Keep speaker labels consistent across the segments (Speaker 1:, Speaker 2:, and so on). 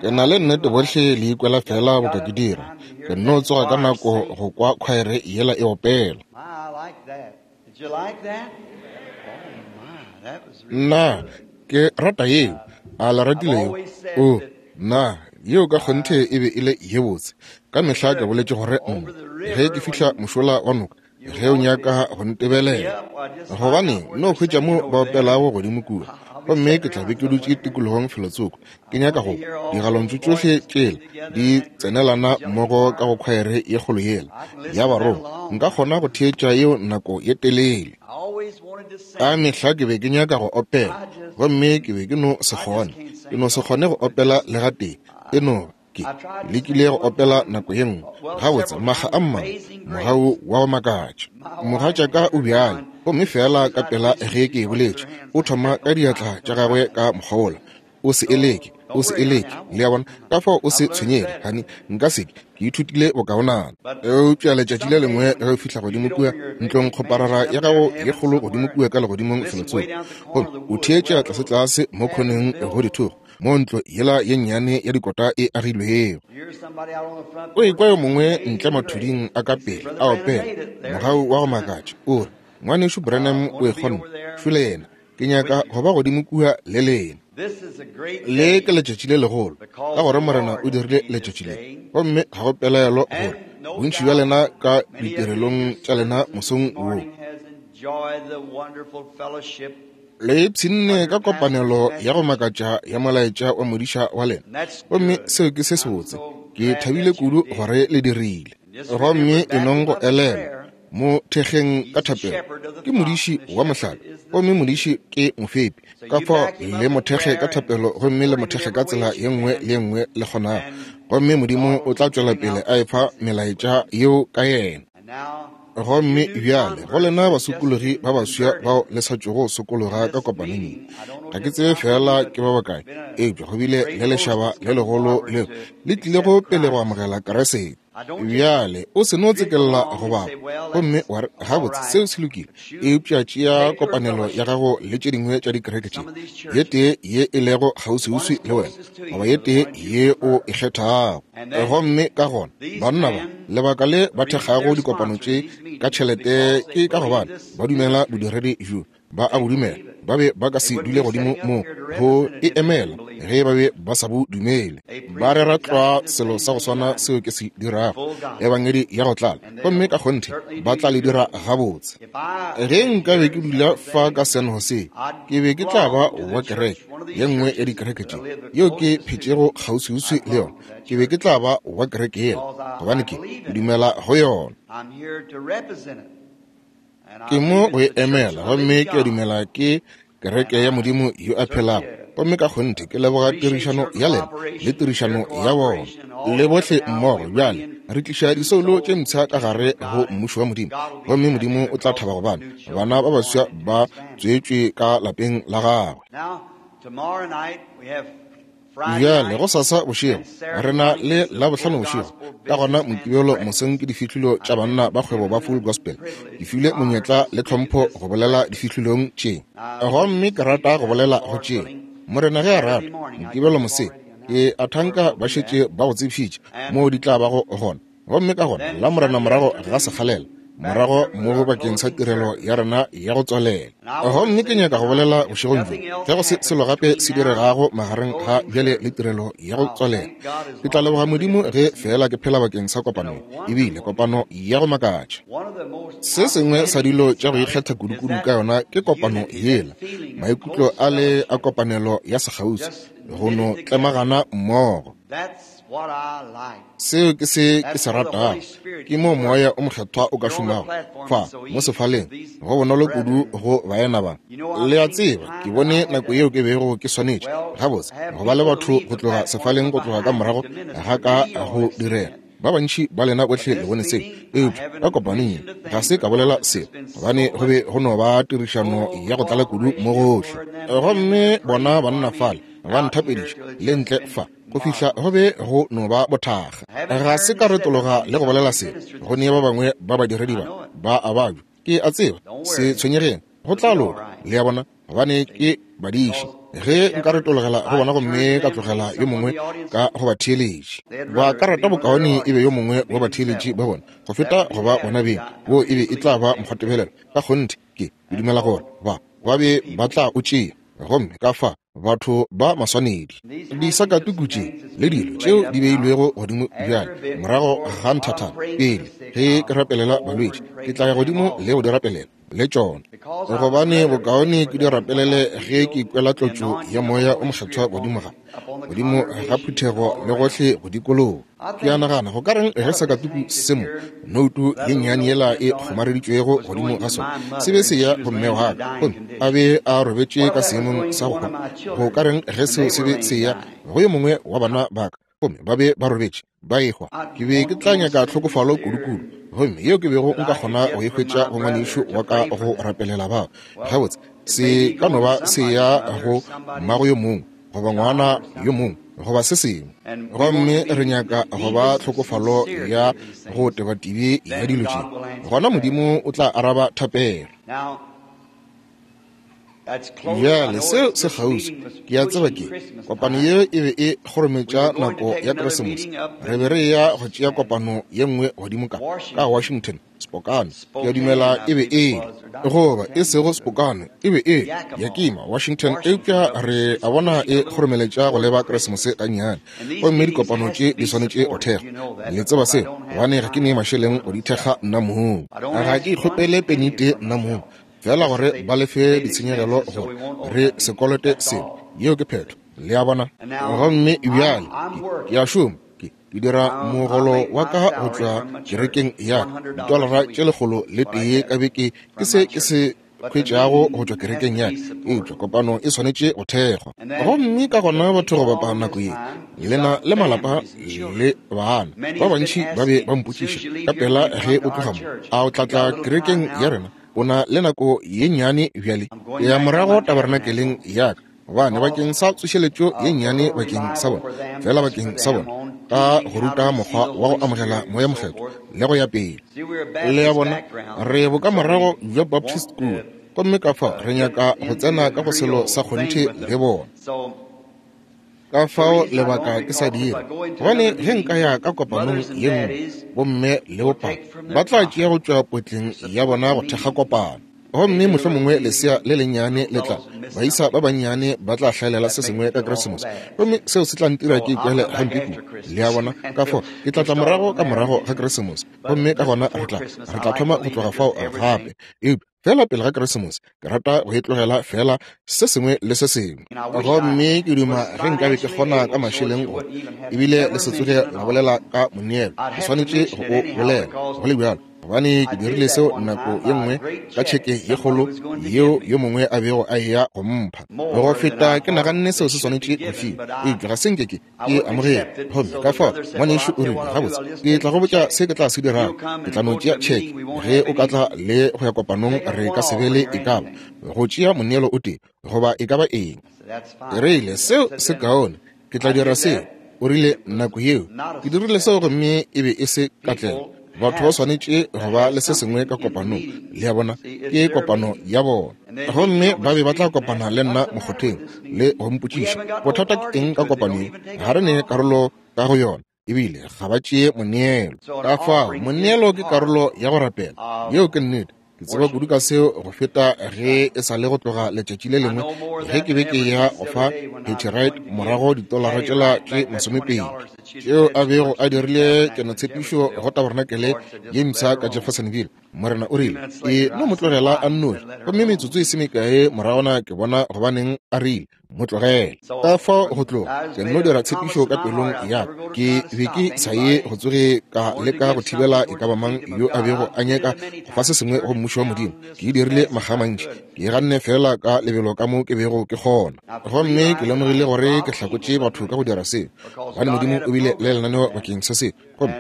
Speaker 1: Ke na le nnete bohle le ikwela feela boka ke dira. Ke nno tsoga ka nako go kwa khwaere yela e opela. Nna, ke rata yeo. A le ratile yeo? Oo, nna, yeo ka kgonthe e be e le ye botse. Ka mehla ke boletše gore nna, ge ke fihla mošola wa noka, ge o nyaka go ntebelela, gobane no hwetša mo ba opelago godimo kua, gomme ke tla be ke dutše tikologong felotsoko, ke nyaka go kwa digalontšu tšohle tšela di tsenelana mmogo ka go khwaere ye kgolo yela ya barongwa. Nka kgona go theetša yeo nako ye telele. Ka mehla ke be ke nyaka go opela, gomme ke be ke no se kgone. Ke no se kgone go opela le gatee. E no ke lekile go opela nako ye nngwe, gabotse makga a mmalwa, Mogau wa go Makatša. Mogatšaka o bjale, gomme feela ka pela ge ke e boletše, o thoma ka diatla tša gagwe ka mokgwa wola. O se e leke, o se e leke. Le a bona? Ka fao o se tshwenyege, hani, nka se ke. Ke ithutile bokaonana. Eupša letšatši le lengwe ge o fihla godimo kua ntlongkgoparara ya gago ye kgolo godimo kua ka legodimong felotsoko, gomme o theetša tlasetlase mo khoneng go dithogo, moo ntlo yela ye nnyane ya dikota e agilwego. O ekwa yo mongwe ntle mathuding a ka pele a opela, Mogau wa go makatša, o re, Ngwanešu Branham o e kgonne. Šole yena. Ke nyaka go ba godimo kua le lena. Le ke letšatši le legolo, ka gore Morena o dirile letšatši le. Gomme ga go pelaelo gore bontši bja lena ka ditirelong tša lena mosong wo le ipshinne ka kopanelo ya go makatša ya molaetša wa modiša wa lena. Gomme seo ke se sebotse. Ke thabile kudu gore le dirile. Gomme e nong go elelwa, mo thekgeng ka thapelo. Ke modiši wa mohlala, gomme modiši ke mofepi. Ka fao le mo thekge ka thapelo gomme le mo thekge ka tsela ye nngwe le ye nngwe le kgonago, gomme Modimo o tla tšwela pele a efa melaetša yeo ka yena. Gomme bjale go lena basokologi ba baswa bao le sa tšogo sokologa ka kopanong ye, ga ke tsebe feela ke ba bakae, eupša go bile le lešaba le legolo leo le tlilego pele go amogela Keresete. Bjale o se no tsekelela go bapa gomme wa re, Gabotse, seo se lokile. Eupša tšea kopanelo ya gago le tše dingwe tša dikereke tše, ye tee ye e lego kgauswiuswi le wena, goba ye tee ye o e kgethago. Gomme ka gona banna ba, lebaka le ba thekgago dikopano tše ka tšhelete ke ka gobane ba dumela bodiredi bjo. Ba a bo dumela. Ba be ba ka se dule godimo mo go e emela ge ba be ba sa bo dumele. Ba rera tlwa selo sa go swana seo ke se dirago, Ebangedi ya go tlala, gomme ka kgonthe ba tla le dira gabotse. Ge nka be ke dula fa ka San Jose, ke be ke tla ba wa kereke ye nngwe ya dikereke tše yeo ke phetšego kgauswiuswi le yona. Ke be ke tla ba wa kereke yela gobane ke dumela go yona. Ke mo go e emela, gomme ke a dumela ke kereke ya Modimo yo a phelago. Gomme ka kgonthe ke leboga tirišano ya lena le tirišano ya bona le bohle mmogo. Bjale re tliša disoulo tše mpsha ka gare go Mmušo wa Modimo, gomme Modimo o tla thaba gobane bana ba baswa ba tswetšwe ka lapeng la gagwe. Bjale, gosasa bošego, re na le Labohlano bošego, ka gona Mokibelo mosong ke difihlolo tša banna ba kgwebo ba Full Gospel. Ke filwe monyetla le tlhompho go bolela difihlolong tše. Gomme ke rata go bolela go tše, Morena ge a rata, Mokibelo moseng. Ke a thanka ba šetše ba go tsebišitše moo di tla bago gona. Gomme ka gona Lamorena morago ga sekgalela, morago mo bakeng sa tirelo ya rena ya go tswalela. Gomme ke nyaka go bolela bošegong bjo, ge go se selo gape se diregago magareng ga bjale le tirelo ya go tswalela. Ke tla leboga Modimo ge feela ke phela bakeng sa kopano ye. E bile kopano ya go makatša. Se sengwe sa dilo tša go ikgetha kudukudu ka yona ke kopano yela, maikutlo a le a kopanelo ya sekgauswi, go no tlemagana mmogo. Seo ke se ke se ratago. Ke moo Moya o Mokgethwa o ka šomago, fa mo sefaleng. Go bonolo kudu go baena ba. Le a tseba, ke bone nako yeo ke bego ke swanetše, gabotse, go ba le batho go tloga sefaleng go tloga ka morago ga ka go direla. Ba bantši ba lena bohle le bone seo. Eupša ka kopanong ye, ga se ka bolela seo, gobane go be go no ba tirišano ya go tlala kudu mo gohle. Gomme bona banna fale ba nthapediša, le ntle fa, go fihla go be go no ba bothakga. Ga se ka retologa le go bolela selo go ne ba bangwe ba badiredi ba ba a babja. Ke a tseba, se tshwenyegeng, go tla loka. Le a bona? gobane ke badiši. Ge nka retologela go bona gomme ka tlogela yo mongwe ka go batheeletši, ba ka rata bokaone e be yo mongwe wa batheeletši ba bona go feta go ba bona beng. Wo e be e tla ba mokgwatebelelo ka kgonthe. Ke dumela gore ba be ba tla o tšea. Gomme ka fa batho ba maswanedi, disakatuku tše le dilo tšeo di beilwego godimo bjale morago ga nthathana, pele ge ke rapelela balwetši, ke tla ya godimo le go di rapelela le tšona, gobane bokaone ke di rapelele ge ke ikwela tlotšo ya Moya o Mokgethwa godimo ga phuthego le gohle go dikologa. Ke a nagana go ka reng ge sakatuku se mo noutu ye nnyane yela e kgomareditšwego godimo ga sona se be se ya go mme wa ka, gomme a be a robetše ka seemong sa go hwa. Go ka reng ge seo se be se ya go yo mongwe wa bana ba ka, gomme ba be ba robetše ba ehwa? Ke be ke tla nyaka tlhokofalo kudu-kudu, gomme yeo ke bego nka kgona go e hwetša go ngwanešu wa ka go rapelela bao. Gabotse, se ka no ba se ya go mmago yo mongwe goba ngwana yo mongwe goba se sengwe. Gomme re nyaka go ba tlhokofalo ya go tebatibe ya dilo tše, gona Modimo o tla araba thapelo. Bjale seo se kgauswi, ke a tseba ke kopano ye e be e kgorometša nako ya Keresemose. Re be re ya go tšea kopano ye nngwe godimo ka Washington, Spokane, ke a dumela e be e le, goba e sego Spokane, e be e Yakima, Washington. Eupša re a bona e kgoromeletša go leba Keresemose gannyane, gomme dikopano tše di swanetše go thekgwa. Le tseba seo, gobane ga ke ne mašeleng go di thekga nna mong. Ga ke ikgopele penite nna mong, fela gore ba lefe ditshenyegelo gore re se kolote selo. Yeo ke phetho, le a bona. Gomme bjale ke a šoma, ke dira mogolo wa ka go tšwa kerekeng ya ka, ditolara tše 101 ka beke ke se ke se hwetšago go tšwa kerekeng ya ka, eupša kopano e swanetše go thekgwa. Gomme ka gona batho go bapa nako ye lena le malapa le bana ba bantši ba be ba mpotšiša ka pela ge o tloga mo, a o tla tla kerekeng ya rena? O na le nako ye nnyane bjale, ya morago tabernakeleng ya ka, gobane bakeng sa tsošeletšo ye nnyane bakeng sa bona, fela bakeng sa bona, ka go ruta mokgwa wa go amogela Moya Mokgethwa le go ya pele. Le a bona, re bokamorago bja Baptist kua, gomme ka fao re nyaka go tsena ka go selo sa kgonthe le bona. Ka fao lebaka ke sa dira, gobane ge nka ya ka kopanong ye nngwe, bomme le bopapa ba tla tšea go tšwa potleng ya bona go thekga kopano. Gomme mohlomongwe lesea le lennyane le tla, baisa ba bannyane ba tla hlaelela se sengwe ka Keresemose, gomme seo se tla ntira ke ikwele gampe kudu. Le a bona? Ka fao ke tla tla morago ka morago ga Keresemose, gomme ka gona re tla thoma go tloga fao gape. Eupša fela pele ga Keresemose, ke rata go e tlogela fela se sengwe le se sengwe. Gomme ke duma ge nkabe ke kgona ka mašeleng gore ebile le se tsoge la bolela ka moneelo. Ke swanetše go o bolela go le bjalo, gobane ke dirile seo nako ye nngwe ka tšheke ye kgolo yeo yo mongwe a bego a eya go mpha. Go feta ke naganne seo se swanetše go fiwa, eupša ga se nke ke ke amogele. Gomme ka fao ngwanešu o rile, gabotse, ke tla go botša se ke tla se dirago. Ke tla no tšea tšheke. Ge o ka tla le go ya kopanong, re ka se be le e ka ba go tšea moneelo o tee goba e ka ba eng. Ke rile, seo se kaone, ke tla dira seo. O rile, nako yeo ke dirile seo gomme e be e se katlego. Batho ba swanetše go ba le se sengwe ka kopanong, le a bona, ke kopano ya bona. Gomme ba be ba tla kopana le nna mokgotheng le go mpotšiša, bothata ke eng ka kopano ye? Ga re ne karolo ka go yona, ebile ga ba tšee moneelo. Ka fao moneelo ke karolo ya go rapela. Yeo ke nnete. Ke tseba kudu ka seo go feta ge e sa le go tloga letšatši le lengwe ge ke be ke ya go fa Hattie Wright morago ditolara tšela tše 20 tšeo a bego a dirile kenotshepišo go tabernakelé ye mpsha ka Jeffersonville. Morena o rile, e no mo tlogela a nnoši. Gomme metsotso e se mekae moragona ke bona gobaneng a rile, mo tlogele. Ka fao go tloga, ke nno dira tshepišo ka pelong ya ka. Ke be ke sa ye go tsoge ka leka go thibela e ka ba mang yo a bego a nyaka go fa se sengwe go Mmušo wa Modimo. Ke e dirile makga a mantši, ke e ganne feela ka lebelo ka mo ke bego ke kgona. Gomme ke lemogile gore ke hlakotše batho ka go dira seo, gobane Modimo o bile le lenaneo bakeng sa seo, gomme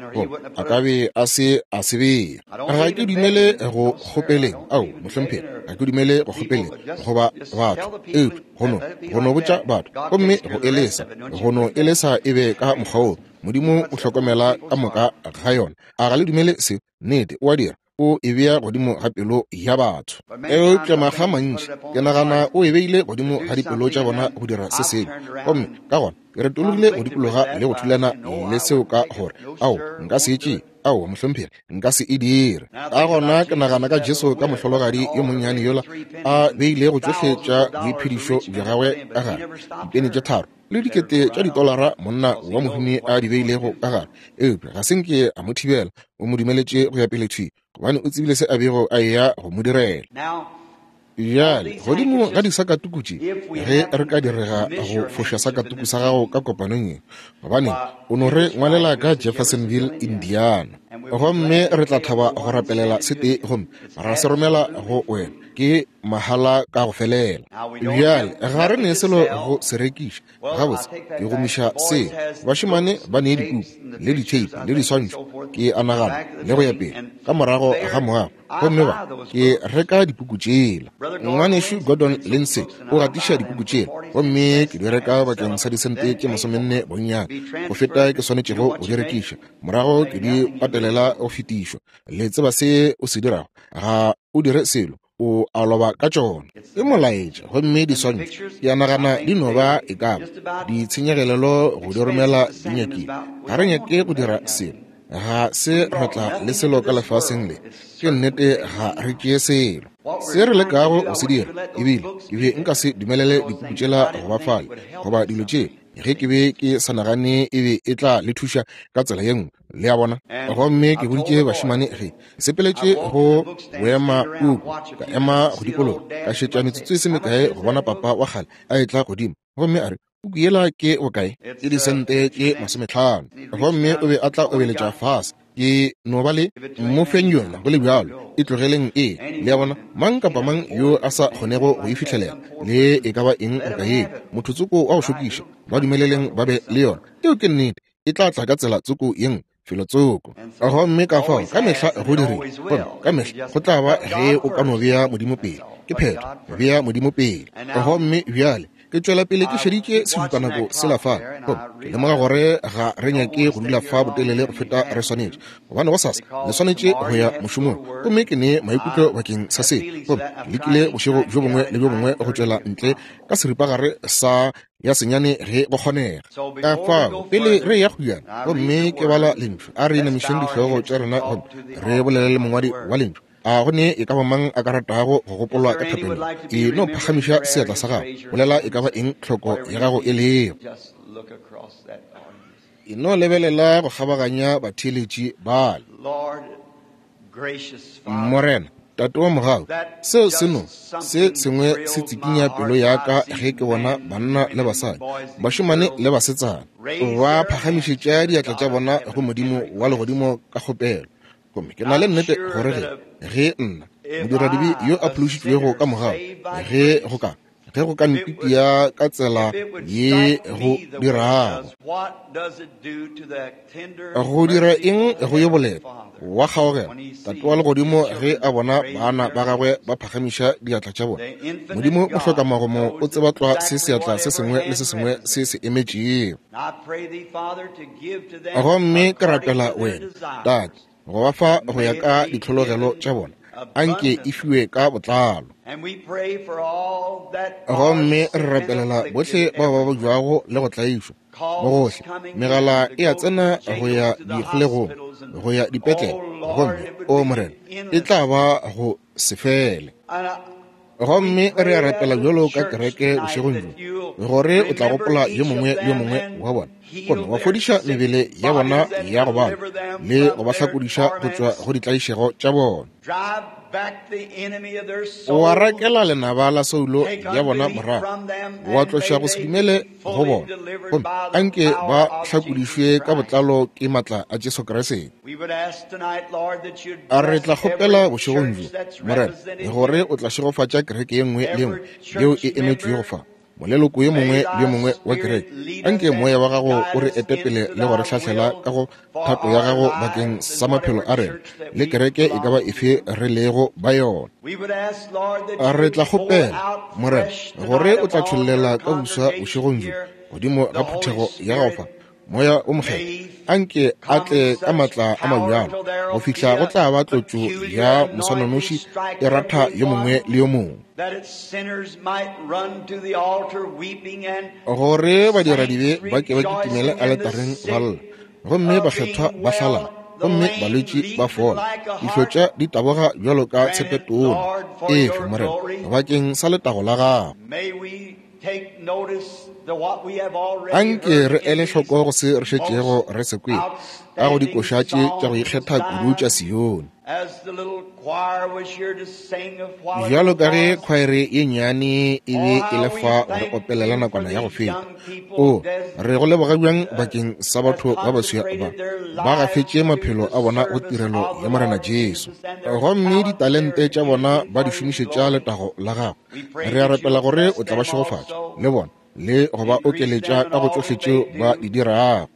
Speaker 1: a ka be a se a se bea. Ga ke dumele go kgopeleng, ao, mohlomphegi, ga ke dumele go kgopeleng goba batho, eupša go no botša batho gomme go elesa, go no elesa e be ka mokgwa woo. Modimo o hlokomela ka moka ga yona. A ga le dumele seo? Nnete, o a dira. O e bea godimo ga pelo ya batho. Eupša makga a mantši, ke nagana o e beile godimo ga dipelo tša bona go dira se sengwe. Gomme ka gona ke retologile go dikologa le go thulana le seo ka gore, Ao, nka se e tšee. Aowa, mohlomphegi, nka se e dire. Ka gona ke nagana ka Jesu ka mohlologadi yo monnyane yola a beilego tšohle tša boiphedišo bja gagwe ka gare, dipeni tše tharo le dikete tša ditolara monna wa mohumi a di beilego ka gare, eupša ga se nke a mo thibela, o mo dumeletše go ya pele thwi, gobane o tsebile se a bego a eya go mo direla. Bjale, godimo ga disakatuku tše, ge re ka direga go foša sakatuku sa gago ka kopanong ye, gobane o no re ngwalela ka Jeffersonville, Indiana, gomme re tla thaba go rapelela se tee gomme ra se romela go wena, ke mahala ka go felela. Bjale, ga re ne selo go se rekiša. Gabotse, ke gomiša se. Bašemane ba ne dipuku le ditheipi le diswantšho, ke a nagana, le go ya pele, ka morago ga moago. Gomme ba, ke reka dipuku tšela. Ngwanešu Gordon Lindsay o gatiša dipuku tšela, gomme ke di reka bakeng sa disente tše masomenne bonnyane go feta ke swanetšego go di rekiša. Morago ke di patelela go fetišwa. Le tseba se o se dirago, ga o dire selo, o a loba ka tšona. Ke molaetša, gomme diswantšho, ke a nagana di no ba e ka ba ditshenyagelelo go di romela di nyakile. Ga re nyake go dira selo, ga se ra tla le selo ka lefaseng le. Ke nnete, ga re tšee selo. Se re lekago go se dira, ebile ke be nka se dumelele dipuku tšela go ba fale, goba dilo tše, ge ke be ke sa nagane e be e tla le thuša ka tsela ye nngwe. Le a bona? Gomme ke boditše bašemane ge ke sepeletše go boema puku, ka ema go dikologa, ka šetša metsotso e se mekae go bona papa wa kgale a etla godimo, gomme a re, Puku yela ke bokae? Ke disente tše 50. Gomme o be a tla obeletša fase. Ke no ba le mo feng yona go le bjalo, e tlogeleng e. Le a bona? Mang kapa mang yo a sa kgonego go e fihlelela, le e ka ba eng boka yeo, motho tsoko wa go šokiša, ba dumeleleng ba be le yona. Yeo ke nnete. E tla tla ka tsela tsoko ye nngwe, felo tsoko. Gomme ka fao ka mehla go dirile, gomme ka mehla go tla ba ge o ka no bea Modimo pele. Ke phetho, bea Modimo pele. Gomme bjale ke tšwela pele ke šeditše sešupanako sela fale, gomme ke lemoga gore ga re nyake go dula fa botelele go feta re swanetše, gobane gosasa le swanetše go ya mošomong. Gomme ke ne maikutlo bakeng sa se, gomme ke lekile bošego bjo bongwe le bjo bongwe go tšwela ntle ka seripagare sa ya senyane ge go kgonega. Ka fao, pele re ya go yana gomme ke bala lentšu, a re inamišeng dihlogo tša rena gomme re bolele le mongwadi wa lentšu. A go ne e ka ba mang a ka ratago go gopolwa ka thapelo? E no phagamiša seatla sa gago, bolela e ka ba eng tlhoko ya gago e lego. E no lebelela go kgabaganya batheeletši bale. Morena, Tate wa mogau, seo se no se sengwe se tsikinya pelo ya ka ge ke bona banna le basadi, bašemane le basetsana, ba phagamišetša diatla tša bona go Modimo wa legodimo ka kgopelo. Gomme ke na le nnete gore ge, ge nna, modiradibe yo a phološitšwego ka mogau, ge go ka ge go ka ntitia ka tsela ye go dirago. Go dira eng go yo boleta wa kgaogelo Tate wa legodimo ge a bona bana ba gagwe ba phagamiša diatla tša bona? Modimo mohlokamagomo o tseba tlwa se seatla se sengwe le se sengwe se se emetšego. Gomme ke rapela wena, Tate, go ba fa go ya ka ditlhologelo tša bona, anke e fiwe ka botlalo. Gomme re rapelela bohle bao ba bojwago le go tlaišwa mo gohle. Megala e a tsena go ya dikgolegong, go ya dipetlele, gomme, o Morena, e tla ba go se fele. Gomme re a rapela bjalo ka kereke bošegong bjo, gore o tla gopola yo mongwe le yo mongwe wa bona, gomme wa fodiša mebele ya bona ya go bala le go ba hlakodiša go tšwa go ditlaišego tša bona. Wa rakela lenaba la soulo ya bona morago, wa tloša go se dumele go bona, gomme anke ba hlakodišwe ka botlalo ke matla a Jesu Kriste. A re tla kgopela bošegong bjo, Morena, gore o tla šegofatša kereke ye nngwe le ye nngwe yeo e emetšwego fa, moleloko yo mongwe le yo mongwe wa kereke. Anke Moya wa Gago o re ete pele le go re hlahlela ka go thato ya Gago bakeng sa maphelo a rena le kereke e ka ba efe re lego ba yona. A re tla kgopela, Morena, gore o tla tšhollela ka boswa bošegong bjo godimo ga phuthego ya gago fa. Moya o Mokgethwa, anke a tle ka maatla a mabjalo go fihla go tla ba tlotšo ya moswananoši e ratha yo mongwe le yo mongwe, gore badiradibe ba ke ba kitimele aletareng ba lla, gomme bakgethwa ba hlalala, gomme balwetši ba fola, dihlotša di taboga bjalo ka tshepetona. Efe, Morena, bakeng sa letago la gago. Anke re ele hloko go se re šetšego re se kwele ka go dikoša tše tša go ikgetha kudu tša Sione. Bjalo ka ge khwaere ye nnyane e be e le fa go re opelela nakwana ya go feta, o re go leboga bjang bakeng sa batho ba baswa ba ba gafetše maphelo a bona go tirelo ya Morena Jesu, gomme ditalente tša bona ba di šomišetša letago la gagwe. Re a rapela gore o tla ba šegofatša le bona le go ba okeletša ka go tšohle tšeo ba di dirago.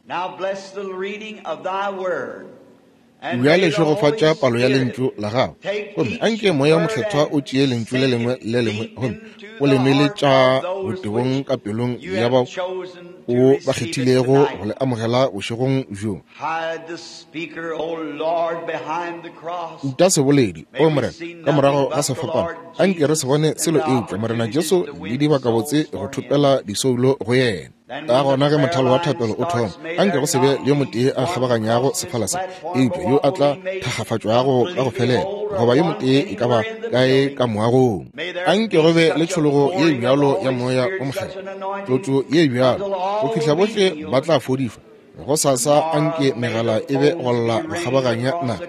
Speaker 1: Bjale šegofatša palo ya lentšu la gago, gomme anke Moya wo Mokgethwa o tšee lentšu le lengwe le lengwe gomme o le nweletša botebong ka pelong ya bao o ba kgethilego go le amogela bošegong bjo. Uta seboledi, O Morena, ka morago ga sefapano, anke re se bone selo eupša Morena Jesu le dibakabotse go thopela disoulo go yena. Ka gona ge mothalo wa thapelo o thoma, anke go se be le yo motee a kgabaganyago sefala se, eupša yo a tla thakgafatšwago ka go felela, goba yo motee e ka ba kae ka moagong. Anke go be le tšhologo ye bjalo ya Moya wo Mokgethwa, tlotšo ye bjalo, go fihla bohle ba tla fodišwa. Go sasa anke megala e be go lla go kgabaganya naga,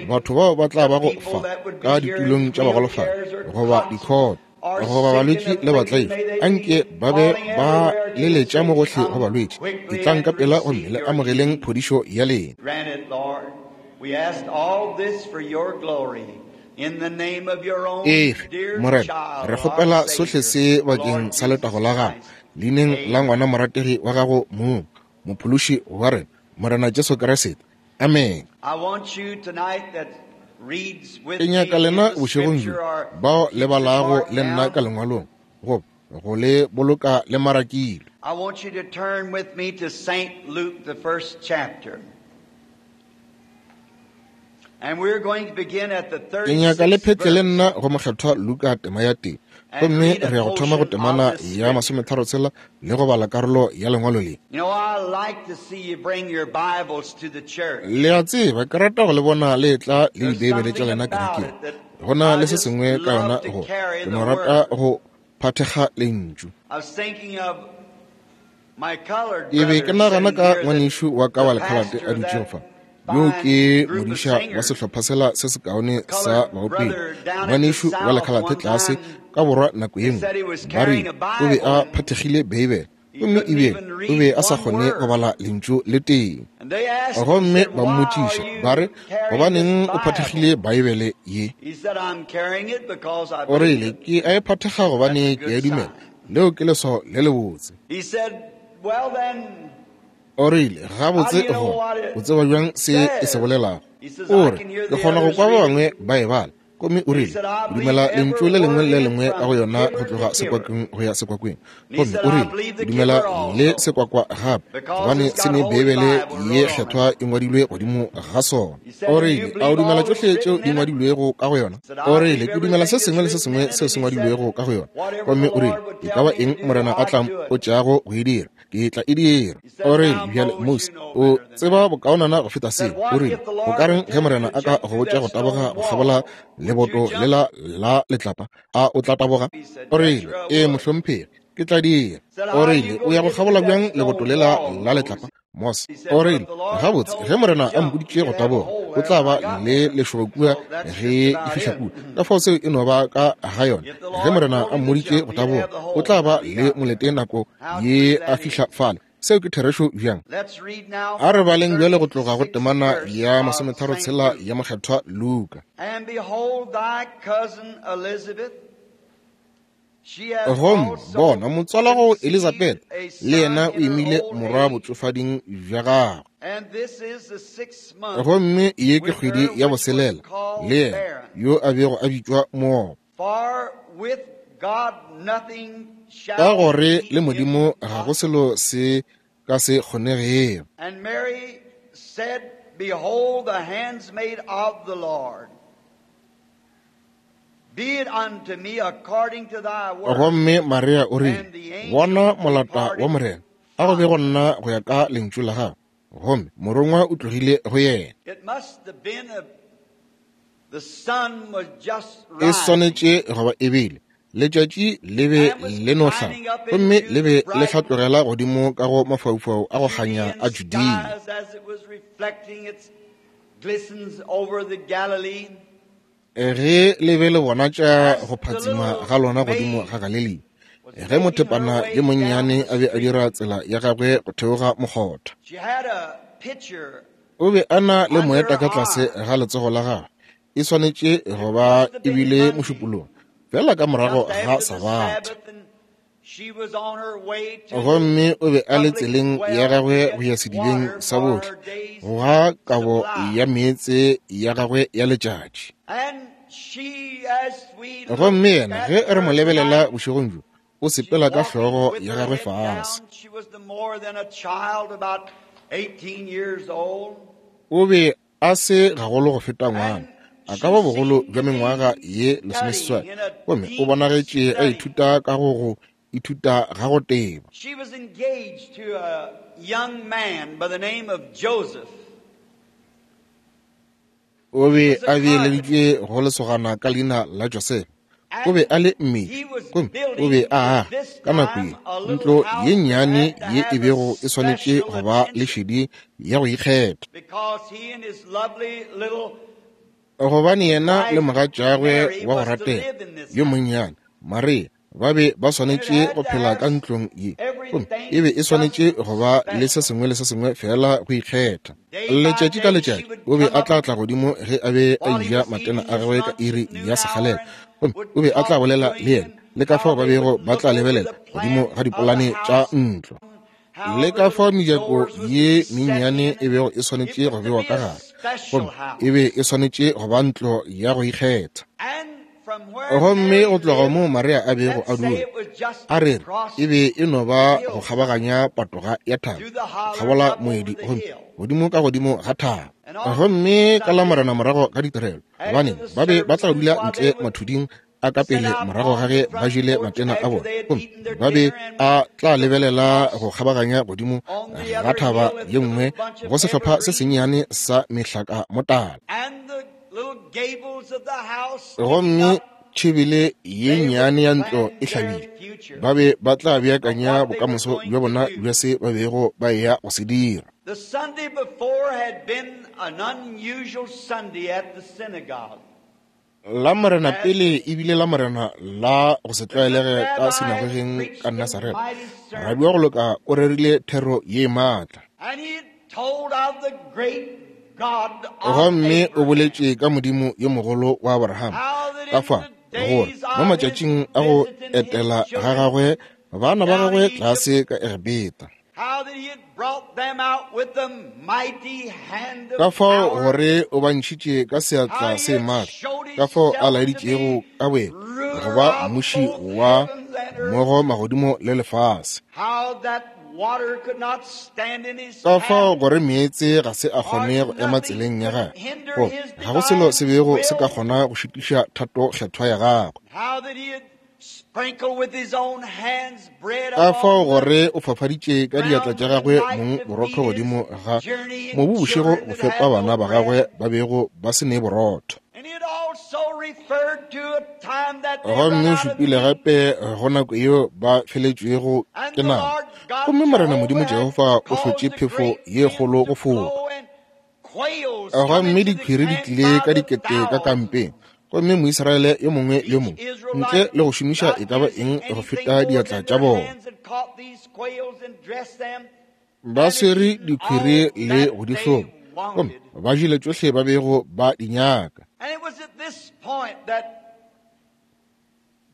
Speaker 1: batho bao ba tla bago fa ka ditulong tša bagolofadi goba dikhoto goba balwetši le batlaišwa, anke ba be ba leletša mo gohle go balwetši, etlang ka pela gomme le amogeleng phodišo ya lena. Efe, Morena, re kgopela sohle se bakeng sa letago la gago, leineng la ngwana morategi wa gago mong, Mophološi wa rena, Morena Jesu Kriste. Amene. Ke nyaka lena bošegong bjo, bao le balago le nna ka Lengwalong, goba go le boloka le marakilwe.
Speaker 2: I want you to turn with me to St. Luke, the first chapter. And we're going to begin at the
Speaker 1: Ke nyaka le
Speaker 2: 36th
Speaker 1: phetle le
Speaker 2: verse.
Speaker 1: nna go Mokgethwa Luka tema ya tee, gomme re ya go thoma go temana ya masometharotshela le go bala karolo ya lengwalo le.
Speaker 2: You know, I like to see you bring your Bibles to the church.
Speaker 1: Le a tseba, ke rata go le bona le etla le
Speaker 2: There's
Speaker 1: Dibeibele tša
Speaker 2: something
Speaker 1: lena
Speaker 2: about
Speaker 1: kerekeng.
Speaker 2: it that
Speaker 1: Go na
Speaker 2: I
Speaker 1: le se
Speaker 2: just
Speaker 1: sengwe ka yona
Speaker 2: love to
Speaker 1: go
Speaker 2: carry
Speaker 1: ke
Speaker 2: the
Speaker 1: no rata
Speaker 2: Word.
Speaker 1: go phathekga lentšu.
Speaker 2: I was thinking of my colored
Speaker 1: Ke be
Speaker 2: brother
Speaker 1: ke nagana
Speaker 2: sitting
Speaker 1: ka
Speaker 2: here that
Speaker 1: ngwanešu wa ka
Speaker 2: the
Speaker 1: wa lekhalate
Speaker 2: pastor
Speaker 1: a
Speaker 2: of
Speaker 1: dutšego
Speaker 2: that
Speaker 1: fa, yo
Speaker 2: fine
Speaker 1: ke
Speaker 2: group of
Speaker 1: modiša wa
Speaker 2: singers,
Speaker 1: sehlopha sela se sekaone
Speaker 2: the
Speaker 1: sa
Speaker 2: colored
Speaker 1: baopedi,
Speaker 2: brother down at the
Speaker 1: ngwanešu wa
Speaker 2: South
Speaker 1: lekhalate
Speaker 2: one
Speaker 1: tlase
Speaker 2: time,
Speaker 1: ka borwa nako ye
Speaker 2: they
Speaker 1: nngwe,
Speaker 2: said he was
Speaker 1: ba rile
Speaker 2: carrying a
Speaker 1: o be
Speaker 2: Bible
Speaker 1: a
Speaker 2: and
Speaker 1: phathekgile Beibele,
Speaker 2: he
Speaker 1: gomme
Speaker 2: couldn't
Speaker 1: ebile
Speaker 2: even
Speaker 1: o
Speaker 2: read
Speaker 1: be a sa
Speaker 2: one
Speaker 1: kgone go
Speaker 2: word.
Speaker 1: bala lentšu le tee.
Speaker 2: And they asked him,
Speaker 1: Gomme
Speaker 2: said,
Speaker 1: ba
Speaker 2: Why are
Speaker 1: mmotšiša ba re,
Speaker 2: you carrying this
Speaker 1: Gobaneng o
Speaker 2: Bible?
Speaker 1: phathekgile Beibele ye?
Speaker 2: He said, I'm carrying it because I
Speaker 1: O
Speaker 2: believe
Speaker 1: rile,
Speaker 2: it.
Speaker 1: Ke a e phathekga
Speaker 2: That's a
Speaker 1: gobane ke a
Speaker 2: good
Speaker 1: dumela.
Speaker 2: sign.
Speaker 1: Leo ke leswao le lebotse.
Speaker 2: He said, Well then,
Speaker 1: O rile,
Speaker 2: how do
Speaker 1: Gabotse
Speaker 2: you know
Speaker 1: gona,
Speaker 2: what
Speaker 1: o
Speaker 2: it
Speaker 1: tseba bjang se e se
Speaker 2: says?
Speaker 1: bolelago?
Speaker 2: He says,
Speaker 1: O
Speaker 2: I
Speaker 1: re,
Speaker 2: can hear
Speaker 1: Ke
Speaker 2: the
Speaker 1: kgona go
Speaker 2: others
Speaker 1: kwa ba
Speaker 2: read it.
Speaker 1: bangwe ba e bala. Gomme o
Speaker 2: He
Speaker 1: rile,
Speaker 2: said, I
Speaker 1: Ke
Speaker 2: believe
Speaker 1: dumela
Speaker 2: every
Speaker 1: lentšu le lengwe
Speaker 2: word
Speaker 1: le
Speaker 2: in it
Speaker 1: lengwe ka go
Speaker 2: from
Speaker 1: yona go
Speaker 2: kibber to
Speaker 1: tloga
Speaker 2: kibber.
Speaker 1: sekwakweng go ya sekwakweng.
Speaker 2: And he
Speaker 1: Gomme
Speaker 2: said,
Speaker 1: o
Speaker 2: I
Speaker 1: rile,
Speaker 2: believe
Speaker 1: Ke
Speaker 2: the
Speaker 1: dumela
Speaker 2: kibber
Speaker 1: le
Speaker 2: also,
Speaker 1: sekwakwa gape,
Speaker 2: because
Speaker 1: gobane
Speaker 2: it's
Speaker 1: se
Speaker 2: got
Speaker 1: ne
Speaker 2: Holy
Speaker 1: Beibele
Speaker 2: Bible
Speaker 1: ye
Speaker 2: wrote on it.
Speaker 1: kgethwa e ngwadilwe godimo ga sona.
Speaker 2: He said,
Speaker 1: O
Speaker 2: Do you
Speaker 1: rile, A o
Speaker 2: believe
Speaker 1: dumela
Speaker 2: all that's
Speaker 1: tšohle tšeo
Speaker 2: written
Speaker 1: di
Speaker 2: in it?
Speaker 1: ngwadilwego ka go yona?
Speaker 2: He said,
Speaker 1: O
Speaker 2: I
Speaker 1: rile,
Speaker 2: believe
Speaker 1: Ke dumela se
Speaker 2: everything that's
Speaker 1: sengwe le se
Speaker 2: written
Speaker 1: sengwe
Speaker 2: in it.
Speaker 1: seo
Speaker 2: And
Speaker 1: se
Speaker 2: he said,
Speaker 1: ngwadilwego ka go yona.
Speaker 2: Whatever
Speaker 1: Gomme
Speaker 2: the
Speaker 1: o rile,
Speaker 2: Lord would
Speaker 1: E ka
Speaker 2: tell
Speaker 1: ba
Speaker 2: me to
Speaker 1: eng
Speaker 2: do,
Speaker 1: Morena a
Speaker 2: I'd
Speaker 1: tla
Speaker 2: do it.
Speaker 1: mpotšago go e dira, ke tla e dira.
Speaker 2: He said,
Speaker 1: O rile,
Speaker 2: Now,
Speaker 1: Bjale,
Speaker 2: Moses,
Speaker 1: Mose,
Speaker 2: you know
Speaker 1: o
Speaker 2: better than
Speaker 1: tseba
Speaker 2: that.
Speaker 1: bokaonana go feta
Speaker 2: Said,
Speaker 1: seo. O
Speaker 2: What
Speaker 1: rile,
Speaker 2: if the
Speaker 1: Go
Speaker 2: Lord
Speaker 1: ka reng
Speaker 2: would
Speaker 1: ge
Speaker 2: tell you
Speaker 1: Morena
Speaker 2: to
Speaker 1: a ka
Speaker 2: jump
Speaker 1: go
Speaker 2: through
Speaker 1: botša
Speaker 2: that
Speaker 1: go taboga
Speaker 2: stone
Speaker 1: go kgabola
Speaker 2: wall? Would you
Speaker 1: leboto
Speaker 2: jump?
Speaker 1: lela la letlapa, a o tla taboga?
Speaker 2: He said,
Speaker 1: O
Speaker 2: Yes,
Speaker 1: rile,
Speaker 2: sir, I
Speaker 1: Ee,
Speaker 2: would.
Speaker 1: mohlomphegi, ke tla dira.
Speaker 2: Said,
Speaker 1: O
Speaker 2: How are
Speaker 1: rile,
Speaker 2: you
Speaker 1: O
Speaker 2: going
Speaker 1: ya
Speaker 2: to
Speaker 1: go
Speaker 2: get through
Speaker 1: kgabola
Speaker 2: that
Speaker 1: bjang leboto
Speaker 2: stone
Speaker 1: lela
Speaker 2: wall,
Speaker 1: la
Speaker 2: Moses?
Speaker 1: letlapa? Mose
Speaker 2: He said,
Speaker 1: o
Speaker 2: But
Speaker 1: rile,
Speaker 2: the Lord
Speaker 1: Gabotse,
Speaker 2: told
Speaker 1: ge
Speaker 2: me to
Speaker 1: Morena a
Speaker 2: jump,
Speaker 1: mpoditše
Speaker 2: you'd
Speaker 1: go
Speaker 2: have a
Speaker 1: taboga,
Speaker 2: hole
Speaker 1: o
Speaker 2: there
Speaker 1: tla
Speaker 2: when I
Speaker 1: ba
Speaker 2: got
Speaker 1: le
Speaker 2: there.
Speaker 1: lešoba kua
Speaker 2: So that's just
Speaker 1: ge ke
Speaker 2: about
Speaker 1: fihla
Speaker 2: it.
Speaker 1: kua. Ka fao seo e no ba ka ga yona.
Speaker 2: If the
Speaker 1: Ge
Speaker 2: Lord
Speaker 1: Morena
Speaker 2: told
Speaker 1: a
Speaker 2: him to
Speaker 1: mmoditše
Speaker 2: jump,
Speaker 1: go
Speaker 2: he'd have
Speaker 1: taboga,
Speaker 2: the
Speaker 1: o
Speaker 2: hole
Speaker 1: tla ba
Speaker 2: when he
Speaker 1: le
Speaker 2: got there.
Speaker 1: molete nako
Speaker 2: How true
Speaker 1: ye a
Speaker 2: that
Speaker 1: fihla
Speaker 2: is.
Speaker 1: fale. Seo ke therešo bjang?
Speaker 2: Let's read now
Speaker 1: A re
Speaker 2: from the
Speaker 1: baleng bjale go tloga go
Speaker 2: 36th
Speaker 1: temana
Speaker 2: verse
Speaker 1: ya
Speaker 2: of St.
Speaker 1: masometharotshela
Speaker 2: Luke.
Speaker 1: ya Mokgethwa Luka.
Speaker 2: And behold, thy cousin Elizabeth, she hath
Speaker 1: Gomme
Speaker 2: also
Speaker 1: bona motswalago
Speaker 2: conceived
Speaker 1: Elizabeth
Speaker 2: a
Speaker 1: le
Speaker 2: son
Speaker 1: yena o
Speaker 2: in her
Speaker 1: imile
Speaker 2: old
Speaker 1: morwa
Speaker 2: age,
Speaker 1: botšofading bja gagwe.
Speaker 2: and this is the sixth month
Speaker 1: Gomme ye ke
Speaker 2: with
Speaker 1: kgwedi
Speaker 2: her
Speaker 1: ya
Speaker 2: which was
Speaker 1: boselela le
Speaker 2: called
Speaker 1: yena
Speaker 2: barren.
Speaker 1: yo a bego a bitšwa moopa.
Speaker 2: For with God nothing
Speaker 1: Ka
Speaker 2: shall
Speaker 1: gore
Speaker 2: be
Speaker 1: le Modimo ga go
Speaker 2: impossible.
Speaker 1: selo se ka se kgonegego.
Speaker 2: And Mary said, Behold the handsmaid of the Lord. Be it unto me according to thy word.
Speaker 1: Gomme Maria o rile, Bona molata wa Morena, a go be go nna go ya ka lentšu la gago. Gomme morongwa o tlogile go yena.
Speaker 2: It must have been the sun was just
Speaker 1: E swanetše go ba e bile letšatši le be le no hlaba, gomme le be le hlatlogela godimo ka go mafaufau a go kganya a Judea. Ge le be le bona tša go phatsima ga lona godimo ga Galilea, ge mothepana yo monnyane a be a dira tsela ya gagwe go theoga mokgotha. O be a na le moeta ka tlase ga letsogo la gagwe, e swanetše go ba e bile mošupolong, fela ka morago ga Sabatha. Gomme o be a le tseleng ya gagwe go ya sedibeng sa bohle, go ga kabo ya meetse ya gagwe ya letšatši. Gomme yena, ge re mo lebelela bošegong bjo, o sepela ka hlogo ya gagwe fase. O be a se gagolo go feta ngwana, a ka ba bogolo bja mengwaga ye 18, gomme o bonagetše a ithuta ka go ithuta ga go teba.
Speaker 2: She was engaged to a young man by the name of Joseph.
Speaker 1: O be a beeleditšwe go lesogana ka leina la Joseph. O be a le mmedi, gomme o be a aga ka nako ye ntlo ye nnyane ye e bego e swanetše go ba le šedi ya go ikgetha, gobane yena le mogatšagwe wa go ratega yo monnyane Maria ba be ba swanetše go phela ka ntlong ye, gomme e be e swanetše go ba le se sengwe le se sengwe fela go ikgetha. Letšatši ka letšatši o be a tla tla godimo ge a be a eja matena a gagwe ka iri ya sekgalela, gomme o be a tla bolela le yena le ka fao ba bego ba tla lebelela godimo ga dipolane tša ntlo, le ka fao mejako ye mennyane e bego e swanetše go bewa ka gare, gomme e be e swanetše go ba ntlo ya go ikgetha. Gomme go tloga moo Maria a bego a dula, a re e be e no ba go kgabaganya patoga ya thaba, kgabola moedi, gomme godimo ka godimo ga thaba. Gomme ka la Morena morago ga ditirelo, gobane ba be ba tla dula ntle mathuding a ka pele morago ga ge ba jele matena a bona, gomme ba be a tla lebelela go kgabaganya godimo ga thaba ye nngwe go sehlopha se sennyane sa mehlaka motala. Gomme tšhebele ye nnyane ya ntlo e hlabile, ba be ba tla beakanya bokamoso bja bona bja se ba bego ba eya go se dira.
Speaker 2: The Sunday before had been an unusual Sunday at the synagogue.
Speaker 1: La Morena pele e bile la Morena la go se tlwaelege ka sinagogeng ka Nasaretha. Rabi wa go loka o rerile thero ye maatla.
Speaker 2: And he told of the great God of
Speaker 1: Gomme o
Speaker 2: Abraham.
Speaker 1: boletše ka Modimo yo mogolo wa Abraham, ka fa gore mo matšatšing a go etela ga gagwe bana ba gagwe tlase ka Egepeta,
Speaker 2: How that he had brought them out with the mighty hand
Speaker 1: ka
Speaker 2: of
Speaker 1: fao
Speaker 2: power.
Speaker 1: gore o ba ntšhitše ka seatla se maatla, ka fao a laeditšego ka boyena go ba mmuši wa mmogo magodimo le lefase,
Speaker 2: How that water could not stand in his
Speaker 1: ka fao
Speaker 2: path.
Speaker 1: gore meetse ga se a kgone go ema tseleng ya gagwe, goba ga go selo se bego se ka kgona go šitiša thato kgethwa ya gagwe,
Speaker 2: How that he had sprinkled with his own hands bread
Speaker 1: ka fao
Speaker 2: upon the
Speaker 1: gore o fafaditše ka diatla tša gagwe mong borotho godimo ga mobu bošego go fepa bana ba gagwe ba bego ba se ne borotho.
Speaker 2: And he had also referred to a time that they run
Speaker 1: Gomme o
Speaker 2: out of
Speaker 1: šupile
Speaker 2: meat.
Speaker 1: gape go nako yeo ba feletšwego
Speaker 2: And
Speaker 1: ke
Speaker 2: the
Speaker 1: nama,
Speaker 2: Lord God
Speaker 1: gomme Morena Modimo
Speaker 2: Jehovah had
Speaker 1: Jehofa o
Speaker 2: caused
Speaker 1: hlotše
Speaker 2: a
Speaker 1: phefo
Speaker 2: great
Speaker 1: ye
Speaker 2: wind
Speaker 1: kgolo
Speaker 2: to
Speaker 1: go foka.
Speaker 2: blow and quails come
Speaker 1: Gomme
Speaker 2: into the
Speaker 1: diphiri di
Speaker 2: camp
Speaker 1: tlile
Speaker 2: by
Speaker 1: ka
Speaker 2: the
Speaker 1: dikete ka
Speaker 2: thousands.
Speaker 1: kampeng, gomme Moisraele yo mongwe le yo
Speaker 2: Each
Speaker 1: mongwe ntle
Speaker 2: Israelite
Speaker 1: le go šomiša
Speaker 2: not
Speaker 1: e ka ba
Speaker 2: using
Speaker 1: eng go
Speaker 2: anything
Speaker 1: feta
Speaker 2: more
Speaker 1: diatla
Speaker 2: than
Speaker 1: tša
Speaker 2: their
Speaker 1: bona,
Speaker 2: hands had caught these quails and dressed them
Speaker 1: ba
Speaker 2: and had
Speaker 1: swere
Speaker 2: eaten
Speaker 1: diphiri
Speaker 2: all
Speaker 1: le
Speaker 2: that
Speaker 1: go di
Speaker 2: they
Speaker 1: hloma, gomme
Speaker 2: wanted.
Speaker 1: ba jele tšohle ba bego ba di nyaka.
Speaker 2: And it was at this point that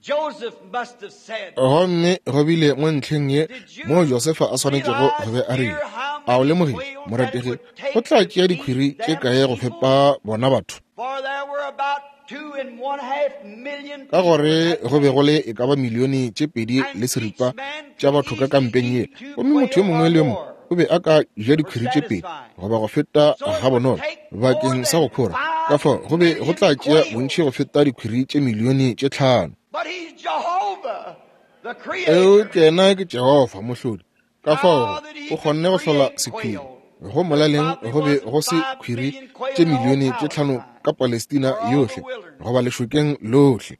Speaker 2: Joseph must have said,
Speaker 1: Gomme go bile mo ntlheng ye
Speaker 2: Did
Speaker 1: mo
Speaker 2: you
Speaker 1: Josefa a swanetšego
Speaker 2: realize,
Speaker 1: go be a rile,
Speaker 2: dear, how
Speaker 1: a o
Speaker 2: many
Speaker 1: lemogile
Speaker 2: quails that it
Speaker 1: morategi
Speaker 2: would
Speaker 1: go
Speaker 2: take
Speaker 1: tla
Speaker 2: to
Speaker 1: tšea
Speaker 2: feed
Speaker 1: dikhwiri tše
Speaker 2: them
Speaker 1: kae go
Speaker 2: people?
Speaker 1: fepa bona batho?
Speaker 2: For there were about 2.5 million
Speaker 1: Ka
Speaker 2: people
Speaker 1: gore
Speaker 2: at
Speaker 1: go be
Speaker 2: that
Speaker 1: go le e ka ba 2.2 milione
Speaker 2: And each
Speaker 1: tša
Speaker 2: man
Speaker 1: batho
Speaker 2: could
Speaker 1: ka
Speaker 2: easily
Speaker 1: kampeng ye,
Speaker 2: eat 2
Speaker 1: gomme motho yo
Speaker 2: quail
Speaker 1: mongwe
Speaker 2: or
Speaker 1: le yo mongwe
Speaker 2: more.
Speaker 1: O be a ka ja dikhwiri tše 2 goba go feta gabonolo bakeng sa go khora. Ka fao go be go tla tšea bontši go feta dikhwiri tše milione tše 5. Eupša yena ke Jehofa, Mohlodi. Ka fao o kgonne go hlola sekhwiri. Go molaleng go be go se khwiri tše milione tše 5 ka Palestina yohle goba lešokeng lohle.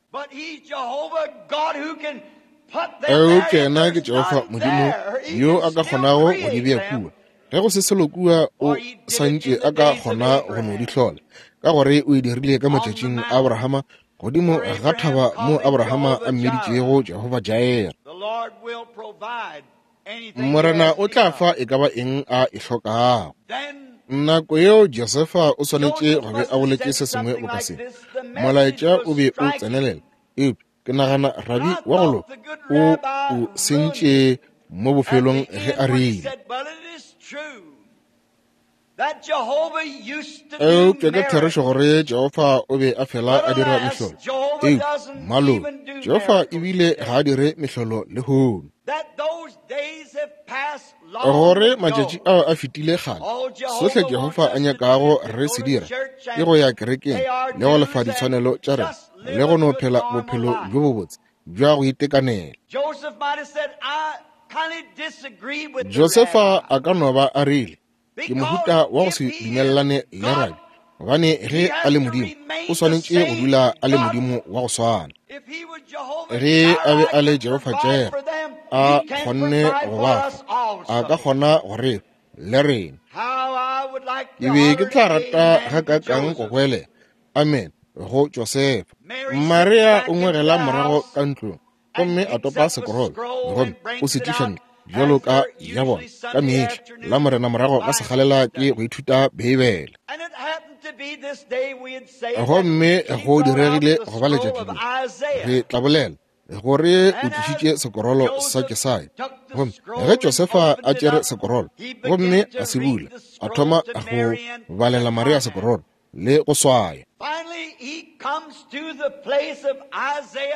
Speaker 1: Eupša yena ke Jehofa Modimo yo a ka kgonago go di bea kua. Ge go se selo kua, o santše a ka kgona go no di hlola, ka gore o e dirile ka matšatšing a Abrahama godimo ga thaba mo Abrahama a mmiditšego Jehofa Jair. Morena o tla fa e ka ba eng a e hlokago. Nako yeo Josefa o swanetše go be a boletše se sengwe boka se. Molaetša o be o tsenelela, eupša ke nagana rabi wa go loka o o sentše mo bofelong ge a rile, Eupša ke therešo gore Jehofa o be a fela a dira mehlolo. Eupša malome, Jehofa ebile ga a dire mehlolo lehono. Gore matšatši ao a fetile kgale, sohle Jehofa a nyakago re se dira ke go ya kerekeng le go lefa ditshwanelo tša rena le go no phela bophelo bjo bobotse bja go itekanela. Josefa a ka no ba a rile, Ke mohuta wa go se dumelelane le rabi, gobane ge a le Modimo, o swanetše go dula a le Modimo wa go swana. Ge a be a le Jehofa Jireh, a kgonne go ba fa, a ka kgona go re fa le rena. Ke be ke tla rata gakaakang go goelela amen go Josefa. Maria o ngwegela morago ka ntlong gomme a topa sekorolo gomme o se tliša ntle bjalo ka ya bona ka mehla la Morena morago ga segalela ke go ithuta Beibele. Gomme go diregile go ba letšatši le re tla bolela gore o tlišitše sekorolo sa Jesaya. Gomme ge Josefa a tšere sekorolo gomme a se bula, a thoma go balela Maria sekorolo le go swaya.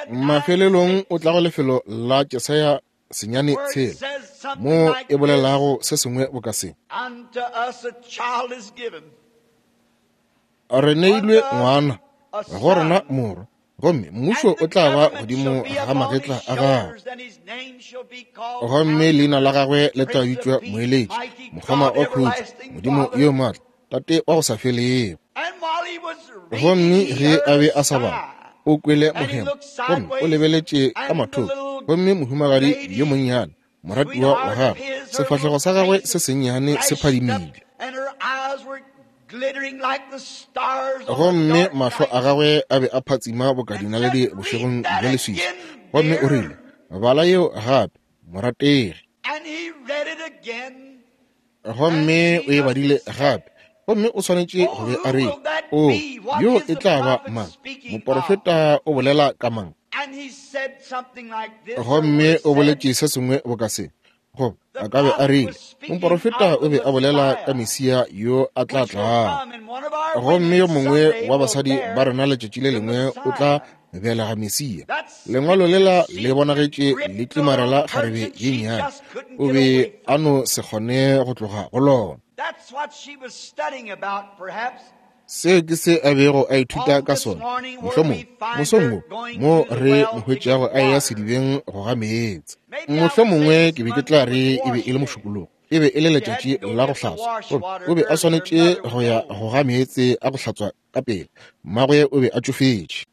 Speaker 1: Mafelelong o tla go lefelo la Jesaya 9:6, mo e bolelago se sengwe boka se. Re neilwe ngwana, go rena morwa, gomme mmušo o tla ba godimo ga magetla a gagwe, gomme leina la gagwe le tla bitšwa Moeletši, Mokgoma wa Khutšo, Modimo yo Maatla, Tate wa go sa felego. Gomme ge a be a sa bala, o kwele mohemo, gomme o lebeletše ka mathoko, gomme mohumagadi yo monnyane, moratiwa wa gagwe, sefahlego sa gagwe se sennyane se phadimile, gomme mahlo a gagwe a be a phatsima boka dinaledi bošegong bja leswiswi. Gomme o rile, Bala yeo gape, morategi. Gomme o e badile gape, gomme o swanetše go be a re, O, yo e tla ba mang? Moporofeta o bolela ka mang? Gomme o boletše se sengwe boka se, goba a ka be a rile, moporofeta o be a bolela ka Mesia yo a tla tlago, gomme yo mongwe wa basadi ba rena letšatši le lengwe o tla belega Mesia. Lengwalo lela le bonagetše le tlimarela kgarebe ye nnyane, o be a no se kgone go tloga go lona. Seo ke se a bego a ithuta ka sona, mohlomongwe mosong wo mo re mo hwetšago a eya sedibeng go ga meetse. Mohlomongwe ke be ke tla re e be e le mošupologo, e be e le letšatši la go hlatswa, gomme o be a swanetše go ya go ga meetse a go hlatswa ka pele. Mmagwe o be a tšofetše.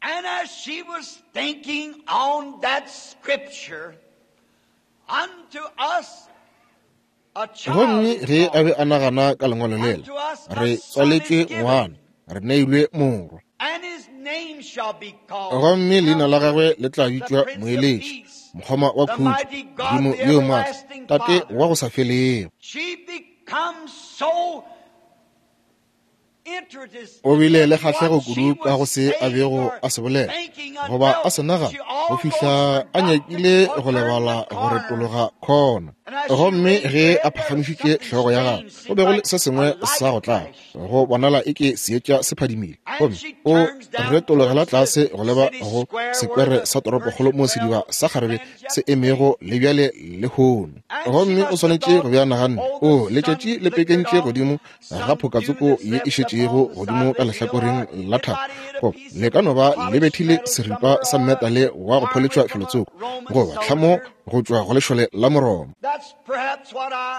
Speaker 1: Gomme ge a be a nagana ka lengwalo lela, re tswaletšwe ngwana, re neilwe morwa, gomme leina la gagwe le tla bitšwa Moeletši, Mokgoma wa Khutšo, Modimo yo Maatla, Tate wa go sa felego. O bile le kgahlego kudu ka go se a bego a se bolela goba a se nagana, go fihla a nyakile go lebala go retologa khona. Gomme ge a phagamišitše hlogo ya gagwe, go be go le se sengwe sa go tlaba, go bonala eke seetša se phadimile. Gomme o retologela tlase go leba go sekwere sa toropokgolo moo sediba sa kgarebe se emego le bjale lehono. Gomme o swanetše go bea naganne, o letšatši le pekentše godimo ga phokatsoko ye e šetšego godimo ka lehlakoreng la thaba, goba le ka no ba le bethile seripa sa metale wa go pholetšwa felotsoko, goba tlhamo go tšwa go lešole la Moroma.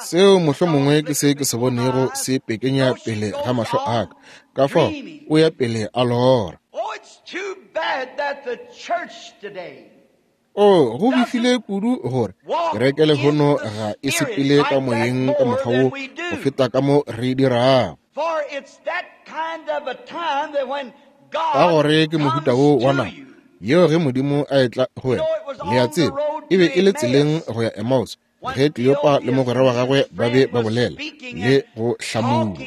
Speaker 1: Seo mohlomongwe ke se ke se bonego se pekenya pele ga mahlo a ka. Ka fao o ya pele a lora. O, go befile kudu gore kereke lehono ga e sepele ka moyeng ka mokgwa wo go feta ka mo re dirago. Ka gore ke mohuta wo wa nako yeo ge Modimo a etla go wena. Le a tseba, e be e le tseleng go ya Emmaus ge Kleopa le mogwera wa gagwe ba be ba bolela le go hlamulwa.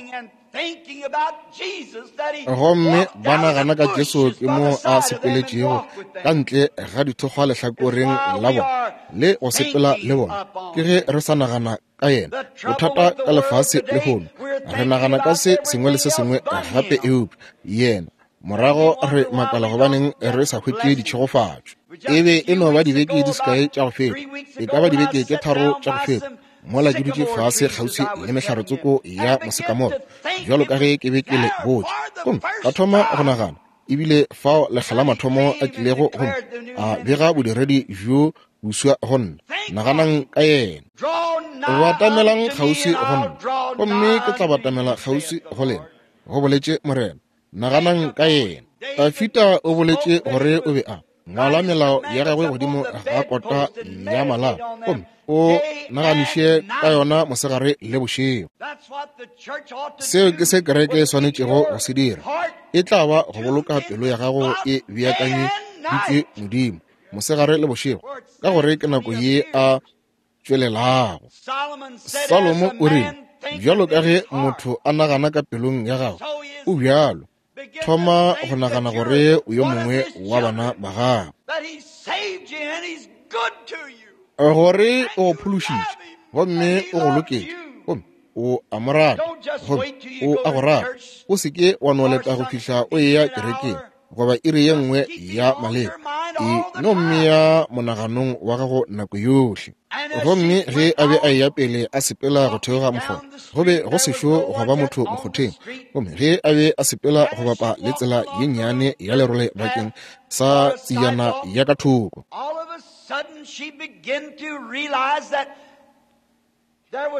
Speaker 1: Gomme ba nagana ka Jesu ke mo a sepeletšego ka ntle ga dithokgwa lehlakoreng la bona le go sepela le bona. Ke ge re sa nagana ka yena. Bothata ka lefase lehono, re nagana ka se sengwe le se sengwe gape eupša yena. Morago re makala gobaneng re sa hwetše ditšhegofatšo. E be e no ba dibeke di se kae tša go feta, e ka ba dibeke tše 3 tša go feta, mola ke dutše fase kgauswi le mehlare-tsoko ya mosekamoro, bjalo ka ge ke be ke le botša. Gomme ka thoma go nagana, ebile fao lekga la mathomo a tlilego go nna, a bega bodiredi bjo boswa go nna. Naganang ka yena. Batamelang kgauswi go nna, gomme ke tla batamela kgauswi go lena, go boletše Morena. Naganang ka yena. Dafida o boletše gore o be a ngwala melao ya gagwe godimo ga kota ya malao, gomme o naganiše ka yona mosegare le bošego. Seo ke se kereke e swanetšego go se dira. E tla ba go boloka pelo ya gago e beakanyeditšwe Modimo mosegare le bošego, ka gore ke nako ye a tšwelelago. Salomo o rile, bjalo ka ge motho a nagana ka pelong ya gagwe, o bjalo. Thoma go nagana gore o yo mongwe wa bana ba gagwe, gore o go phološitše gomme o go loketše, gomme o a mo rata, gomme o a go rata. O se ke wa no leta go fihla o eya kerekeng goba iri ye nngwe ya maleba. E no mmea monaganong wa gago nako yohle. Gomme ge a be a eya pele a sepela go theoga mokgotha, go be go sešo gwa ba motho mokgotheng. Gomme ge a be a sepela go bapa le tsela ye nnyane ya lerole bakeng sa tsejana ya ka thoko,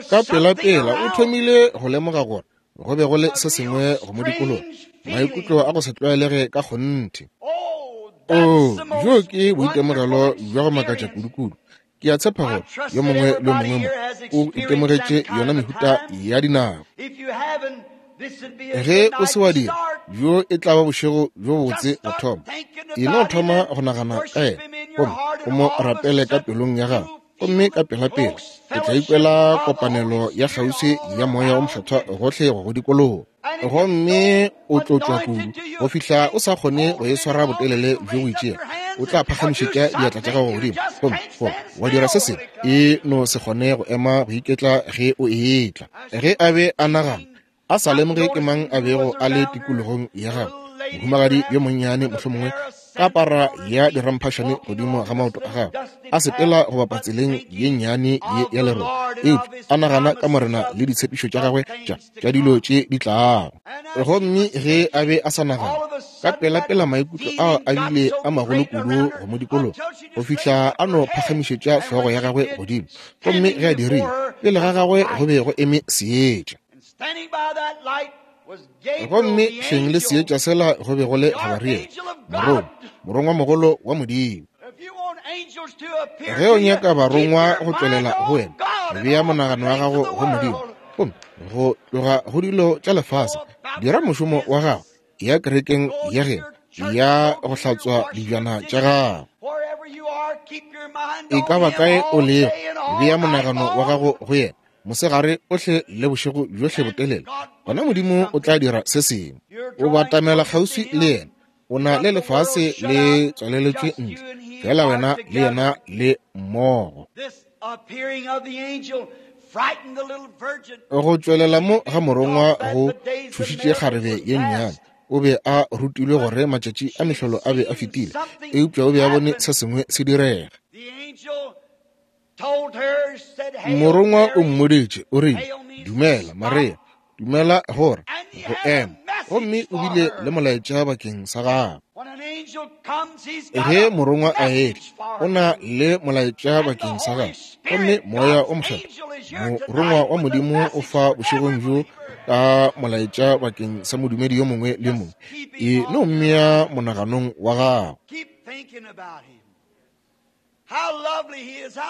Speaker 1: ka pelapela o thomile go lemoga gore go be go le se sengwe go mo dikologa, maikutlo a go se tlwaelege ka kgonthe. Oo, bjo ke boitemogelo bja go makatša kudu-kudu. Ke a tshepa gore yo mongwe le yo mongwe mo o itemogetše yona mehuta ya dinako. Ge o se wa dira, bjo e tla ba bošego bjo bobotse go thoma. E no thoma go nagana ka yena gomme o mo rapele ka pelong ya gago, gomme ka pelapela o tla ikwela kopanelo ya kgauswi ya Moya o Mokgethwa gohle go go dikologa. Gomme o tlotšwa kudu go fihla o sa kgone go e swara botelele bjo bo itšego. O tla phagamišetša diatla tša gago godimo gomme goba wa dira se sengwe, e no se kgone go ema go iketla ge o etla. Ge a be a nagana, a sa lemoge ke mang a bego a le tikologong ya gagwe, mohumagadi yo monnyane mohlomongwe ka para ya diramphašane godimo ga maoto a gagwe, a sepela go bapa tseleng ye nnyane ye ya lerole, eupša a nagana ka Morena le ditshepišo tša gagwe tša dilo tše di tlago. Gomme ge a be a sa nagana, ka pelapela maikutlo ao a bile a magolo kudu go mo dikologa go fihla a no phagamišetša hlogo ya gagwe godimo, gomme ge a dirile, pele ga gagwe go be go eme seetša. Gomme hleng le seetša sela go be go le Gabariele, morongwa, morongwamogolo wa Modimo. Ge o nyaka barongwa go tšwelela go wena, bea monagano wa gago go Modimo, gomme go tloga go dilo tša lefase, dira mošomo wa gago, ya kerekeng ya geno, ya go hlatswa dijana tša gago. E ka ba kae o lego, bea monagano wa gago go yena mosegare ohle le bošego bjohle botelele, gona Modimo o tla dira se sengwe. O batamela kgauswi le yena, o na le lefase le tswaleletšwe ntle, fela wena le yena le mmogo. Go tšwelela mo ga morongwa go tšhošitše kgarebe ye nnyane. O be a rutilwe gore matšatši a mehlolo a be a fetile, eupša o be a bone se sengwe se direga. Morongwa o mmoditše, o rile, Dumela, Maria, dumela gore go ema. Gomme o bile le molaetša bakeng sa gagwe. Ge morongwa a etla, o na le molaetša bakeng sa gagwe. Gomme Moya o Mokgethwa, morongwa wa Modimo, o fa bošegong bjo ka molaetša bakeng sa modumedi yo mongwe le mongwe. E no mmea monaganong wa gago.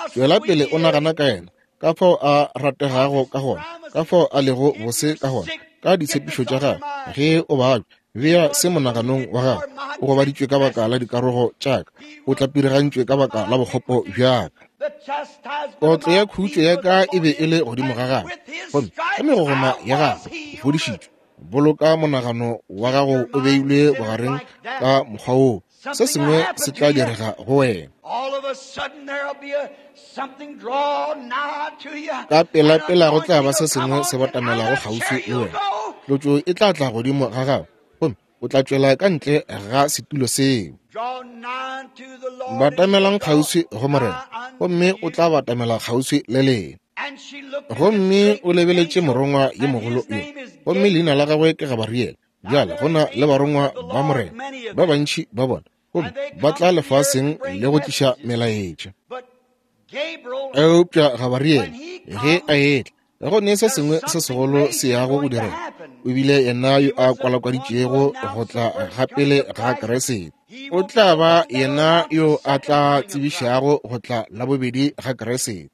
Speaker 1: Tšwela pele o nagana ka yena, ka fao a rategago ka gona, ka fao a lego bose ka gona, ka ditshepišo tša gagwe. Ge o babja, bea se monaganong wa gago. O gobaditšwe ka baka la dikarogo tša ka, o tlapirigantšwe ka baka la bokgopo bja ka. Kotlo ya khutšo ya ka e be e le godimo ga gagwe, gomme ka megogoma ya gagwe o fodišitšwe. Boloka monagano wa gago o beilwe bogareng ka mokgwa woo, se sengwe se tla direga go wena. Ka pelapela go tla ba se sengwe se batamelago kgauswi le wena. Tlotšo e tla tla godimo ga gago, gomme o tla tšwela ka ntle ga setulo seo. Batamelang kgauswi go Morena, gomme o tla batamela kgauswi le lena. Gomme o lebeletše morongwa yo mogolo yo, gomme leina la gagwe ke Gabariele. Bjale go na le barongwa ba Morena ba bantši ba bona, gomme ba tla lefaseng le go tliša melaetša. Eupša Gabariele ge a etla, go ne se sengwe se segolo se yago go direga. O bile yena yo a kwalakwaditšego go tla ga pele ga Kriste. O tla ba yena yo a tla tsebišago go tla la bobedi ga Kriste.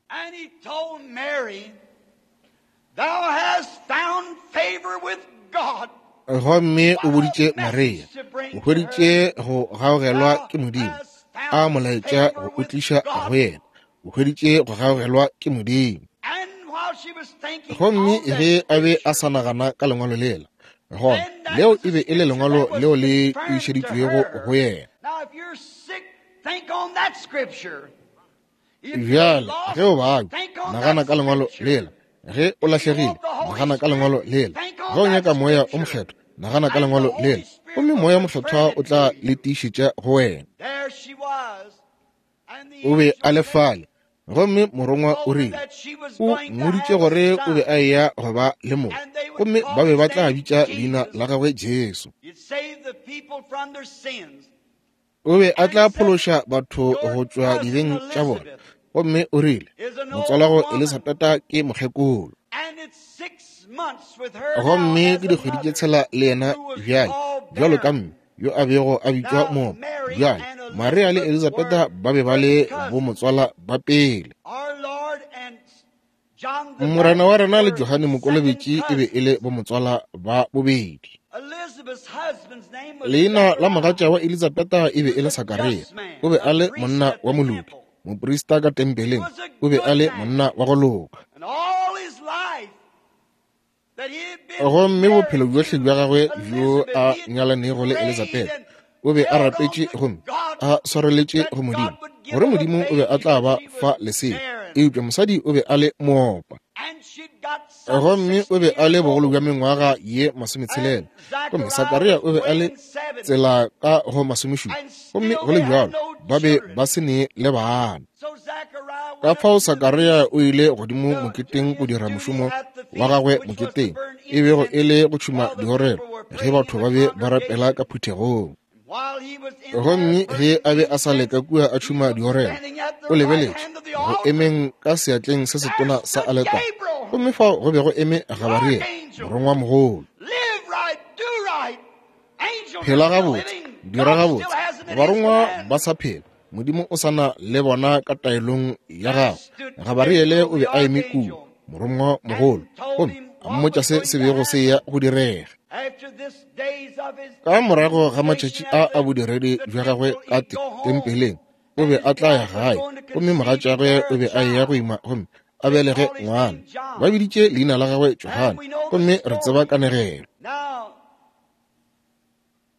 Speaker 1: Gomme o boditše Maria, o hweditše go gaogelwa ke Modimo, a molaetša go o tliša go yena. O hweditše go gaogelwa ke Modimo. Gomme ge a be a sa nagana ka lengwalo lela, gona leo e be e le lengwalo leo le tiišeditšwego go yena. Bjale ge o babja, nagana ka lengwalo lela. Ge o lahlegile, nagana ka lengwalo lela. Ge o nyaka Moya o Mokgethwa, nagana ka lengwalo lela, gomme Moya Mokgethwa o tla le tiišetša go wena. O be a le fale, gomme morongwa o rile, o mmoditše gore o be a eya go ba le mong, gomme ba be ba tla bitša leina la gagwe Jesu. O be a tla phološa batho go tšwa dibeng tša bona. Gomme o rile, motswalago Elisabeta ke mokgekolo. Gomme ke dikgwedi tše tshela le yena bjale, bjalo ka mme yo a bego a bitšwa Moopa. Bjale Maria le Elisabeta ba be ba le bomotswala ba pele. Morena wa rena le Johane Mokolobetši e be e le bomotswala ba bobedi. Leina la mogatša wa Elisabeta e be e le Sakaria. O be a le monna wa moloki, moprista ka tempeleng. O be a le monna wa go loka. Gomme bophelo bjohle bja gagwe bjo a nyalanego le Elisabeta, o be a rapetše gomme a swareletše go Modimo, gore Modimo o be a tla ba fa lesea. Eupša mosadi o be a le moopa, gomme o be a le bogolo bja mengwaga ye 60, gomme Sakaria o be a le tsela ka go 70, gomme go le bjalo ba be ba se ne le bana. Ka fao Sakaria o ile godimo moketeng go dira mošomo wa gagwe moketeng, e bego e le go tšhuma diorelo ge batho ba be ba rapela ka phuthegong. Gomme ge a be a sa leka kua a tšhuma diorelo, o lebeletše go emeng ka seatleng se setona sa aletare, gomme fao go be go eme Gabariele, morongwa mogolo. Phela gabotse, dira gabotse, barongwa ba sa phela, Modimo o sa na le bona ka taelong ya gagwe. Gabariele o be a eme kua, morongwa mogolo, gomme a mmotša se se bego se ya go direga. Ka morago ga matšatši a a bodiredi bja gagwe ka tempeleng, o be a tla ya gae, gomme mogatšagwe o be a eya go ima gomme a belege ngwana. Ba biditše leina la gagwe Johane, gomme re tseba kanegelo.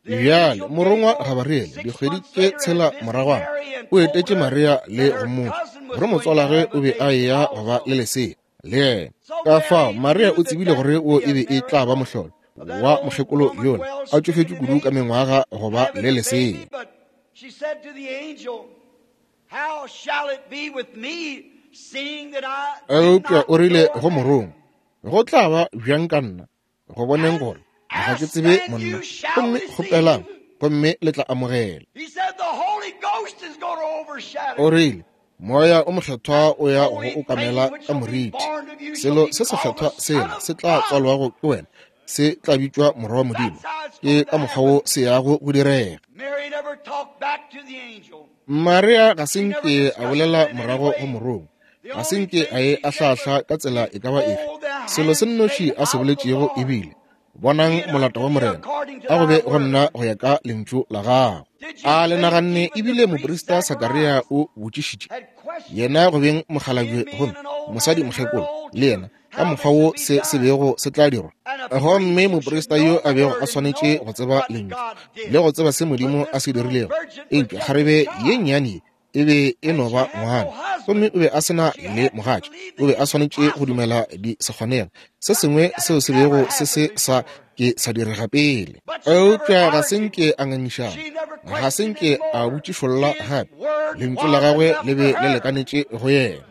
Speaker 1: Bjale morongwa Gabariele, dikgwedi tše tshela moragwana, o etetše Maria le go mmotša. gore motswalagwe o be a eya go ba le lesea le yena. Ka fao Maria o tsebile gore wo e be e tla ba mohlolo wa mokgekolo yola, a tšofetše kudu ka mengwaga go ba le lesea. Eupša o rile go morongwa, go tla ba bjang ka nna, go boneng gore ga ke tsebe monna? Gomme kgopelang, gomme le tla amogela. O rile, Moya o Mokgethwa o ya go okamela ka moriti. Selo se sekgethwa sela se tla tswalwago ke wena se tla bitšwa Morwa wa Modimo. Ke ka mokgwa wo se yago go direga. Maria ga se nke a bolela morago go morongwa, ga se nke a e ahlahla ka tsela e ka ba efe. Selo se nnoši a se boletšego ebile, bonang molata wa Morena, a go be go nna go ya ka lentšu la gago. A le naganne ebile moprista Sakaria o botšišitše yena go beng mokgalabje gomme mosadi mokgekolo le yena ka mokgwa wo se se bego se tla dirwa. Gomme moprista yo a bego a swanetše go tseba lentšu le go tseba se Modimo a se dirilego, eupša kgarebe ye nnyane e be e no ba ngwana, gomme o be a se na le mogatša, o be a swanetše go dumela di se kgonega, se sengwe seo se bego se se sa ke sa direga pele. Eupša ga se nke a ngangišana, ga se nke a botšišolla gape, lentšu la gagwe le be le lekanetše go yena.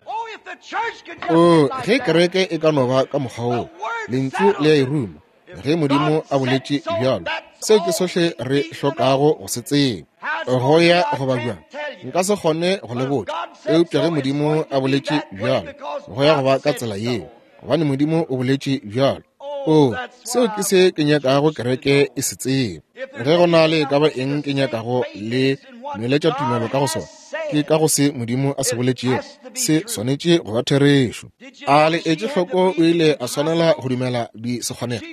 Speaker 1: O, ge kereke e ka no ba ka mokgwa woo, lentšu le a e ruma. Ge Modimo a boletše bjalo, seo ke sohle re hlokago go se tseba. Go ya goba bjang, nka se kgone go le botša, eupša ge Modimo a boletše bjalo, go ya go ba ka tsela yeo, gobane Modimo o boletše bjalo. O, seo ke se ke nyakago kereke e se tseba. Ge go na le e ka ba eng ke nyakago le nweletša tumelo ka go sona, ke ka go se Modimo a se boletšego, se swanetše go ba therešo. A le etše hloko, o ile a swanela go dumela di se kgonega.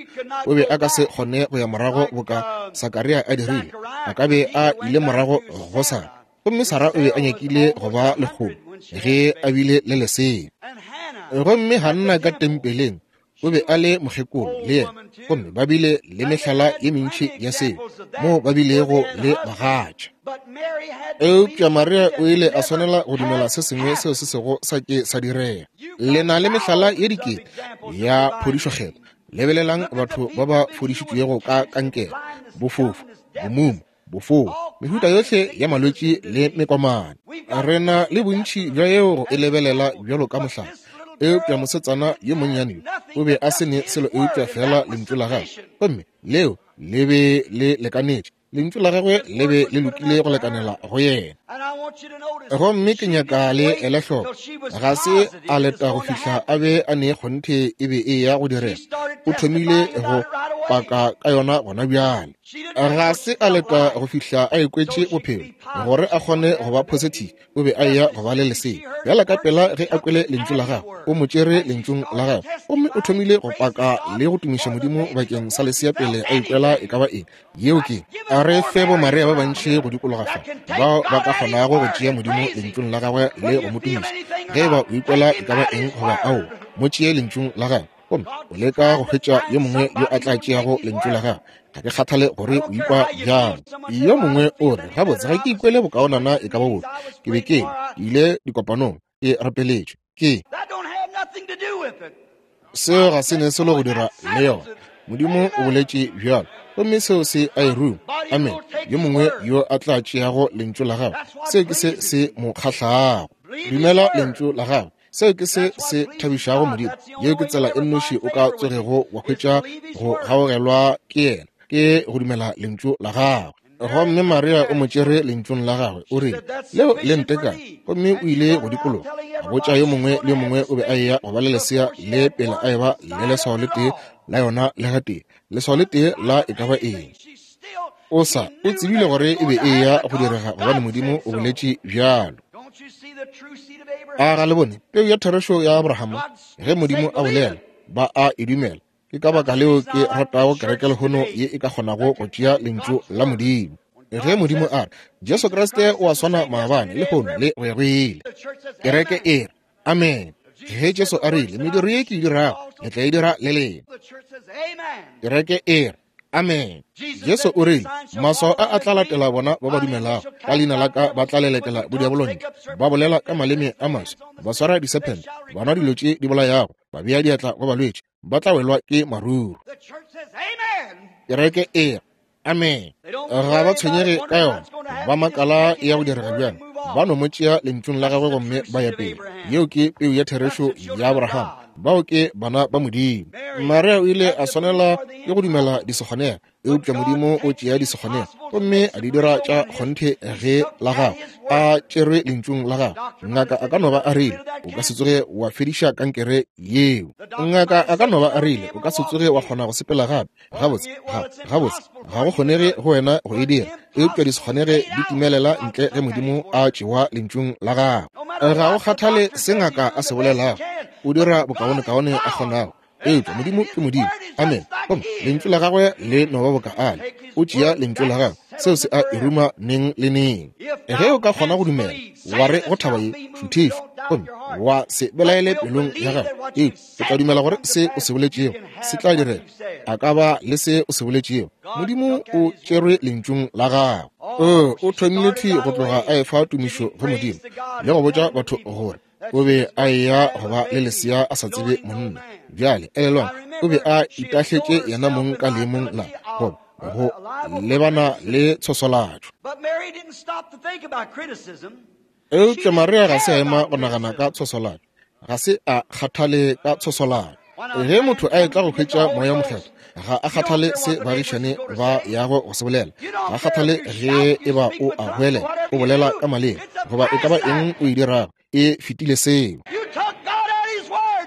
Speaker 1: O be a ka se kgone go ya morago boka Sakaria a dirile, a ka be a ile morago go Sara, gomme Sara o be a nyakile go ba lekgolo ge a bile le lesea. Gomme Hanna ka tempeleng o be a le mokgekolo le yena, gomme ba bile le mehlala ye mentši ya seo moo ba bilego le bagatša. Eupša Maria o ile a swanela go dumela se sengwe seo se sego sa ke sa direga. Le na le mehlala ye dikete ya phodišokgetho. Lebelelang batho ba ba fodišitšwego ka kankere, bofofu, bomumu, bofou, mehuta yohle ya malwetši le mekomane. Re na le bontši bja yeo go e lebelela bjalo ka mohlala. Eupša mosetsana yo monnyane yo o be a se ne selo eupša feela lentšu la gagwe, gomme leo le be le lekanetše. Lentšu la gagwe le be le lokile go lekanela go yena. Gomme ke nyaka le ele hloko, ga se a leta go fihla a be a ne kgonthe e be e ya go direga. O thomile go paka ka yona gona bjale. Ga se a leta go fihla a ikwetše bophelo gore a kgone go ba positive, o be a eya go ba le lesea. Bjala ka pela ge a kwele lentšu la gagwe, o mo tšere lentšung la gagwe, gomme o thomile go paka le go tumiša Modimo bakeng sa lesea pele a ikwela e ka ba eng. Yeo ke, a re fe bo Maria ba bantši go dikologa fa, bao ba ka kgonago go tšea Modimo lentšung la gagwe le go mo tumiša. Ge e ba o ikwela e ka ba eng goba aowa, mo tšee lentšung la gagwe. Gomme o leka go hwetša yo mongwe yo a tla tšeago lentšu la gagwe. Ga ke kgathale gore o ikwa bjang. Yo mongwe o re, gabotse, ga ke ikwele bokaonana e ka ba bofe. Ke be ke ile dikopanong, ke rapeletšwe. Ke seo ga se ne selo go dira le yona. Modimo o boletše bjalo, gomme seo se a e ruma. Amen. Yo mongwe yo a tla tšeago lentšu la gagwe, seo ke se se mo kgahlago. Dumela lentšu la gagwe. Seo ke se se thabišago Modimo. Yeo ke tsela e nnoši o ka tsogego wa hwetša go gaogelwa ke yena, ke go dumela lentšu la gagwe. Gomme Maria o mo tšere lentšung la gagwe, o rile, leo le ntekane. Gomme o ile go dikologa, a botša yo mongwe le yo mongwe o be a eya go ba le lesea le pele a eba le leswao le tee la yona le gatee, leswao le tee la e ka ba eng. O sa, o tsebile gore e be e eya go direga gobane Modimo o boletše bjalo. A ga le bone peu ya therešo ya Abrahama? Ge Modimo a bolela, ba a e dumela. Ke ka baka leo ke ratago kereke lehono ye e ka kgonago go tšea lentšu la Modimo. Ge Modimo a re, Jesu Kriste o a swana maabane, lehono le go ya go ile, kereke e re, amen. Ge Jesu a rile, mediro ye ke e dirago, le tla e dira le lena, kereke e re, Amene. Jesu o rile, Maswao a a tla latela bona ba ba dumelago. Ka leina la ka ba tla lelekela bodiabolontle, ba bolela ka maleme a maswa, ba swara disephente, ba nwa dilo tše di bolayago, ba bea diatla go balwetši, ba tla welwa ke maruru. Kereke e re, Amene. Ga ba tshwenyege ka yona, ba makala e ya go direga bjang. Ba no mo tšea lentšung la gagwe gomme ba ya pele. Yeo ke peu ya therešo ya Abraham. Bao ke bana ba Modimo. Maria o ile a swanela ke go dumela disekgonega, eupša Modimo o tšea disekgonega gomme a di dira tša kgonthe ge la gagwe a tšerwe lentšung la gagwe. Ngaka a ka no ba a rile, o ka se tsoge wa fediša kankere yeo. Ngaka a ka no ba a rile, o ka se tsoge wa kgona go sepela gape. Gabotse, ga, gabotse, ga go kgonege go wena go e dira, eupša di se kgonege di timelela ntle ge Modimo a tšewa lentšung la gagwe. Ga go kgathale se ngaka a se bolelago, o dira bokaonekaone a kgonago, eupša Modimo ke Modimo. Amen. Gomme lentšu la gagwe le no ba boka ale. O tšea lentšu la gagwe, seo se a e ruma neng le neng. Ge o ka kgona go dumela, wa re go thaba ye, šuthišwa, gomme wa se belaele pelong ya gago, eupša O tla dumela gore se o se boletšego se tla direga. A ka ba le se o se boletšego. Modimo o tšerwe lentšung la gagwe. O, o thomile thwi go tloga a efa tumišo go Modimo le go botša batho gore o be a eya go ba le lesea a sa tsebe monna. Bjale, elelwang, o be a itahletše yena mong ka leemong la goba go lebana le tshoswalatšo. Eupša Maria ga se a ema go nagana ka tshoswalatšo. Ga se a kgathale ka tshoswalatšo. Ge motho a etla go hwetša Moya wo Mokgethwa, ga a kgathale se baagišane ba yago go se bolela. Ga a kgathale ge e ba o a goelela, o bolela ka maleme, goba e ka ba eng o e dirago, e fetile seo.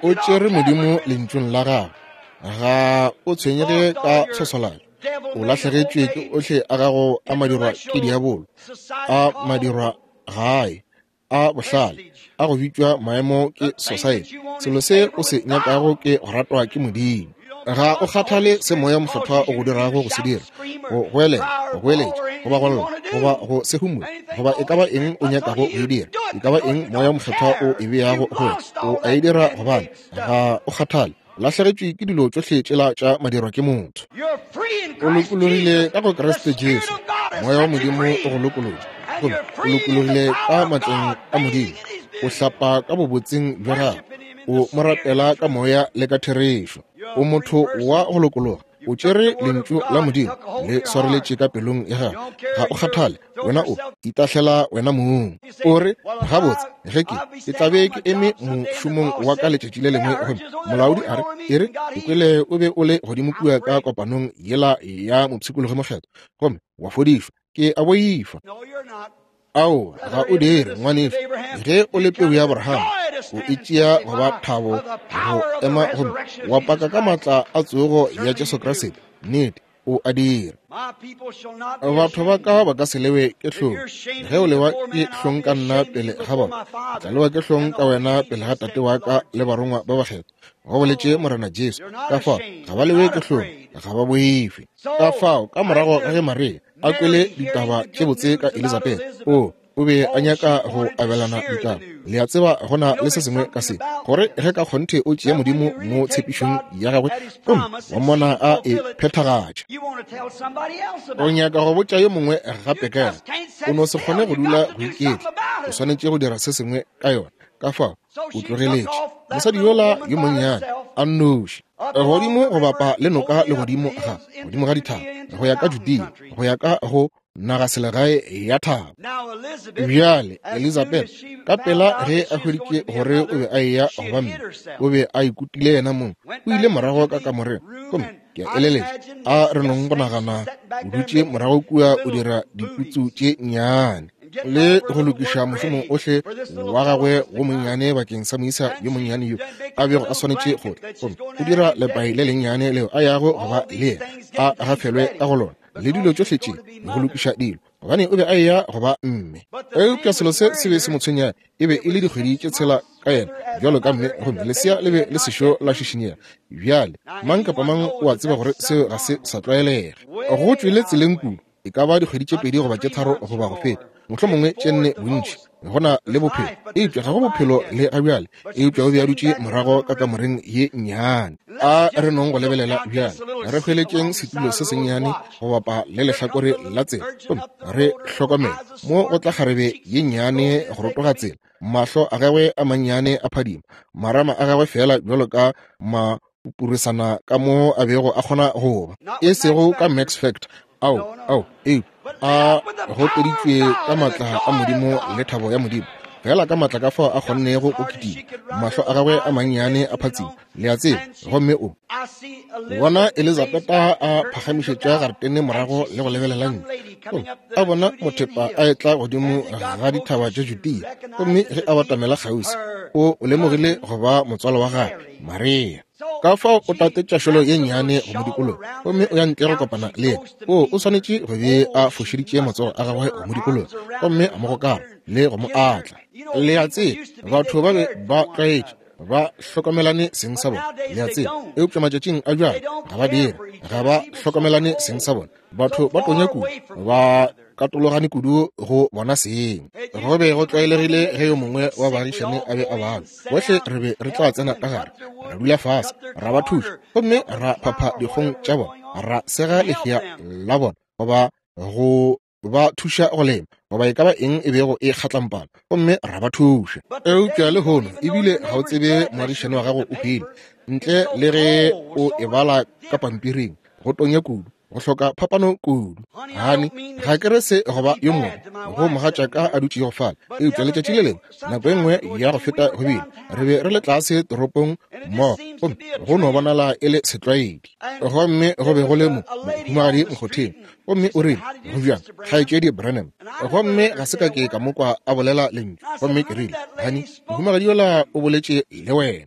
Speaker 1: O tšere Modimo Lentšung la Gagwe. Ga o tshwenyege ka tshoswalatšo. O lahlegetšwe ke ohle a gago a madirwa ke diabolo, a madirwa gae, a bohlale, a go bitšwa maemo ke society. Selo se o se nyakago ke go ratwa ke Modimo. Ga o kgathale se Moya Mokgethwa o go dirago go se dira, go goelela, go goeletša, goba go lla, goba go se humole, goba e ka ba eng o nyakago go e dira, e ka ba eng Moya Mokgethwa o e beago go wena, o a e dira gobane ga o kgathale. Lahlegetšwe ke dilo tšohle tšela tša madirwa ke motho. O lokologile ka go Kriste Jesu. Moya wa Modimo o go lokolotše. Gomme o lokologile ka matleng a Modimo. O hlapa ka bobotseng bja gagwe. O mo rapela ka moya le ka therešo. O motho wa go lokologa. O tšere Lentšu la Modimo le swareletše ka pelong ya gago. Ga o kgathale, wena o itahlela wena mong. O re, Gabotse, ge ke, ke tla be ke eme mošomong wa ka letšatši le lengwe gomme molaodi a re, E re, ke kwele o be o le godimo kua ka kopanong yela ya mopshikologi mokgethwa gomme wa fodišwa. Ke a boifa. Ao, ga o dire, ngwanešu. Ge o le peu ya Abraham, o e tšea go ba thabo go ema gomme wa paka ka maatla a tsogo ya Jesu Kriste. Nnete, o a dira. Batho ba ka ba ka se lewe ke hlong. Ge o lewa ke hlong ka nna pele ga bona, ke tla lewa ke hlong ka wena pele ga Tate wa ka le barongwa ba bakgethwa. Go boletše Morena Jesu. Ka fao, ga ba lewe ke hlong, ga ba boife. Ka fao, ka morago ga ge Maria a kwele ditaba tše botse ka Elizabeth, o o be a nyaka go abelana ditaba. Le a tseba, go na le se sengwe ka se, gore ge ka kgonthe o tšea Modimo mo tshepišong ya gagwe gomme wa mmona a e phethagatša, o nyaka go botša yo mongwe gape ka yona. O no se kgone go dula go iketla, o swanetše go dira se sengwe ka yona. Ka fao o tlogeletše mosadi yola yo monnyane a nnoši godimo go bapa le noka le godimo ga godimo ga dithaba go ya ka Judea, go ya ka go nagaselegae ya thaba. Bjale Elizabeth ka pela ge a hweditše gore o be a eya go ba mme, o be a ikutile yena mong, o ile morago ka kamoreng gomme ke a eleletša a re nong go nagana o dutše morago kua o dira diputsu tše nnyane le go lokiša mošomo ohle wa gagwe wo monnyane bakeng sa moisa yo monnyane yo a bego a swanetše go tla, gomme o dira lepai le lennyane leo a yago go ba le yena a gafelwe ka go lona le dilo tšohle tše, go lokiša dilo, gobane o be a eya go ba mme. Eupša selo se se be se mo tshwenya e be e le dikgwedi tše tshela ka yena bjalo ka mme, gomme lesea le be le sešo la šišinyega. Bjale, mang kapa mang o a tseba gore seo ga se sa tlwaelega. Go tšwele tseleng kudu, e ka ba dikgwedi tše pedi goba tše tharo goba go feta, mohlomongwe tše nne bontši. Go na le bophelo, eupša ga go bophelo le gabjale. Eupša o be a dutše morago ka kamoreng ye nnyane. A re nong go lebelela bjale, re hweletšeng setulo se sennyane go bapa le lehlakore la tsela, gomme re hlokomele mo go tla kgarebe ye nnyane go rotoga tsela, mahlo a gagwe a mannyane a phadima, marama a gagwe feela bjalo ka mapupurisana ka mo a bego a kgona go ba, e sego ka Max Factor, ao, ao, eupša a goteditšwe ka maatla a Modimo le thabo ya Modimo, feela ka maatla ka fao a kgonnego go kitima, mahlo a gagwe a mannyane a phatsima, le a tseba. Gomme o bona Elizabeta a phagamišetša garetene morago le go lebelela ntle, gomme a bona mothepa a etla godimo ga dithaba tša Judea. Gomme ge a batamela kgauswi, o lemogile go ba motswalo wa gagwe, Maria. Ka fao o tatetša šolo ye nnyane go mo dikologa, gomme o ya ntle go kopana le yena. O swanetše go be a fošeditše matsogo a gagwe go mo dikologa, gomme a mo gokara le go mo atla. Le a tseba, batho ba be ba tlwaetše ba hlokomelane seng sa bona, le a tseba, eupša matšatšing a bjale ga ba dire, ga ba hlokomelane seng sa bona. Batho ba tonya kudu, ba katologane kudu go bona seng. Go be go tlwaelegile ge yo mongwe wa baagišane a be a balwa, bohle re be re tla tsena ka gare, ra dula fase, ra ba thuša, gomme ra phapha dikgong tša bona, ra sega lehea la bona, goba go ba thuša go lema, goba e ka ba eng e bego e kgatlampana, gomme ra ba thuša. Eupša lehono ebile ga o tsebe moagišane wa gago o hwile, ntle le ge o e bala ka pampiring. Go tonya kudu, go hloka phapano kudu. Hani, ga ke re se goba yo mongwe go mogatšaka a dutšego fale, eupša letšatši le lengwe, nako e nngwe ya go feta go bile, re be re le tlase toropong mmogo, gomme go no bonala e le setlwaedi. Gomme go be go le mo mohumagadi mokgotheng, gomme o rile, Go bjang, Kgaetšedi Branham? Gomme ga se ka ke ka mo kwa a bolela lentšu. Gomme ke rile, Hani, mohumagadi yola o boletše le wena.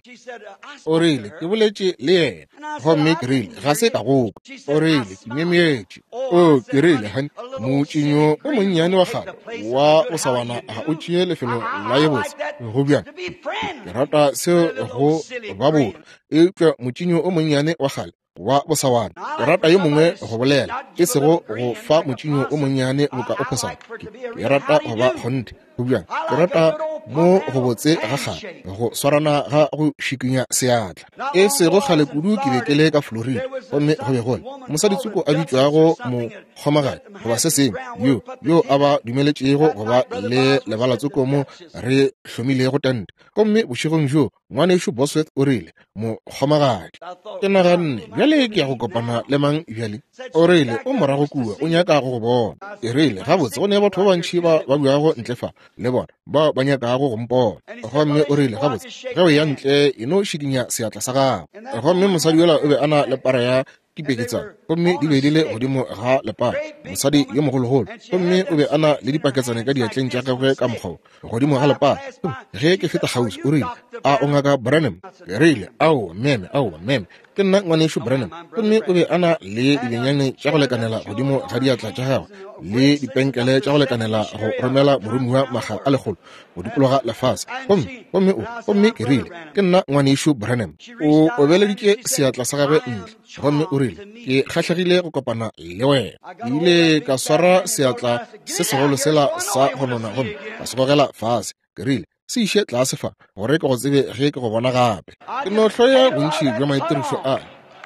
Speaker 1: O rile, Ke boletše le yena. Gomme ke rile, Ga se ka go kwa. O rile, Ke myemyetše. O, ke rile, Hani, motšinyo o monnyane wa kgale wa bosawana ga o tšee lefelo la ye botse. Go bjang? Ke rata seo go ba botho, eupša motšinyo o monnyane wa kgale wa bosawana, o rata yo mongwe go bolela, e sego go fa motšinyo o monnyane boka o phosana. Ke rata go ba kgonthe. Go bjang? Ke rata mo go botse ga kgale, go swarana ga go šikinya seatla. E sego kgale kudu ke be ke le ka Florida, gomme go be go le mosaditsoko a bitšwago mokgomagadi goba se sengwe, yo, yo a ba dumeletšego go ba le lebalatsoko mo re hlomilego tente. Gomme bošegong bjoo Ngwanešu Bosworth o rile, Mokgomagadi. Ke naganne, bjale ke ya go kopana le mang bjale? O rile, O morago kua, o nyaka go go bona. Ke rile, Gabotse, go ne batho ba bantši ba ba buago ntle fa, le bona, bao ba nyakago go mpona. Gomme o rile, Gabotse, ge o ya ntle, e no šikinya seatla sa gago. Gomme mosadi yola o be a na le para ya dipeketsana, gomme di be di le godimo ga lepara, mosadi yo mogologolo, gomme o be a na le dipaketsane ka diatleng tša gagwe ka mokgwa wo, godimo ga lepara. Ge ke feta kgauswi, o rile, A o Ngaka Branham? Ke rile, Aowa, meme, aowa, meme, ke nna Ngwanešu Branham. Gomme o be a na le dibenyane tša go lekanela godimo ga diatla tša gagwe, le dipenkele tša go lekanela go romela moromiwa makga a lekgolo go dikologa lefase. Gomme, gomme o, gomme ke rile, Ke nna Ngwanešu Branham. O obeleditše seatla sa gagwe ntle, gomme o rile, Ke kgahlegile go kopana le wena. Ke ile ka swara seatla se segolo sela sa go nona gomme ka se gogela fase. Ke rile, Se iše tlase fa, gore ke go tsebe ge ke go bona gape. Ke no hloya bontši bja maitirišo a.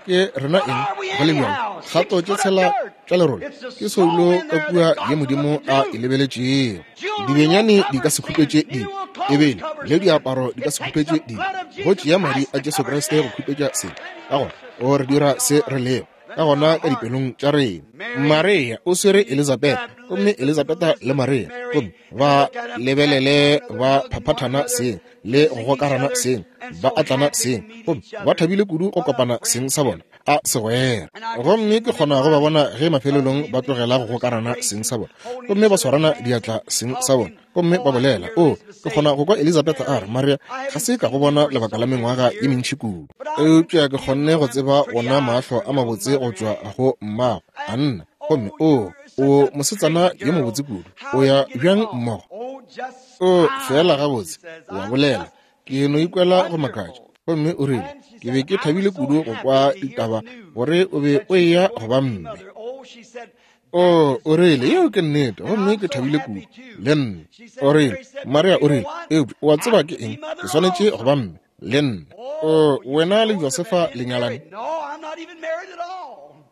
Speaker 1: Ke rena eng go le bjalo? Kgato tše tshela tša lerole ke soulo ka kua ye Modimo a e lebeletšego. Dibenyane di ka se khupetše dibe, ebile le diaparo di ka se khupetše dibe. Go tšea madi a Jesu Kriste go khupetša sebe. Ka gona o re dira se re lego ka gona ka dipelong tša rena. Maria o swere Elizabetha, gomme Elizabetha le Maria, gomme ba lebelele ba phaphathana seng le go gokarana seng, ba atlana seng, gomme ba thabile kudu go kopana seng sa bona a segwera. Gomme ke kgona go ba bona ge mafelelong ba tlogela go gokarana seng sa bona, gomme ba swarana diatla seng sa bona, gomme ba bolela. O, ke kgona go kwa Elizabetha a re, Maria, ga se ka go bona lebaka la mengwaga ye mentši kudu, eupša ke kgonne go tseba wona mahlo a mabotse go tšwa go mmago, Anna. Gomme o, o mosetsana yo mobotse kudu. O ya bjang mmogo? O, feela gabotse, o a bolela. Ke no ikwela go makatša. Gomme o rile, Ke be ke thabile kudu go kwa ditaba gore o be o eya go ba mme. O, o rile, yeo ke nnete, gomme ke thabile kudu, le nna. O rile, Maria o rile, eupša o a tseba ke eng? Ke swanetše go ba mme, le nna. O, wena le Josefa le nyalane?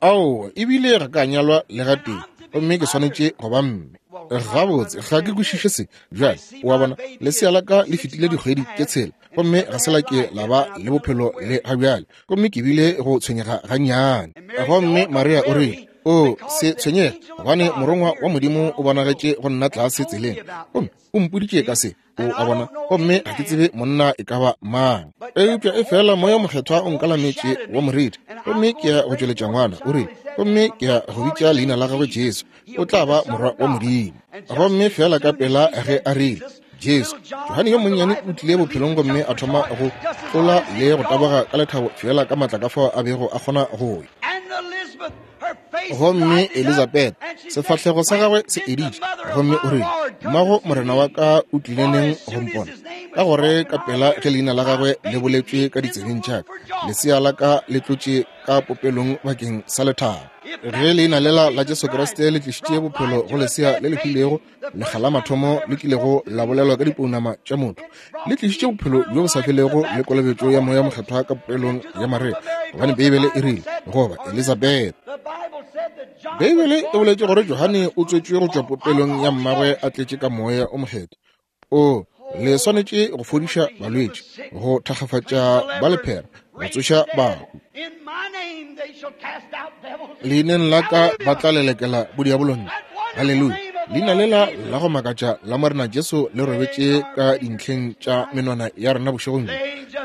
Speaker 1: Aowa, ebile ga ka nyalwa le gatee, gomme ke swanetše go ba mme. Gabotse, ga ke kwešiše se. Bjale, o a bona, lesea la ka le fetile dikgwedi tše tshela, gomme ga se la ke la ba le bophelo le ga bjale, gomme ke bile go tshwenyega gannyane. Gomme Maria o rile, O se tshwenyege, gobane Morongwa wa Modimo o bonagetše go nna tlase tseleng, gomme o mpoditše ka se. O a bona? Gomme ga ke tsebe monna e ka ba mang. Eupša efela Moya Mokgethwa o nkalametše wa moriti, gomme ke ya go tšweletša ngwana, o rile, gomme ke ya go bitša leina la gagwe Jesu. O tla ba Morwa wa Modimo. Gomme feela ka pela ge a rile, Jesu, Johane yo monnyane o tlile bophelong gomme a thoma go tlola le go taboga ka lethabo feela ka matla ka fao a bego a kgona go ya. Gomme Elizabeth, sefahlego sa gagwe se editše, gomme o rile, Mmago Morena wa ka o tlile neng go mpona? Ka gore ka pela ge leina la gagwe le boletšwe ka ditsebeng tša ka, lesea la ka le tlotše ka popelong bakeng sa lethabo. Ge leina lela la Jesu Kriste le tlišitše bophelo go lesea le le hwilego, lekga la mathomo le kilego la bolelwa ka dipounama tša motho, le tlišitše bophelo bjo bo sa felego le kolobetšo ya Moya Mokgethwa ka popelong ya Maria, gobane Beibele e rile, goba Elizabeth. Beibele e boletše gore Johane o tswetšwe go tšwa popelong ya mmagwe a tletše ka Moya o Mokgethwa. O le swanetše go fodiša balwetši, go thakgafatša ba lephera, go tsoša bahu. Leineng la ka ba tla lelekela bodiabolo ntle. Haleluya! Leina lela la go makatša la Morena Jesu le robetše ka dintlheng tša menwana ya rena bošegong bjo.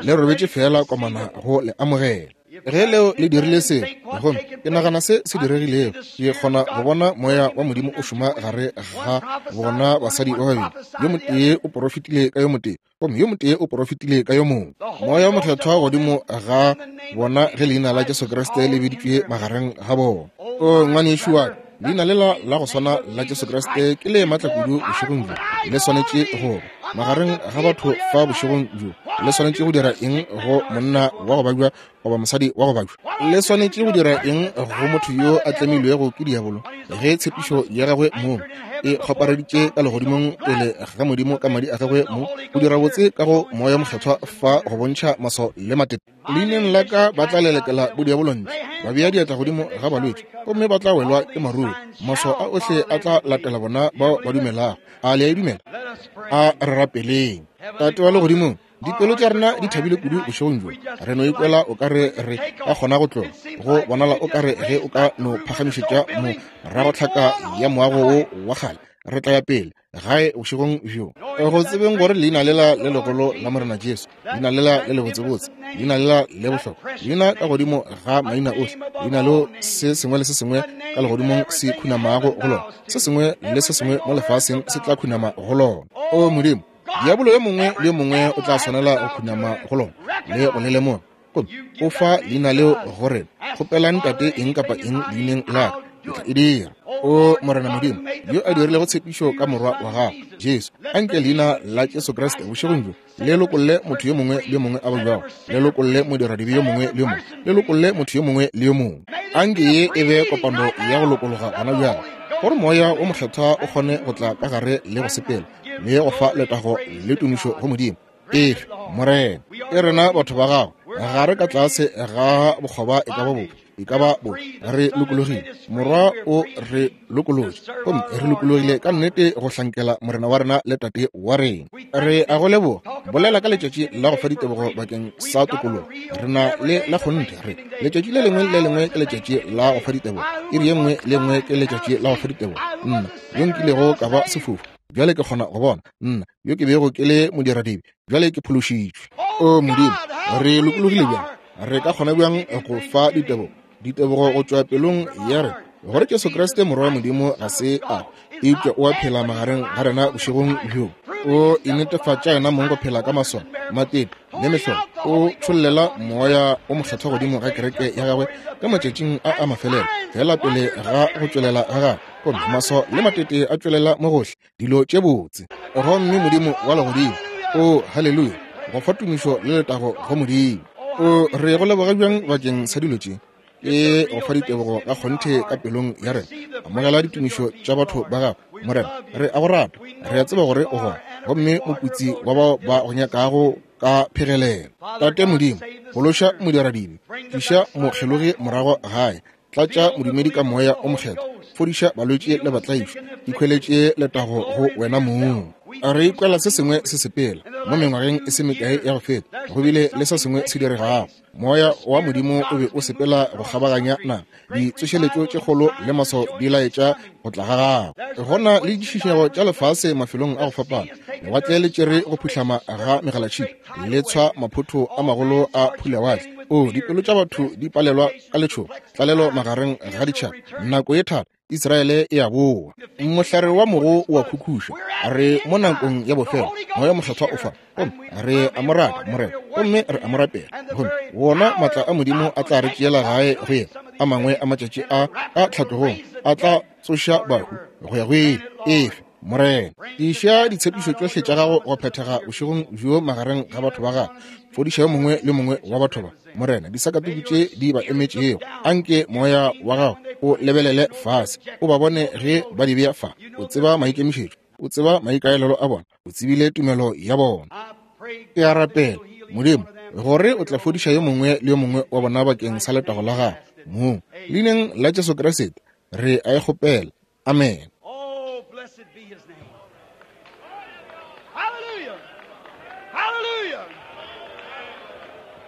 Speaker 1: Le robetše feela komana go le amogela. Ge leo le dirile se, gomme ke nagana se se diregilego, ke kgona go bona Moya wa Modimo o šoma gare ga bona basadi ba babedi. Yo motee o porofetile ka yo motee, gomme yo motee o porofetile ka yo mongwe. Moya wo Mokgethwa godimo ga bona ge leina la Jesu Kriste le biditšwe magareng ga bona. O ngwanešu wa ka, leina lela la go swana la Jesu Kriste ke le matla kudu bošegong bjo. Le swanetše go ba magareng ga batho fa bošegong bjo. Le swanetše go dira eng go monna wa go babja goba mosadi wa go babja? Le swanetše go dira eng go motho yo a tlemilwego ke diabolo ge tshepišo ya gagwe mong e kgopareditše ka legodimong pele ga Modimo ka madi a gagwe mong go dira botse ka go Moya Mokgethwa fa go bontšha maswao le matete? Leineng la ka ba tla lelekela bodiabolo ntle, ba bea diatla godimo ga balwetši, gomme ba tla welwa ke maruru. Maswao a ohle a tla latela bona bao ba dumelago. A le a e dumela? A re rapeleng. Tate wa Legodimong, dipelo tša rena di thabile kudu bošegong bjo. Re no ikwela o ka re re ka kgona go tloga. Go bonala o ka re ge o ka no phagamišetša moragotlhaka ya moago wo wa kgale, re tla ya pele gae bošegong bjo. Go tsebeng gore leina lela le legolo la Morena Jesu, leina lela le lebotsebotse, leina lela le bohlokwa, leina ka godimo ga maina ohle, leina leo se sengwe le se sengwe ka legodimong se khunamago go lona, se sengwe le se sengwe mo lefaseng se tla khunama go lona. O Modimo, diabolo yo mongwe le yo mongwe o tla swanela go khunama go lona le go le lemoga. Gomme o fa leina leo go rena. Kgopelang Tate eng kapa eng leineng la ka, ke tla e dira. O Morena Modimo, yo a dirilego tshepišo ka Morwa wa Gago, Jesu, anke leina la Jesu Kriste bošegong bjo le lokolle motho yo mongwe le yo mongwe a babjago, le lokolle modiradibe yo mongwe le yo mongwe, le lokolle motho yo mongwe le yo mongwe. Anke ye e be kopano ya go lokologa gona bjale, gore Moya wo Mokgethwa o kgone go tla ka gare le go sepela le go fa letago le tumišo go Modimo. Efe, Morena, e rena batho ba gago, ga re ka tlase ga bokgoba e ka ba bofe, e ka ba bo re lokologile. Morwa o re lokolotše, gomme re lokologile ka nnete go hlankela Morena wa rena le Tate wa rena. Re a go leboga. Bolela ka letšatši la go fa ditebogo bakeng sa tokologo. Re na le la kgonthe re letšatši le lengwe le lengwe ke letšatši la go fa ditebogo, iri ye nngwe le nngwe ke letšatši la go fa ditebogo. Nna yo nkilego ka ba sefofu, bjale ke kgona go bona. Nna yo ke bego ke le modiradibe, bjale ke phološitšwe. O Modimo, re lokologile bjang! Re ka kgona bjang go fa ditebogo, ditebogo go tšwa pelong ya rena, gore Jesu Kriste Morwa wa Modimo ga se a eupša o a phela magareng ga rena bošegong bjo. O inetefatša yena mong go phela ka maswao, matete le mehlolo. O tšhollela Moya o Mokgethwa godimo ga kereke ya gagwe ka matšatšing a a mafelelo, feela pele ga go tšwelela ga gagwe, gomme maswao le matete a tšwelela mo gohle. dilo tše botse. Gomme Modimo wa Legodimo, o haleluya, go fa tumišo le letago go Modimo. O re go leboga bjang bakeng sa dilo tše. Ke go fa ditebogo ka kgonthe ka pelong ya rena. Amogela ditumišo tša batho ba gago, Morena. Re a go rata, re a tseba gore o gona, gomme moputsi wa bao ba go nyakago ka phegelelo. Tate Modimo, phološa modiradibe, tliša mokgelogi morago gae, tlatša modumedi ka moya o mokgethwa, fodiša balwetši le batlaišwa, ikhweletše letago go wena mong. Re ikwela se sengwe se sepela mo mengwageng e se mekae ya go feta, go bile le se sengwe se diregago. Moya wa Modimo o be o sepela go kgabaganya naga. Ditsošeletšo tše kgolo le maswao di laetša go tla ga gagwe. Go na le ditšhišinyego tša lefase mafelong a go fapana. Lewatle le tšere go phuhlama ga megalatšhipi, le tshwa maphotho a magolo a phulawatle. O, dipelo tša batho di palelwa ka letšhogo, tlalelo magareng ga ditšhaba, nako ye thata. Israele e a boa. Mohlare wa mogo o a khukhuša. Re mo nakong ya bofelo. Moya Mokgethwa o fa. Gomme re a mo rata, Morena. Gomme re a mo rapela. Gomme wona maatla a Modimo a tla re tšeela gae go yena. A mangwe a matšatši a ka tlhatlogong a tla tsoša bahu go ya go ile. Efe, Morena. Iša ditshepišo tšohle tša gago go phethega bošegong bjo magareng ga batho ba gago. Fodiša yo mongwe le mongwe wa batho ba, Morena, disakatuku tše di ba emetšego. Anke moya wa gago o lebelele fase, o ba bone ge ba di bea fa. O tseba maikemišetšo, o tseba maikaelelo a bona, o tsebile tumelo ya bona. Ke a rapela, Modimo, gore o tla fodiša yo mongwe le yo mongwe wa bona bakeng sa letago la gago mong. Leineng la Jesu Kriste re a e kgopela. Amen.
Speaker 2: Oh, blessed be his name. Hallelujah. Hallelujah.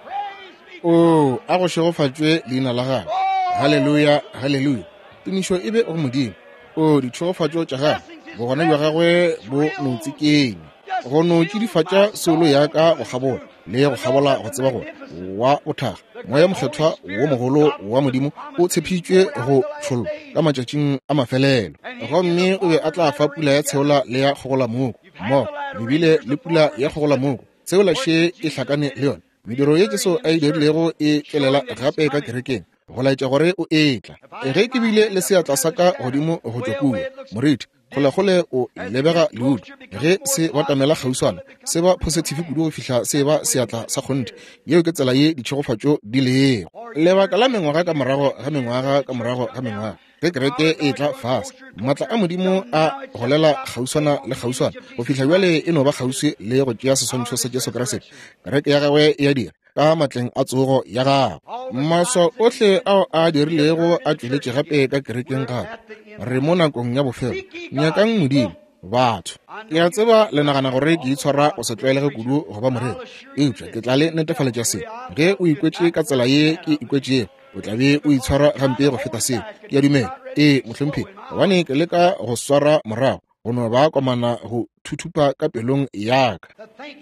Speaker 2: Praise be to
Speaker 1: O a go šegofatšwe leina la gagwe. Haleluya, haleluya. Tumišo e be go Modimo. O ditšhegofatšo tša gagwe, bogona bja gagwe bo no tsikenya. Go no tšidifatša soulo ya ka go kgabola le go kgabola go tseba gore wa bothakga Moya Mokgethwa wo mogolo wa Modimo o tshepišitšwe go tšhollwa ka matšatšing a mafelelo, gomme o be a tla fa pula ya tsheola le ya kgogolamoko mmogo. Le bile le pula ya kgogolamoko, tsheola še e hlakane le yona. Mediro ye Jesu a e dirilego e tšwelela gape ka kerekeng go laetša gore o etla. Ge ke bile le seatla sa ka godimo go tšwa kua, moriti kgolekgole o lebega leudu ge se batamela kgauswana, se ba phosithifi kudu go fihla se ba seatla sa kgonthe. Yeo ke tsela ye ditšhegofatšo di lego. Lebaka la mengwaga ka morago ga mengwaga ka morago ga mengwaga, ge kereke e etla fase, maatla a Modimo a golela kgauswana le kgauswana go fihla bjale e no ba kgauswi le go tšea seswantšho sa Jesu Kriste. Kereke ya gagwe e a dira ka matleng a tsogo ya gagwe. Maswao ohle ao a dirilego a tšweletše gape ka kerekeng gape. Re mo nakong ya bofelo. Nyakang Modimo, batho. Ke a tseba le nagana gore ke itshwara go se tlwaelege kudu go ba moreri, eupša ke tla le netefaletša se. Ge o ikwetše ka tsela ye ke ikwetšego, o tla be o itshwara gampe go feta seo. Ke a dumela. Ee, mohlomphegi, gobane ke leka go swara morago go no ba komana go thuthupa ka pelong ya ka.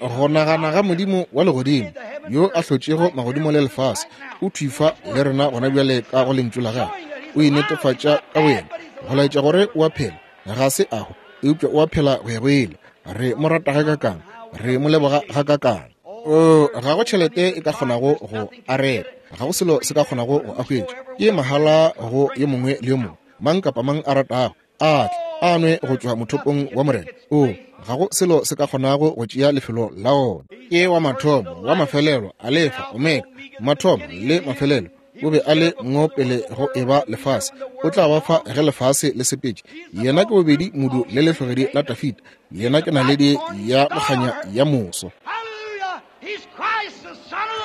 Speaker 1: Go nagana ga Modimo wa legodimo yo a hlotšego magodimo le lefase, o thwi fa le rena gona bjale ka go Lentšu la gagwe, o inetefatša ka boyena go laetša gore o a phela, ga se a hwa, eupša o a phela go ya go ile. Re mo rata gakakang, re mo leboga gakakang. O, ga go tšhelete e ka kgonago go a reka, ga go selo se ka kgonago go a hwetša. Ke mahala go yo mongwe le yo mongwe, mang kapa mang a ratago a tle a nwe go tšwa mothopong wa Morena. O, ga go selo se ka kgonago go tšea lefelo la ona. Ke wa mathomo, wa mafelelo, Alefa, Omega, mathomo le mafelelo. O be a le ngo pele go eba lefase, o tla ba fa ge lefase le sepetše. Yena ke bobedi modu le lehlogedi la Dafida. Yena ke naledi ya mokganya ya moso.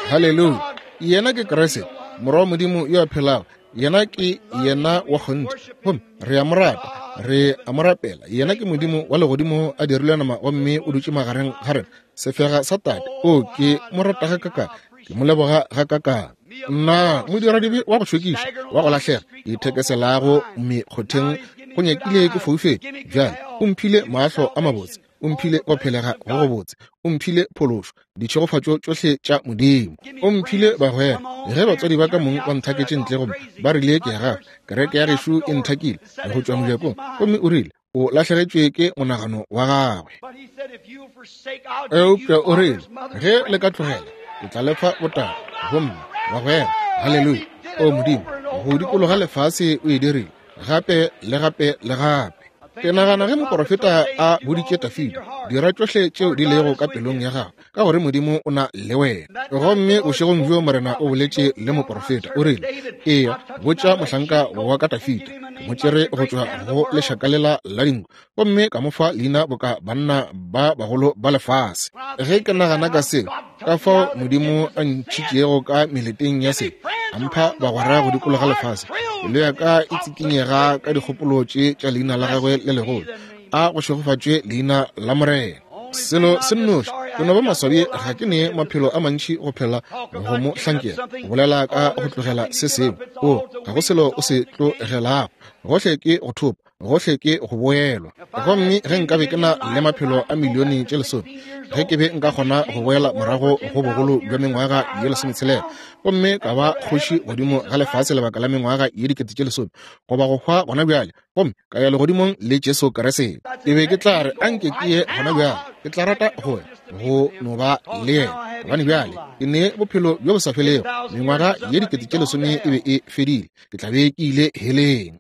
Speaker 1: Haleluya! Yena ke Kriste, Morwa wa Modimo yo a phelago. Yena ke yena wa kgonthe, gomme re a mo rata, re a mo rapela. Yena ke Modimo wa legodimo a dirilwe nama gomme o dutše magareng ga rena, sefega sa Tate. O, ke mo rata gakakang, ke mo leboga gakakang. Nna modiradibe wa go šokiša, wa go lahlega, ke ithekeselago mekgotheng, go nyakile ke foufetše. Bjale o mphile mahlo a mabotse, o mphile go phelega go gobotse, o mphile phološo, ditšhegofatšo tšohle tša Modimo, o mphile bagwera. Ge batswadi ba ka mong ba nthaketše ntle gomme ba rile ke ya gago, kereke ya gešo e nthakile go tšwa mojakong, gomme o rile o lahlegetšwe ke monagano wa gagwe. Eupša o rile, ge le ka tlogela, ke tla le fa botala gomme bagwera. Haleluya! O Modimo, go dikologa lefase o e dirile gape le gape le gape. Ke nagana ge moporofeta a boditše Dafida, Dira tšohle tšeo di lego ka pelong ya gago, ka gore Modimo o na le wena. Gomme bošegong bjo Morena o boletše le moporofeta, o rile, Eya, botša mohlanka wa ka Dafida, ke mo tšere go tšwa go lešaka lela la dinku, gomme ka mo fa leina boka banna ba bagolo ba lefase. Ge ke nagana ka seo, ka fao Modimo a ntšhitšego ka meleteng ya se, a mpha bagwera go dikologa lefase, pelo ya ka e tsikinyega ka dikgopolo tše tša leina la gagwe le legolo. A go šegofatšwe leina la Morena. Selo se nnoši, ke no ba maswabi ga ke ne maphelo a mantši go phela go mo hlankela, go bolela ka go tlogela se sengwe. O, ga go selo o se tlogelago, gohle ke go thopa, gohle ke go boelwa. Gomme ge nkabe ke na le maphelo a milione tše lesome, ge ke be nka kgona go boela morago go bogolo bja mengwaga ye 60 gomme ka ba kgoši godimo ga lefase lebaka la mengwaga ye 10,000, goba go hwa gona bjale gomme ka ya legodimong le Jesu Kriste, ke be ke tla re anke ke ye gona bjale. Ke tla rata go ya go no ba le yena, gobane bjale ke ne bophelo bjo bo sa felego. Mengwaga ye 10,000 e be e fedile, ke tla be ke ile heleng.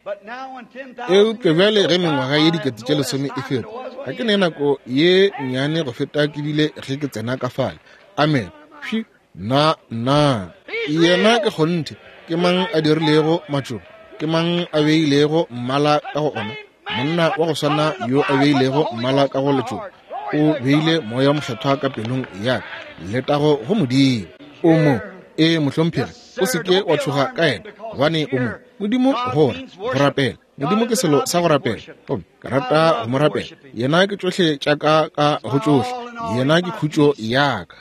Speaker 1: Eupša bjale ge mengwaga ye 10,000 e feta, ga ke ne nako ye nnyane go feta ke bile ge ke tsena ka fale. Amen. Phi, na, na. Yena ke kgonthe. Ke mang a dirilego matšoba? Ke mang a beilego mmala ka go ona? Monna wa go swana yo a beilego mmala ka go letšoba o beile Moya Mokgethwa ka pelong ya ka. Letago go Modimo. O mo. Ee, mohlomphegi, o se ke wa tšhoga ka yena, gobane o mo. Modimo go ra go rapela. Modimo ke selo sa go rapela, gomme ke rata go mo rapela. Yena ke tšohle tša ka ka go tšohle. Yena ke khutšo ya ka.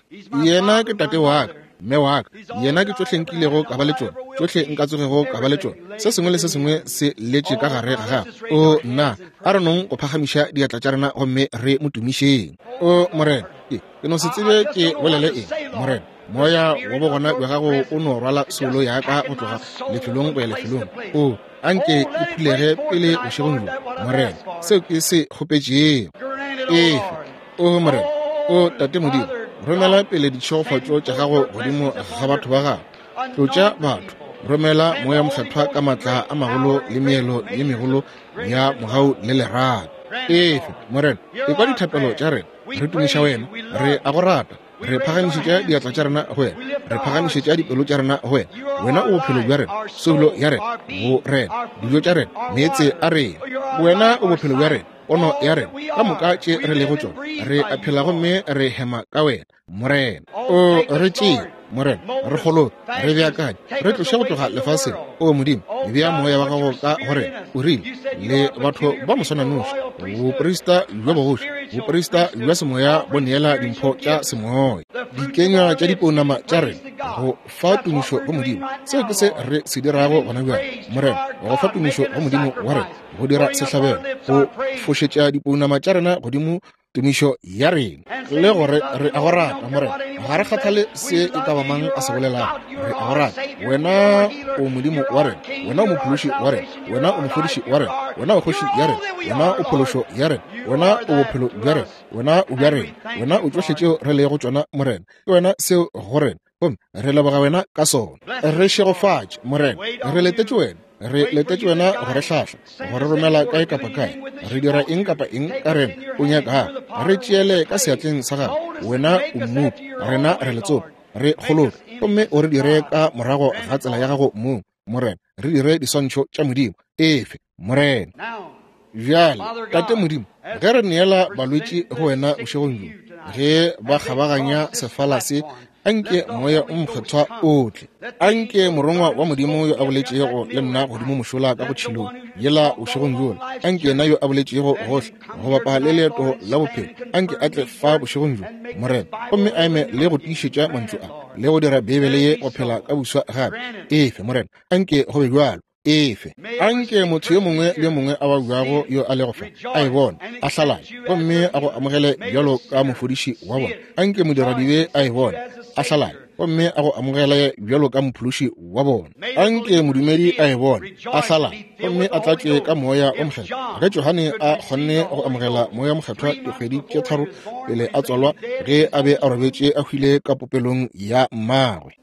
Speaker 1: Yena ke tate wa ka, mme wa ka. Yena ke tšohle nkilego ka ba le tšona, tšohle nka tsogego ka ba le tšona. Se sengwe le se sengwe se letše ka gare ga gagwe. O nna, a re nong go phagamiša diatla tša rena gomme re mo tumišeng. O Morena, ke no se tsebe ke bolele eng, Morena. Moya wa bogona bja gago o no rwala soulo ya ka go tloga lefelong go ya lefelong. O anke ke phulege pele bošegong bjo, Morena, seo ke se kgopetšego. Efe, o Morena, o Tate Modimo, romela pele ditšhegofatšo tša gago godimo ga batho ba gago. Tlotša batho, romela Moya Mokgethwa ka maatla a magolo le meelo ye megolo ya mogau le lerato. Efe, Morena, ekwa dithapelo tša rena. Re tumiša wena, re a go rata. Re phagamišetša diatla tša rena go wena, re phagamišetša dipelo tša rena go wena. Wena o bophelo bja rena, soulo ya rena, bo rena, dijo tša rena, meetse a rena. Wena o bophelo bja rena, pono ya rena, ka moka tše re lego tšona. Re a phela gomme re hema ka wena, Morena. O re tšee, Morena, re kgoloke, re beakanye, re tloše go tloga lefaseng. O Modimo, bea Moya wa gago ka go rena. O rile, le batho ba moswananoši, boprista bja bogoši, boprista bja semoya bo neela dimpho tša semoya, dikenywa tša dipounama tša rena, go fa tumišo go Modimo. Seo ke se re se dirago gona bjale, Morena, go fa tumišo go Modimo wa rena, go dira sehlabelo, go fošetša dipounama tša rena godimo tumišo ya rena, le gore re a go rata, Morena. Ga re kgathale se e ka ba mang a se bolelago, re a go rata. Wena o Modimo wa rena, wena o Mophološi wa rena, wena o Mofodiši wa rena, wena o Kgoši ya rena, wena o Phološo ya rena, wena o Bophelo bja rena, wena o bja rena, wena o tšohle tšeo re lego tšona, Morena. Ke wena seo go rena, gomme re leboga wena ka sona. Re šegofatše, Morena. Re letetše wena, re letetše wena go re hlahla, go re romela kae kapa kae. Re dira eng kapa eng ka rena o nyakago, re tšeele ka seatleng sa gago. Wena o mmopi, rena re letsopa. Re kgoloke gomme o re dire ka morago ga tsela ya gago mong, Morena. Re dire diswantšho tša Modimo. Efe, Morena. Bjale, Tate Modimo, ge re neela balwetši go wena bošegong bjo, ge ba kgabaganya sefala se, anke Moya o Mokgethwa o tle. Anke Morongwa wa Modimo yo a boletšego le nna godimo mošola ka go tšhilong yela bošegong bjola, anke yena yo a boletšego gohle go bapa le leeto la bophelo, anke a tle fa bošegong bjo, Morena, gomme a eme le go tiišetša mantšu a, le go dira Beibele ye go phela ka buswa gape. Efe, Morena, anke go be bjalo. Efe, anke motho yo mongwe le yo mongwe a babjago yo a lego fa a e bone, a hlalale, gomme a go amogele bjalo ka mofodiši wa bona. Anke modiradibe a e bone, a hlalale, gomme a go amogele bjalo ka mophološi wa bona. Anke modumedi a e bone, a hlalale, gomme a tlatšwe ka Moya o Mokgethwa. Ge Johane a kgonne go amogela Moya Mokgethwa dikgwedi tše 3 pele a tswalwa, ge a be a robetše a hwile ka popelong ya mmagwe,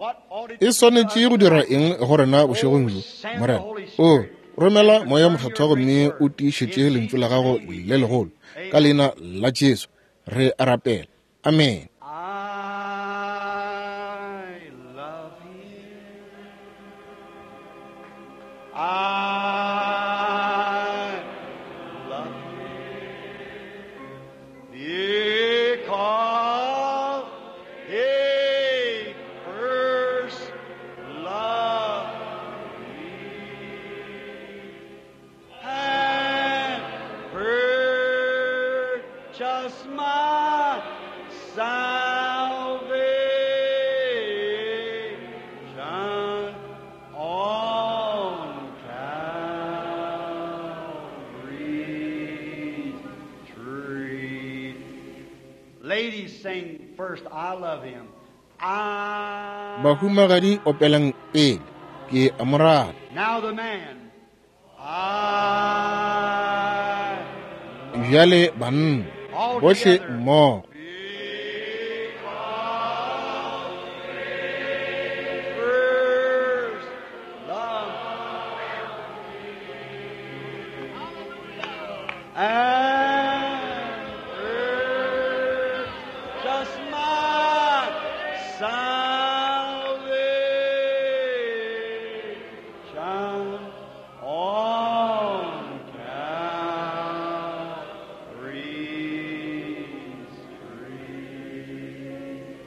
Speaker 1: e swanetše go dira eng go rena bošegong bjo, Morena? O romela Moya Mokgethwa gomme o tiišetše Lentšu la Gago le legolo, ka Leina la Jesu. Re a rapela. Amen.
Speaker 2: I love him. I love him because he first loved me and purchased my salvation on Calvary's tree. Ladies sing first, I love him. I
Speaker 1: Bahumagadi opelang pele, ke a mo rata.
Speaker 2: Now the man. I
Speaker 1: Bjale banna, bohle mmogo.
Speaker 2: First love and purchased my salvation on Calvary's tree.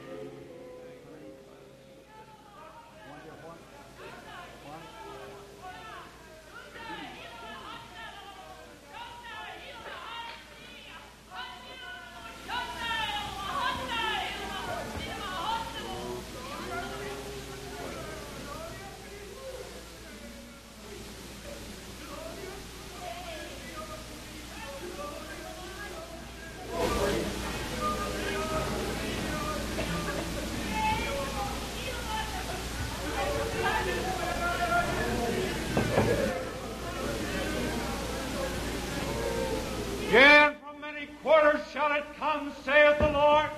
Speaker 3: Yea, from many quarters shall it come, saith the Lord.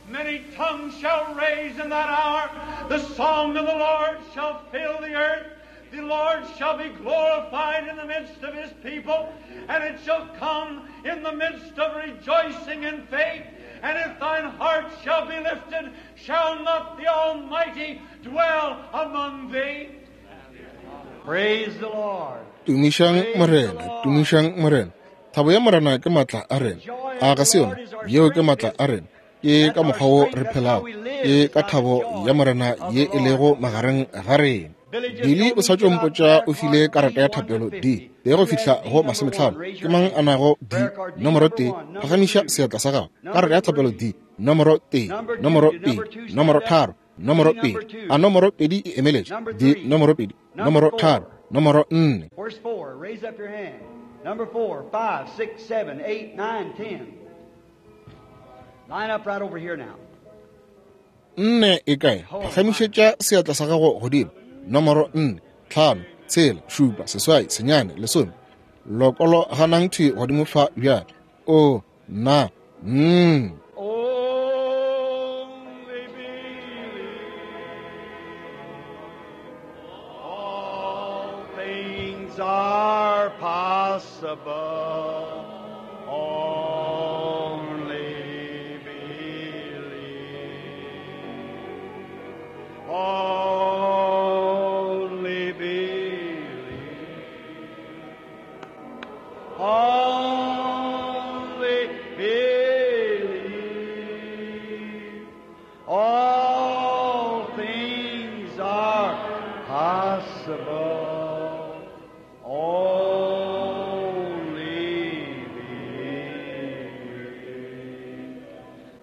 Speaker 3: Many tongues shall raise in that hour. The song of the Lord shall fill the earth. The Lord shall be glorified in the midst of his people, and it shall come in the midst of rejoicing and faith. And if thine heart shall be lifted, shall not the Almighty dwell among thee?
Speaker 2: Praise the Lord.
Speaker 1: Tumišang Morena, tumišang Morena. Thabo ya Morena ke matla a rena. A ga se yona? Yeo ke matla a rena. Ke ka mokgwa wo re phelago. Ke ka thabo ya Morena ye e lego magareng ga rena. Billy o sa tšo mpotša o file karata ya thapelo D tee go fihla go 50. Ke mang a nago D nomoro 1? Phagamiša seatla sa gago. Karata ya thapelo D nomoro 1, nomoro 2, nomoro 3, nomoro 2. A nomoro 2 e emeletše? D nomoro 2, nomoro 3, nomoro 4.
Speaker 2: Where's 4? Raise up your hand. Number 4, 5, 6, 7, 8, 9, 10. Line up right over here now.
Speaker 1: 4 e kae? Phagamišetša seatla sa gago godimo. Nomoro 4, 5, 6, 7, 8, 9, 10. Lokolo ganang thwi godimo fa bjale. O, na,
Speaker 2: Only believe. All things are possible. Only believe. Only believe. Only believe. All things are possible. Only believe.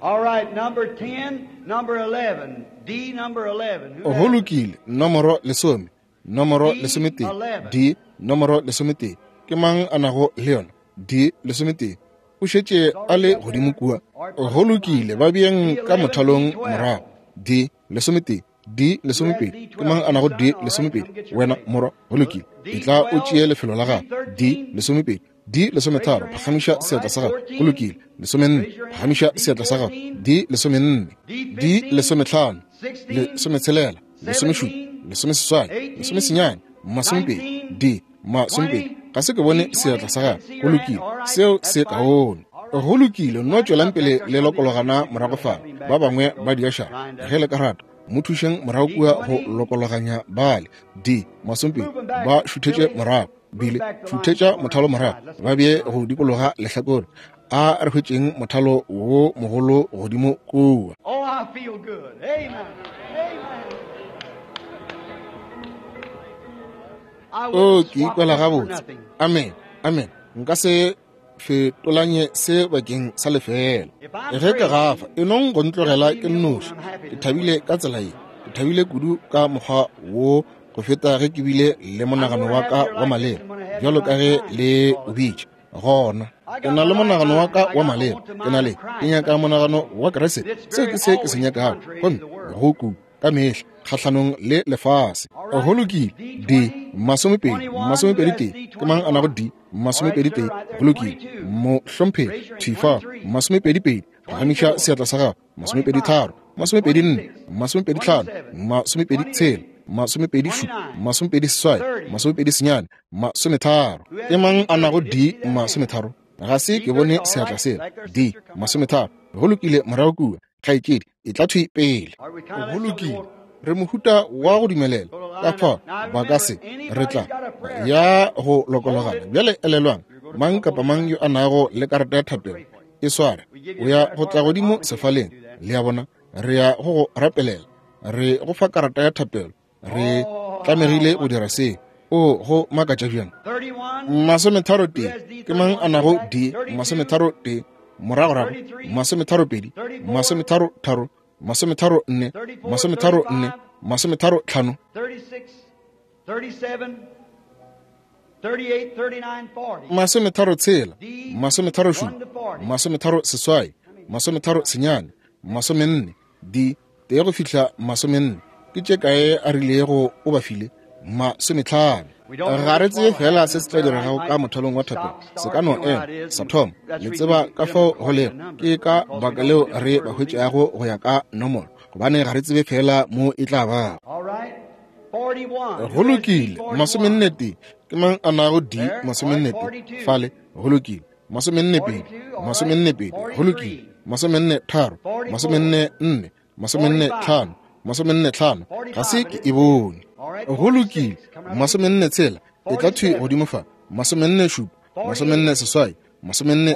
Speaker 2: All right, number 10, number 11. D number 11. Who
Speaker 1: Go
Speaker 2: has it?
Speaker 1: lokile, nomoro 10, nomoro 11, D nomoro 11. Ke mang a nago le yona? D 11. O šetše a le godimo kua. Go lokile, ba beeng ka mothalong morago. D 11, D 12. Ke mang a nago D 12? Wena morwa, go lokile. Etla o tšee lefelo la gago. D 12, D 13. Phagamiša seatla sa gago. Go lokile. 14, phagamiša seatla sa gago. D 14, D 15, 16, 17, 18, 19, D 20. Ga se ke bone seatla sa gago. Go lokile, seo se kaone. Go lokile, nno tšwelang pele le lokologana morago fa. Ba bangwe ba diašara, ge le ka rata, mo thušeng morago kua go lokologanya bale. D masomepedi ba šuthetše morago, bile šuthetša mothalo morago, ba bee go dikologa lehlakore. A re hwetšeng mothalo wo mogolo godimo kua.
Speaker 2: Oh, I feel good. Amen. Amen. I
Speaker 1: O
Speaker 2: wouldn't
Speaker 1: ke
Speaker 2: swap
Speaker 1: ikwela
Speaker 2: this for
Speaker 1: gabotse.
Speaker 2: nothing.
Speaker 1: Amen. Amen. Nka se fetolanye se bakeng sa lefeela. Ge ke gafa, e nong go ntlogela ke nnoši. Ke thabile ka tsela ye. Ke thabile kudu ka mokgwa wo go feta ge ke bile le monagano wa ka wa maleba, bjalo ka ge le o bitša. Gona ke na le monagano wa ka wa maleba, ke na le, ke nyaka monagano wa Kriste. Seo ke se ke se nyakago, gomme go ku ka mehla kgahlanong le lefase. Go lokile. D 20, 21. Ke mang a nago D 21? Go lokile, mohlomphegi. Thifa 22. Phagamiša seatla sa gago. 23, 24, 25, 26, 27, 28, 29, 30. Ke mang a nago D 30? Ga se ke bone seatla sela. D 30. Go lokile, morago kua, kgaetšedi, e tla thwi pele. Go lokile, re mohuta wa go dumelela ka fao ba ka se re tla ya go lokologana. Bjale elelwang, mang kapa mang yo a nago le karata ya thapelo, e sware, o ya go tla godimo sefaleng. Le a bona, re ya go go rapelela, re go fa karata ya thapelo, re tlamegile go dira seo. O go makatša bjang.
Speaker 2: 31.
Speaker 1: 31. Ke mang a nago D 31? Moragorago 32, 33, 34, 34, 35.
Speaker 2: 36, 37, 38, 39, 40.
Speaker 1: 36, 37, 38, 39, 40. D 1 go fihla 40. Ke tše kae a rilego o ba file? 50. Ga re tsebe fela se se tla diregago ka mothalong wa thapelo. Se ka no ema sa thoma. Le tseba ka fao go lego. Ke ka baka leo re ba hwetšago go ya ka nomoro, gobane ga re tsebe fela mo e tla bago.
Speaker 2: All right. 41.
Speaker 1: Go lokile, 41. Ke mang a nago D 41? Fale, go lokile. 42, 42, go lokile. 43, 44, 45, 45. Ga se ke e bone. Go lokile, 46, e tla thwi godimo fa. 47, 48, 49,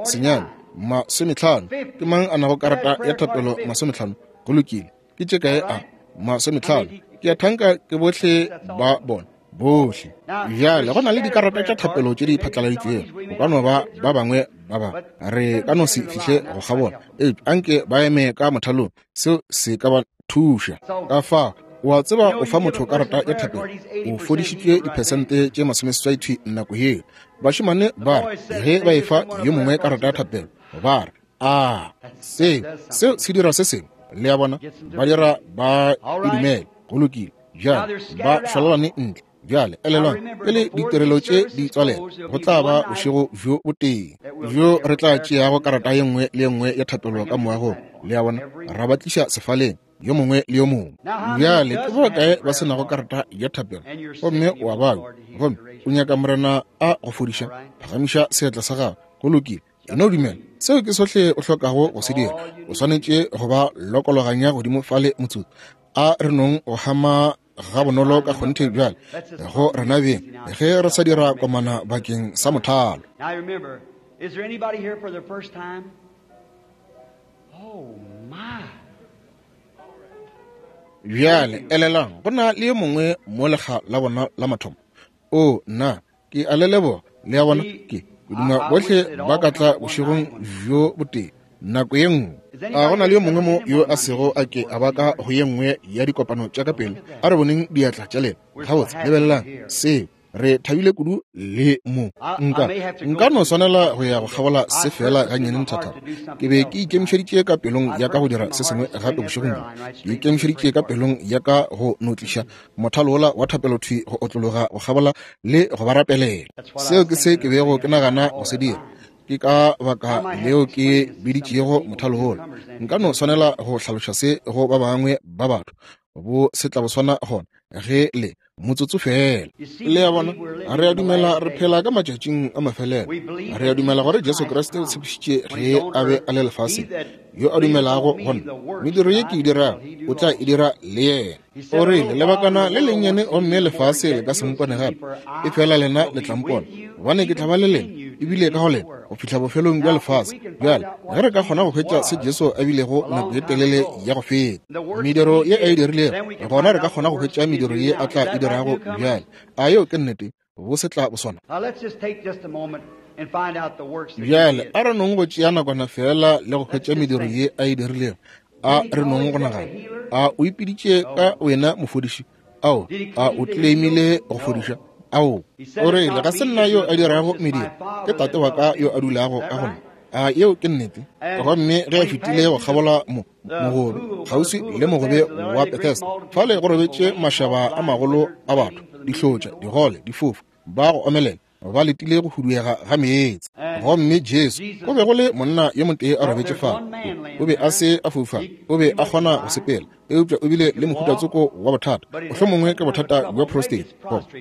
Speaker 1: 50. Ke mang a nago karata ya thapelo 50? Go lokile, ke tše kae a? 50. Ke a thanka ke bohle ba bona, bohle. Bjale go na le dikarata tša thapelo tše di phatlaladitšwego. Go ka no ba ba bangwe ba ba re ka no se fihle go kgabola, eupša anke ba eme ka mothalong, seo se ka ba thuša. Ka fao, o a tseba, o fa motho karata ya thapelo, o fodišitšwe diphesente tše 80 nako yeo. Bašemane ba re ge ba efa yo mongwe karata ya thapelo, ba re, a seo se dira se sengwe. Le a bona, ba dira ba e dumele. Go lokile, bjale ba šwalalane ntle. Bjale elelwang, pele ditirelo tše di tswalela, go tla ba bošego bjo botee bjo re tla tšeago karata ye nngwe le ye nngwe ya thapelo ka moagong. Le a bona, ra ba tliša sefaleng, yo mongwe le yo mongwe. Bjale ke ba kae ba se nago karata ya thapelo, gomme o a babja, gomme o nyaka Morena a go fodiša? Phagamiša seatla sa gago. Go lokile, e no dumela. Seo ke sohle o hlokago go se dira. O swanetše go ba lokologanya godimo fale motsotso. A re nong go hama ga bonolo ka kgonthe bjale go rena beng, ge re sa dira komana bakeng sa mothalo.
Speaker 2: Now remember, is there anybody here for the first time? Oh my.
Speaker 1: Bjale elelang, go na le yo mongwe mo lekga la bona la mathomo. O nna, ke a le leboga. Le a bona, ke duma bohle ba ka tla bošegong bjo botee nako ye nngwe. A go na le yo mongwe mo yo a sego a ke a ba ka go ye nngwe ya dikopano tša ka pele? A re boneng diatla tša lena. Gabotse, lebelelang seo. Re thabile kudu le mo. Nka no swanela go ya go kgabola se fela gannyane nthathana. Ke be ke ikemišeditše ka pelong ya ka go dira se sengwe gape bošegong bjo. Ke ikemišeditše ka pelong ya ka go no tliša mothalo wola wa thapelo thwi go otlologa go kgabola le go ba rapelela. Seo ke se ke bego ke nagana go se dira. Ke ka baka leo ke biditšego mothalo wola. Nka no swanela go hlaloša se go ba bangwe ba batho. Bo se tla bo swana gona. Ge le motsotso fela. Le a bona, re a dumela re phela ka matšatšing a mafelelo. Re a dumela gore Jesu Kriste o tshepišitše ge a be a le lefaseng, yo a dumelago go nna, mediro ye ke e dirago o tla e dira le yena. O rile, lebakana le lennyane gomme lefase le ka se mpone gape, efela lena le tla mpona, gobane ke tla ba le lena ebile ka go lena go fihla bofelong bja lefase. Bjale ge re ka kgona go hwetša se Jesu a bilego nako ye telele ya go feta, mediro ye a e dirilego, gona re ka kgona go hwetša mediro ye a tla e dirago bjale. A yeo ke nnete? Bo se tla bo swana. Bjale a re nong go tšea nakwana fela le go hwetša mediro ye a e dirilego. A re nong go nagana. A o ipiditše ka wena mofodiši? Ao, a o claimile go fodiša? Ao, o rile, ga se nna yo a dirago mediro, ke Tate wa ka yo a dulago ka go nna. A yeo ke nnete? Gomme ge a fetile go kgabola mo mogobe, kgauswi le mogobe wa Bethesda, fale go robetše mašaba a magolo a batho, dihlotša, digole, difofu, ba go omelela, ba letile go huduega ga meetse. Gomme Jesu, go be go le monna yo motee a robetše fale, o be a se a foufala, o be a kgona go sepela, eupša o bile le mohutatsoko wa bothata, mohlomongwe ke bothata bja prostate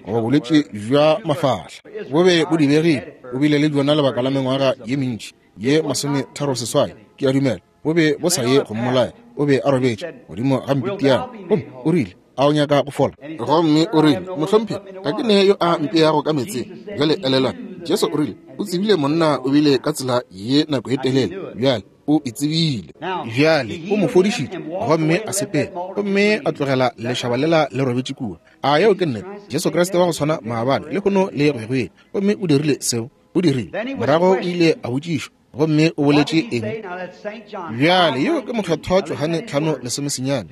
Speaker 1: goba bolwetši bja mafahla, bo be bo dibegile. O bile le bjona lebaka la mengwaga ye mentši ye 38, ke a dumela. Bo be bo sa ye go mmolaya. O be a robetše godimo ga mpitiana, gomme o rile, A o nyaka go fola? Gomme o rile, Mohlomphegi, ga ke ne yo a mpeago ka meetseng. Bjale elelwang, Jesu o rile o tsebile monna o bile ka tsela ye nako ye telele. Bjale o e tsebile. Bjale o mo fodišitše, gomme a sepela, gomme a tlogela lešaba lela le robetše kua. A yeo ke nnete? Jesu Kriste wa go swana maabane, lehono le go ya go ile. Gomme o dirile seo. O dirile. Morago o ile a botšišwa, gomme o boletše eng? Bjale yeo ke Mokgethwa Johane 5:19.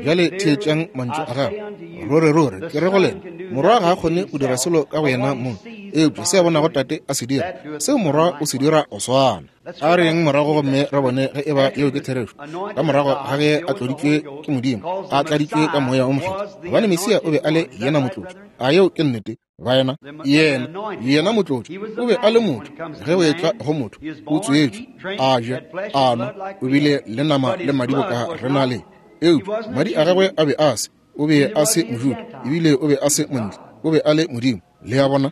Speaker 1: Bjale theetšang mantšu a gagwe. Ruri, ruri, ke re go lena, Morwa ga a kgone go dira selo ka go yena mong, eupša se a bonago Tate a se dira, seo Morwa o se dira go swana. A re yeng morago gomme re bone ge eba yeo ke therešo. Ka morago ga ge a tloditšwe ke Modimo, a tladitšwe ka Moya wo Mokgethwa, gobane Mesia o be a le yena motlotšwa. A yeo ke nnete? Baena, yena, yena motlotšwa, o be a le motho. Ge o etla go motho, o tswetšwe, a ja, a nwa, o bile le nama le madi boka re na le. Eupša madi a gagwe a be a se, o be a se Mojuda, ebile o be a se Montle, o be a le Modimo. Le a bona?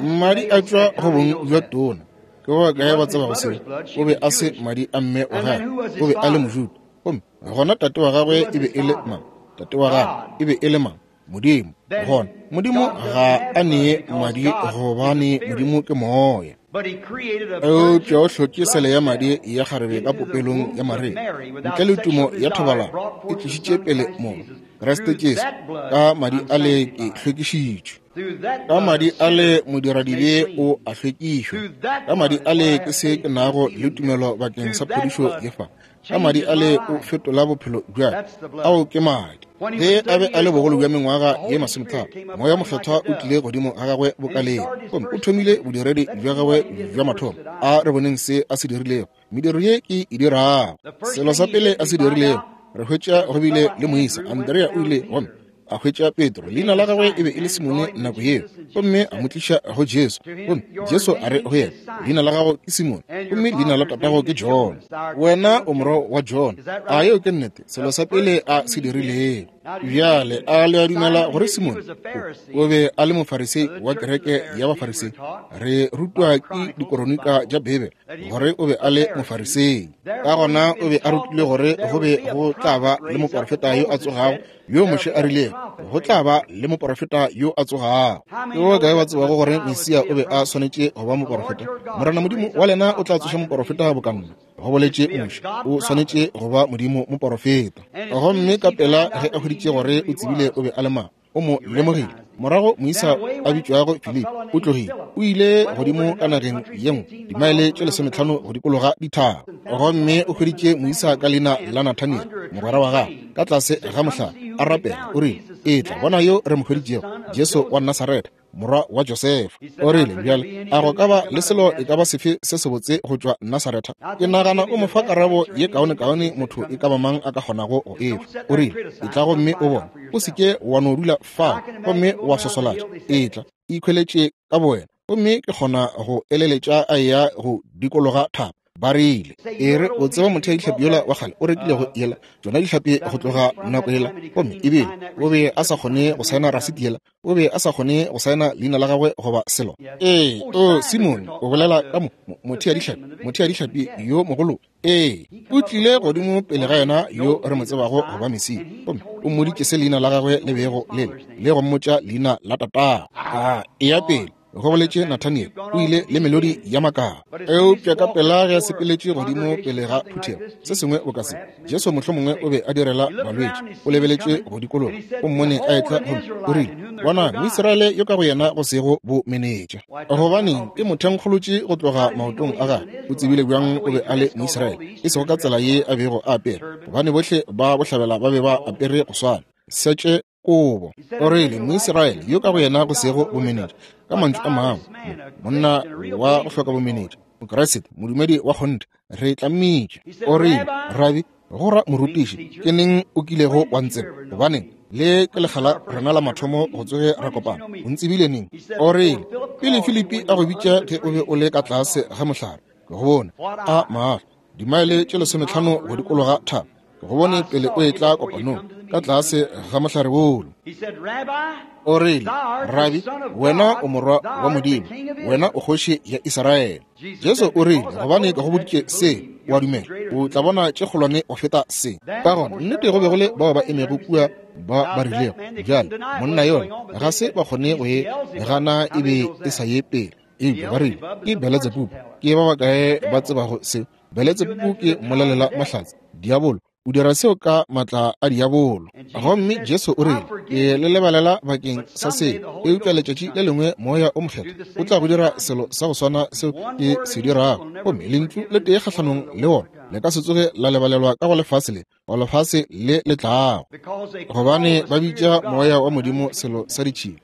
Speaker 1: Madi a tšwa go bong bja tona. Ke ba bakae ba tsebago seo? O be a se madi a mme wa gagwe, o be a le Mojuda. Gomme gona tate wa gagwe e be e le mang? Tate wa gagwe e be e le mang? Modimo. Gona Modimo ga a nee madi, gobane Modimo ke moya. Eupša o hlotše sele ya madi ya kgarebe ka popelong ya Maria, ntle le tumo ya thobalano, e tlišitše pele mo Kriste Jesu. Ka madi a le ke hlwekišitšwe. Ka madi a le modiradibe o a hlwekišwa. Ka madi a le ke se ke nago le tumelo bakeng sa phodišo ye fa. Ka madi a le o fetola bophelo bja ka. Ao ke madi. Ge a be a le bogolo bja mengwaga ye 30, Moya Mokgethwa o tlile godimo ga gagwe bokaleng, gomme o thomile bodiredi bja gagwe bja mathomo. A re boneng se a se dirilego. Mediro ye ke e dirago. Selo sa pele a se dirilego, re hwetša go bile le moisa Andrea o ile gomme a hwetša Petro, leina la gagwe e be e le Simone nako yeo, gomme a mo tliša go Jesu. Gomme Jesu a re go yena, leina la gago ke Simone, gomme leina la tatago ke Jona. Wena o morwa wa Jona. A yeo ke nnete? Selo sa pele a se dirilego. Bjale, a le a dumela gore Simone o be a le Mofarisei wa kereke ya Bafarisei? Re rutwa ke dikoronika tša Beibele gore o be a le Mofarisei. Ka gona o be a rutilwe gore go be go tla ba le moporofeta yo a tsogago, yo Moshe a rilego go tla ba le moporofeta yo a tsogago. Ke ba bakae ba tsebago gore Mesia o be a swanetše go ba moporofeta? Morena Modimo wa lena o tla tsoša moporofeta boka nna, go boletše Moshe. O swanetše go ba Modimo moporofeta. Gomme ka pela ge a hweditše gore o tsebile o be a le mang, o mo lemogile. Morago moisa a bitšwago Filipi o tlogile, o ile godimo ka nageng ye nngwe, dimaele tše 15 go dikologa dithaba, gomme o hweditše moisa ka leina la Nathaniel, mogwera wa gagwe, ka tlase ga mohlare a rapela. O rile, Etla, bona yo re mo hweditšego, Jesu wa Nasaretha, morwa wa Josefa. O rile, Bjale, a go ka ba le selo e ka ba sefe se sebotse go tšwa Nasaretha? Ke nagana o mo fa karabo ye kaonekaone motho e ka ba mang a ka kgonago go e fa. O rile, Etla gomme o bone. O se ke wa no dula fao gomme wa swaswalatša. Etla, ikhweletše ka bowena. Gomme ke kgona go eleletša a eya go dikologa thaba. Ba rile, E re, o tseba motheadihlapi yola wa kgale o rekilego yela, tšona dihlapi go tloga nako yela, gomme ebile o be a sa kgone go saena rasiti yela, o be a sa kgone go saena leina la gagwe goba selo. Ee, o Simone, o bolela ka mo, motheadihlapi, motheadihlapi yo mogolo. Ee, o tlile godimo pele ga yena yo re mo tsebago go ba Mesia, gomme o mmoditše se leina la gagwe le bego le le, le go mmotša leina la tatago. A eya pele, go boletše Nathaniel, o ile le melodi ya makala. Eupša ka pela ge a sepeletše godimo pele ga phuthego, se sengwe boka se, Jesu mohlomongwe o be a direla balwetši, o lebeletše go dikologa, o mmone a etla gomme o rile, Bonang, Moisraele yo ka go yena go sego bomenetša. Gobaneng, ke mo thenkgolotše go tloga maotong a gagwe. O tsebile bjang o be a le Moisraele? E sego ka tsela ye a bego a apere, gobane bohle ba bohlabela ba be ba apere go swana. Setše kobo. O rile, Moisraele yo ka go yena go sego bomenetša. Ka mantšu a mangwe, monna wa go hloka bomenetša, Mokriste, modumedi wa kgonthe, re tlammitše. O rile, Rabi, go ra morutiši, ke neng o kilego wa ntseba? Gobaneng, le ke lekga la rena la mathomo go tsoge ra kopana. O ntsebile neng? O rile, Pele Filipi a go bitša ge o be o le ka tlase ga mohlare, ke go bone. A maahlo, dimaele tše 15 go dikologa thaba, ke go bone pele o etla kopanong, ka tlase ga mohlare wolo. O rile, Rabi, wena o morwa wa Modimo, wena o kgoši ya Israele. Jesu o rile, Gobane ke go boditše se, o a dumela, o tla bona tše kgolwane go feta se. Ka gona, nnete go be go le bao ba emego kua ba ba rilego, Bjale, monna yola, ga se ba kgone go e gana e be e sa ye pele. Eupša ba rile, Ke Beletsebubu. Ke ba bakae ba tsebago seo? Beletsebubu ke mmolelela mahlatse, diabolo. O dira seo ka maatla a diabolo. Gomme Jesu o rile, Ke le lebalela bakeng sa se, eupša letšatši le lengwe Moya o Mokgethwa o tla go dira selo sa go swana seo ke se dirago, gomme lentšu le tee kgahlanong le wona le ka se tsoge la lebalelwa ka go lefase le, go lefase le le tlago, gobane ba bitša Moya wa Modimo selo sa ditšhila.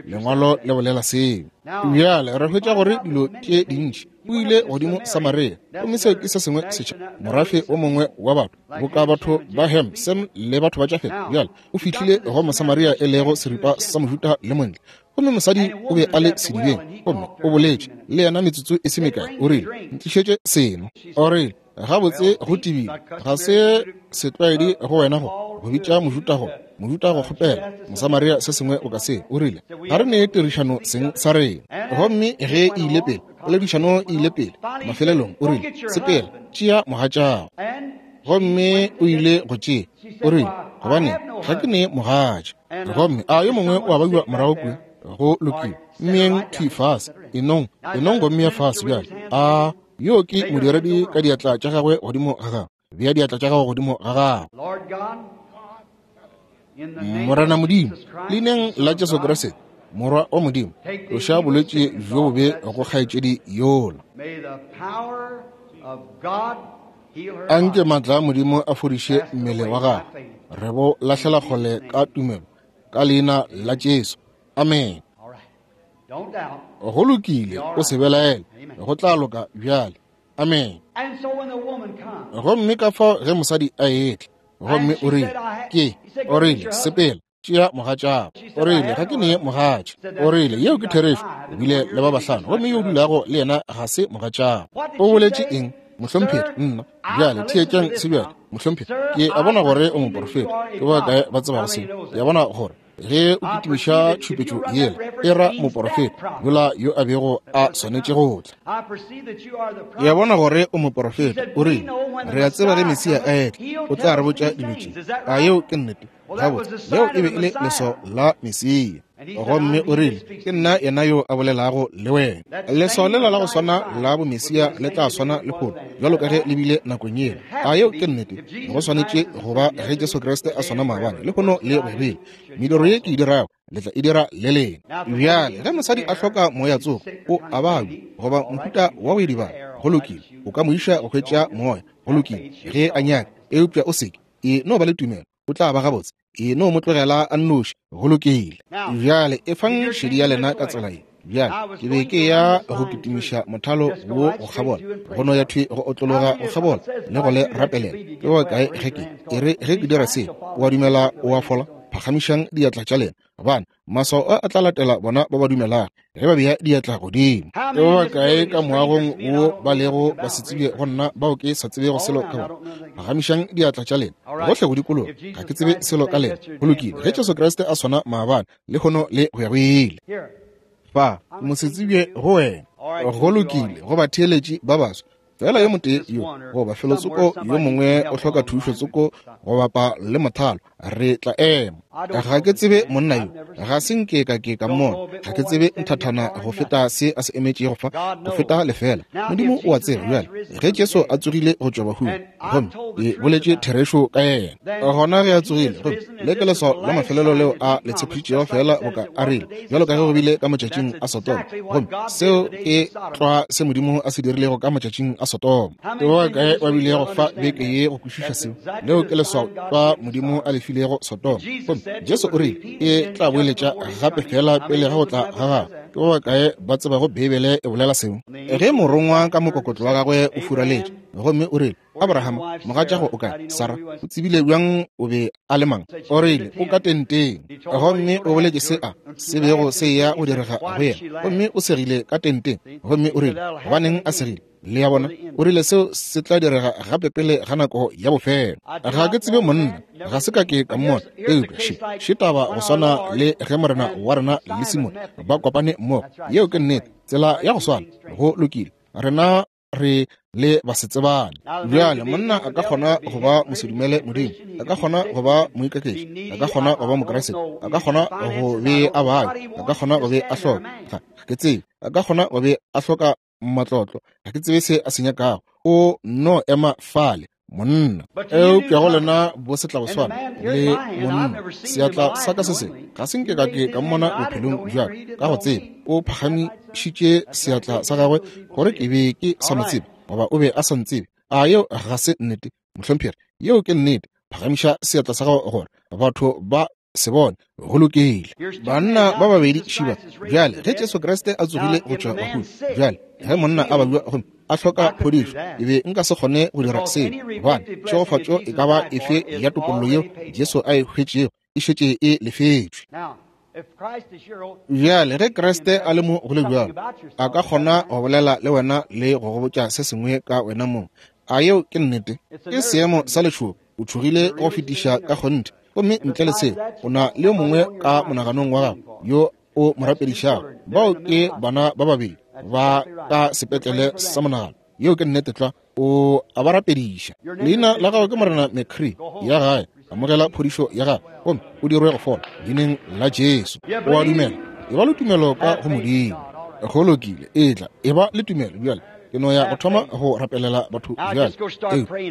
Speaker 1: Lengwalo le bolela seo. Bjale re hwetša gore dilo tše dintši o ile godimo Samaria, gomme seo ke se sengwe setšha, morafe o mongwe wa batho, boka batho ba Ham, Sem le batho ba Jafet. Bjale o fihlile go Mosamaria e lego seripa sa Mojuda le Montle, gomme mosadi o be a le sedibeng, gomme o boletše le yena metsotso e se mekae. O rile, Ntlišetše seno. O rile, Gabotse, go tebile, ga se setlwaedi go wena go go bitša Mojuda go Mojuda go kgopela Mosamaria se sengwe o ka se. O rile, Ga re ne tirišano seng sa rena. Gomme ge e ile pele, poledišano e ile pele, mafelelong o rile, Sepela, tšea mogatšago. Gomme o ile go tšea. O rile, Gobane ga ke ne mogatša. Gomme a yo mongwe o a babiwa morago kua? Go lokile, mmeeng thwi fase, enong, enong go mmea fase bjale. A yo ke modiredi ka diatla tša gagwe godimo ga gago. Bea diatla tša gago godimo ga gago. Morena Modimo, leineng la Jesu Kriste, Morwa wa Modimo, tloša bolwetši bjo bobe go kgaetšedi yola. Anke maatla a Modimo a fodiše mmele wa gagwe. Re bo lahlela kgole ka tumelo, ka leina la Jesu. Amen. Go lokile, o se belaele, go tla loka bjale. Amen. Gomme ka fao ge mosadi a etla, gomme o rile, ke, o rile, sepela, tšea mogatšago. O rile, ga ke ne mogatša. O rile, yeo ke therešo, o bile le ba bahlano, gomme yo o dulago le yena ga se mogatšago. O boletše eng, mohlomphegi? Nna. Bjale, theetšang se bjale, mohlomphegi. Ke a bona gore o moprofeta. Ke ba kae ba tsebago seo? Ke a bona gore ge o kitimiša tšhupetšo yela e ra moporofeta yola yo a bego a swanetše go tla. Ke a bona gore o moporofeta. O rile, Re a tseba ge Mesia a etla, o tla re botša dilo tše. A yeo ke nnete? Gabotse, leo e be e le leswao la Mesia. Gomme o rile, Ke nna yena yo a bolelago le wena. Leswao lela la go swana la bomesia le tla swana lehono bjalo ka ge le bile nakong yela. A yeo ke nnete? Go swanetše go ba ge Jesu Kriste a swana maabane, lehono le go bile. Mediro ye ke e dirago, le tla e dira le lena. Bjale, ge mosadi a hloka moya tsoko, o a babja, goba mohuta wa go idibala, go lokile, o ka mo iša go hwetša moya, go lokile, ge a nyaka, eupša o seke, e no ba le tumelo, o tla ba gabotse. E no mo tlogela a nnoši. Go lokile. Bjale efang šedi ya lena ka tsela ye. Bjale ke be ke ya go kitimiša mothalo wo go kgabola, go no ya thwi go otlologa go kgabola le go le rapelela. Ke ba kae ge ke e re ge ke dira se, o a dumela o a fola? Phagamišang diatla tša lena, gobane maswao a a tla latela bona ba ba dumelago ge ba bea diatla godimo. Ke ba bakae ka moagong wo ba lego ba se tsebe go nna, bao ke sa tsebego selo ka bona? Phagamišang diatla tša lena gohle go dikologa. Ga ke tsebe selo ka lena. Go lokile. Ge Jesu Kriste a swana maabane, lehono le go ya go ile. Fa, mosetsebje go wena. Go lokile, go batheeletši ba baswa. Fela yo motee yo goba felotsoko yo mongwe o hloka thušo tsoko go bapa le mothalo, re tla ema. Ga ke tsebe monna yo, ga se nke ka ke ka mmona, ga ke tsebe nthathana go feta se a se emetšego fa, go feta lefela. Modimo o a tseba. Bjale, ge Jesu a tsogile go tšwa bahung, gomme ke boletše therešo ka yena, gona ge a tsogile, gomme le ke leswao la mafelelo leo a le tshepišitšego, feela boka a rile, bjalo ka ge go bile ka matšatšing a Sodoma. Gomme seo ke tlwa se Modimo a se dirilego ka matšatšing a Sodoma. Ke ba bakae ba bilego fa beke ye go kwešiša seo? Leo ke leswao tlwa Modimo a le filego Sodoma. Gomme Jesu o rile e tla boeletša gape feela pele ga go tla ga gagwe. Ke ba bakae ba tsebago Beibele e bolela seo? Ge morongwa ka mokokotlo wa gagwe o furaletše, gomme o rile, Abraham, mogatšago o kae? Sara o tsebile bjang o be a le mang? O rile, o ka tenteng. Gomme o boletše se a se bego se eya go direga go yena. Gomme o segile ka tenteng. Gomme o rile, gobaneng a segile? Le a bona? O rile seo se tla direga gape pele ga nako ya bofelo. Ga ke tsebe monna, ga se ka ke ka mmona. Eupša še, še taba go swana le ge Morena wa rena le Simone ba kopane mmogo. Yeo ke nnete, tsela ya go swana. Go lokile. Rena re le basetsebane. Bjale monna a ka kgona go ba mosedumele Modimo, a ka kgona go ba moikaketši, a ka kgona go ba Mokriste, a ka kgona go be a babja, a ka kgona go be a hloka, ga ke tsebe, a ka kgona go be a hloka matlotlo, ga ke tsebe se a se nyakago. O no ema fale, monna. Eupša go lena bo setlaboswana le monna, seatla sa ka se se ga se nke ka ke ka mmona bophelong bja ka go tseba. O phagamišitše seatla sa gagwe gore ke be ke sa mo tsebe, goba o be a sa ntsebe. A yeo ga se nnete, mohlomphegi? Yeo ke nnete. Phagamiša seatla sa gago gore batho ba se bone. Go lokile. Banna ba babedi šiba. Bjale ge Jesu Kriste a tsogile go tšwa bahung, bjale ge monna a babja gomme a hloka phodišo, e be nka se kgone go dira seo, gobane tšhegofatšo e ka ba efe ya topollo yeo Jesu a e hwetšego e šetše e lefetšwe. Bjale ge Kriste a le mo go le bjalo, a ka kgona go bolela le wena le go go botša se sengwe ka wena mong. A yeo ke nnete? Ke seemo sa letšhogo. O tšhogile go fetiša ka kgonthe. Gomme ntle le seo, o na le yo mongwe ka monaganong wa gago yo o mo rapedišago. Bao ke bana ba babedi ba ka sepetlele sa monagano. Yeo ke nnete tlwa. O a ba rapediša. Leina la gago ke Morena McCree. Ya gae, amogela phodišo ya gago gomme o dirwe go fola leineng la Jesu. O a dumela? E ba le tumelo ka go Modimo. Go lokile. Etla, e ba le tumelo bjale. Ke no ya go thoma go rapelela batho bjale.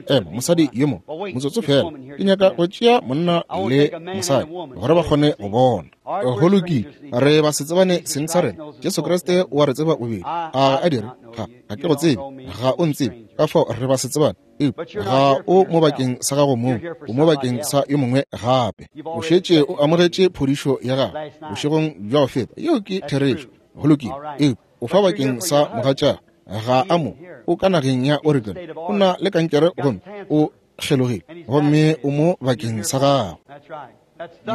Speaker 1: Ema, mosadi yo mo, motsotso fela. Ke nyaka go tšea monna le mosadi gore ba kgone go bona. Go lokile, re ba se tsebane seng sa rena. Jesu Kriste o a re tseba bobedi. A ga a dire? Ga, ga ke go tsebe, ga o ntsebe. Ka fao re ba se tsebane. Eupša ga o mo bakeng sa gago mong, o mo bakeng sa yo mongwe gape. O šetše o amogetše phodišo ya gago bošegong bja go feta. Yeo ke therešo. Go lokile. Eupša o fa bakeng sa mogatšago, ga a mo, o ka nageng ya Oregon, o na le kankere gomme o kgelogile, gomme o mo bakeng sa gago.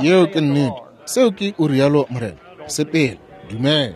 Speaker 1: Yeo ke nnete. Seo ke o rialo Morena. Sepela, dumela.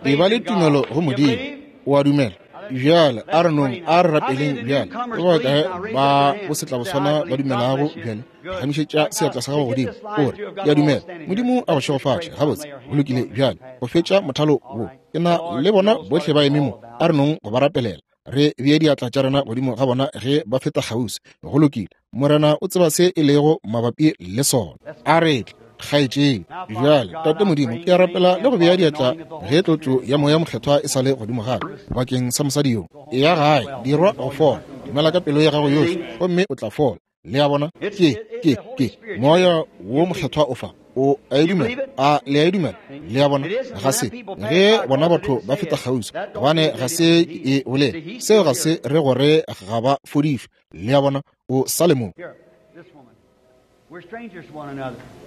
Speaker 1: E ba le tumelo go Modimo. O a dumela? Bjale a re nong, a re rapeleng bjale. Ke ba bakae ba bosetlaboswana ba dumelago bjale? Phagamišetša seatla sa gago godimo, o re, Ke a dumela. Modimo a go šegofatše. Gabotse, go lokile bjale. Go fetša mothalo wo, ke na le bona bohle ba eme mo. A re nong go ba rapelela, re bee diatla tša rena godimo ga bona ge ba feta kgauswi. Go lokile. Morena o tseba se e lego mabapi le sona. A re tle, kgaetšedi. Bjale, Tate Modimo, ke a rapela le go bea diatla ge tlotšo ya Moya Mokgethwa e sa le godimo ga ka bakeng sa mosadi yo. Eya gae, dirwa go fola. Dumela ka pelo ya gago yohle, gomme o tla fola. Le a bona? Ke, ke, ke Moya wo Mokgethwa o fa. O a e dumela? A le a e dumela? Le a bona? Ga se ge bona batho ba feta kgauswi, gobane ga se ke e bolele. Seo ga se re gore ga ba fodišwe. Le a bona? O sa le mo.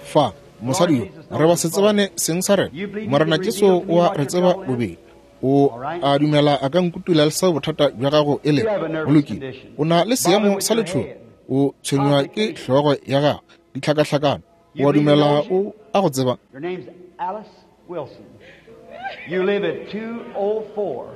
Speaker 1: Fa, mosadi yo, re ba se tsebane seng sa rena. Morena Jesu o a re tseba bobedi. O a dumela a ka nkutula le seo bothata bja gago e lego. Go lokile. O na le seemo sa letšhogo. O tshwenywa ke hlogo ya gago, ditlhakahlakano. O a dumela o a go tseba?
Speaker 2: Your name's Alice Wilson. You live at 204.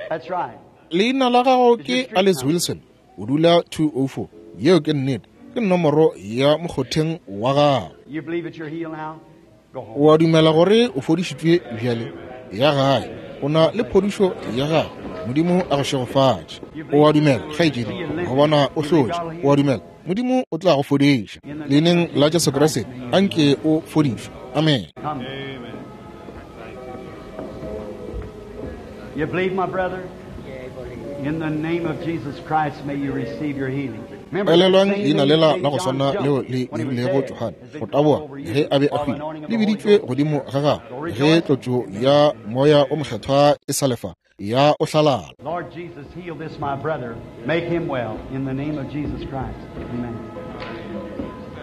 Speaker 2: That's right.
Speaker 1: Leina la gago ke Alice Wilson. O dula 204. Yeo ke nnete. Ke nomoro ya mokgotheng wa gago.
Speaker 2: You believe that you're healed now? Go home.
Speaker 1: O a dumela gore o fodišitšwe bjale? Ya gae. O na le phodišo ya gago. Modimo a go šegofatše. O a dumela, kgaetšedi, go bona o hlotše. O a dumela, Modimo o tla go fodiša. Leineng la Jesu Kriste, anke o fodišwe. Amen.
Speaker 2: Come. You believe, my brother? In the name of Jesus Christ, may you receive your healing. Remember,
Speaker 1: Elelwang
Speaker 2: the same
Speaker 1: leina
Speaker 2: name
Speaker 1: lela
Speaker 2: that
Speaker 1: la go
Speaker 2: John
Speaker 1: swana
Speaker 2: jumped
Speaker 1: leo le
Speaker 2: when he was
Speaker 1: dirilego
Speaker 2: dead
Speaker 1: Johane
Speaker 2: has been
Speaker 1: go
Speaker 2: called
Speaker 1: taboga
Speaker 2: over you
Speaker 1: ge a be a
Speaker 2: while the
Speaker 1: hwile,
Speaker 2: anointing of
Speaker 1: le
Speaker 2: the Holy
Speaker 1: biditšwe
Speaker 2: Ghost.
Speaker 1: godimo ga
Speaker 2: Go
Speaker 1: gagwe ge
Speaker 2: rejoice.
Speaker 1: tlotšo ya moya o mokgethwa e sa lefa ya o hlalala.
Speaker 2: Lord Jesus, heal this my brother. Make him well in the name of Jesus Christ. Amen.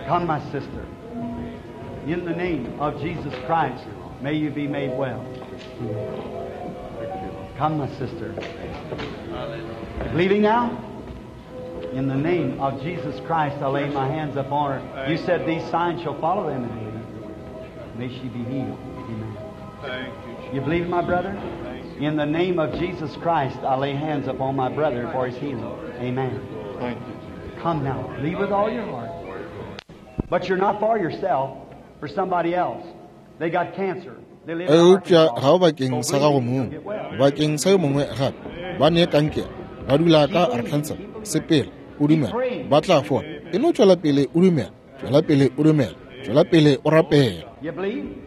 Speaker 2: Come, my sister. In the name of Jesus Christ, may you be made well. Come, my sister. Leaving now? In the name of Jesus Christ, I lay my hands upon her. You said these signs shall follow them and believe. May she be healed. Amen.
Speaker 3: Thank you.
Speaker 2: You believe, my brother? In the name of Jesus Christ, I lay hands upon my brother for his healing. Amen.
Speaker 3: Thank you.
Speaker 2: Come now, believe with all your heart. But you're not for yourself, for somebody else. They got cancer. They live in
Speaker 1: Eupša
Speaker 2: Arkansas.
Speaker 1: ga o bakeng
Speaker 2: Go
Speaker 1: sa gago
Speaker 2: believe it, you'll
Speaker 1: mong,
Speaker 2: get well.
Speaker 1: bakeng sa yo mongwe gape. Ba ne kankere, ba dula ka Arkansas. Sepela, o dumela, ba tla fola. E no tšwela pele o dumela, tšwela pele o dumela, tšwela pele o rapela.
Speaker 2: You believe?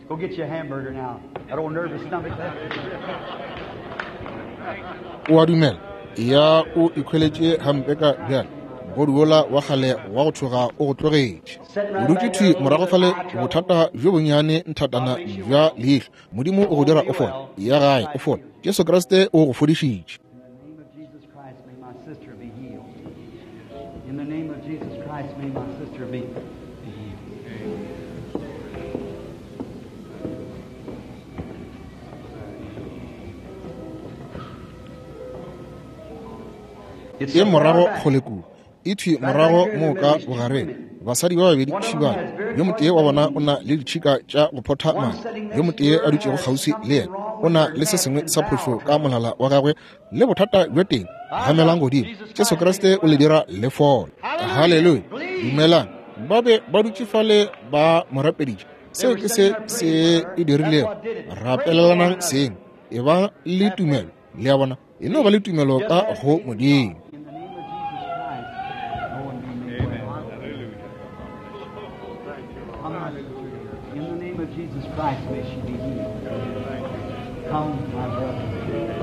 Speaker 2: Go get you a hamburger now. That old nervous stomach.
Speaker 1: O a dumela, ya o ikhweletše gampe ka bjale. Mogodu wola wa kgale wa go tšhoga o go tlogetše. O dutše thwi morago fale, bothata bjo bonnyane nthatana bja leihlo. Modimo o go dira o fole. Ya gae o fole. Jesu Kriste o go fodišitše.
Speaker 2: In the name of Jesus Christ, may my sister be healed. In the name of Jesus Christ, may my sister be healed. It's
Speaker 1: E
Speaker 2: so
Speaker 1: morago
Speaker 2: far back.
Speaker 1: kgole kua, e thwi morago mo ka bogareng. Basadi ba babedi šibana, yo motee wa bona o na le ditšhika tša go photha madi, yo motee a dutšego kgauswi le yena o na le se sengwe sa phošo ka molala wa gagwe le bothata bja teng. Gamelang godimo, Jesu Kriste o le dira le fole. Haleluya! Dumelang. Ba be ba dutše fale ba mo rapeditše. Seo ke se se e dirilego. Rapelelanang seng, e ba le tumelo. Le a bona, e no ba le tumelo ka go Modimo.
Speaker 2: In the name of Jesus Christ, go and be made well. Come, my sister. In the name of Jesus Christ, may she be healed. Come, my brother.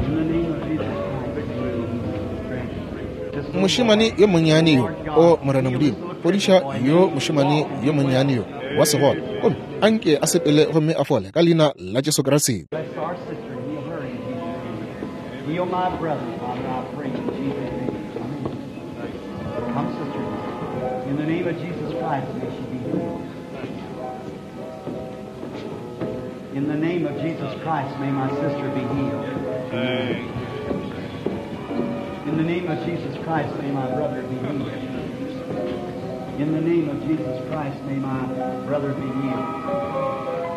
Speaker 2: In the name of Jesus Christ, may she be healed. Just so
Speaker 1: Mošemane yo monnyane yo, o Morena Modimo, fodiša yo mošemane yo monnyane yo wa segole, gomme anke a sepele gomme a fole ka leina la Jesu Kriste.
Speaker 2: Bless our sister and heal her in Jesus' name. Heal my brother, Father, I pray in Jesus' name. Amen. Come, sister. In the name of Jesus Christ, may she be healed. In the name of Jesus Christ, may my sister be healed. In the name of Jesus Christ, may my brother be healed. In the name of Jesus Christ, may my brother be healed.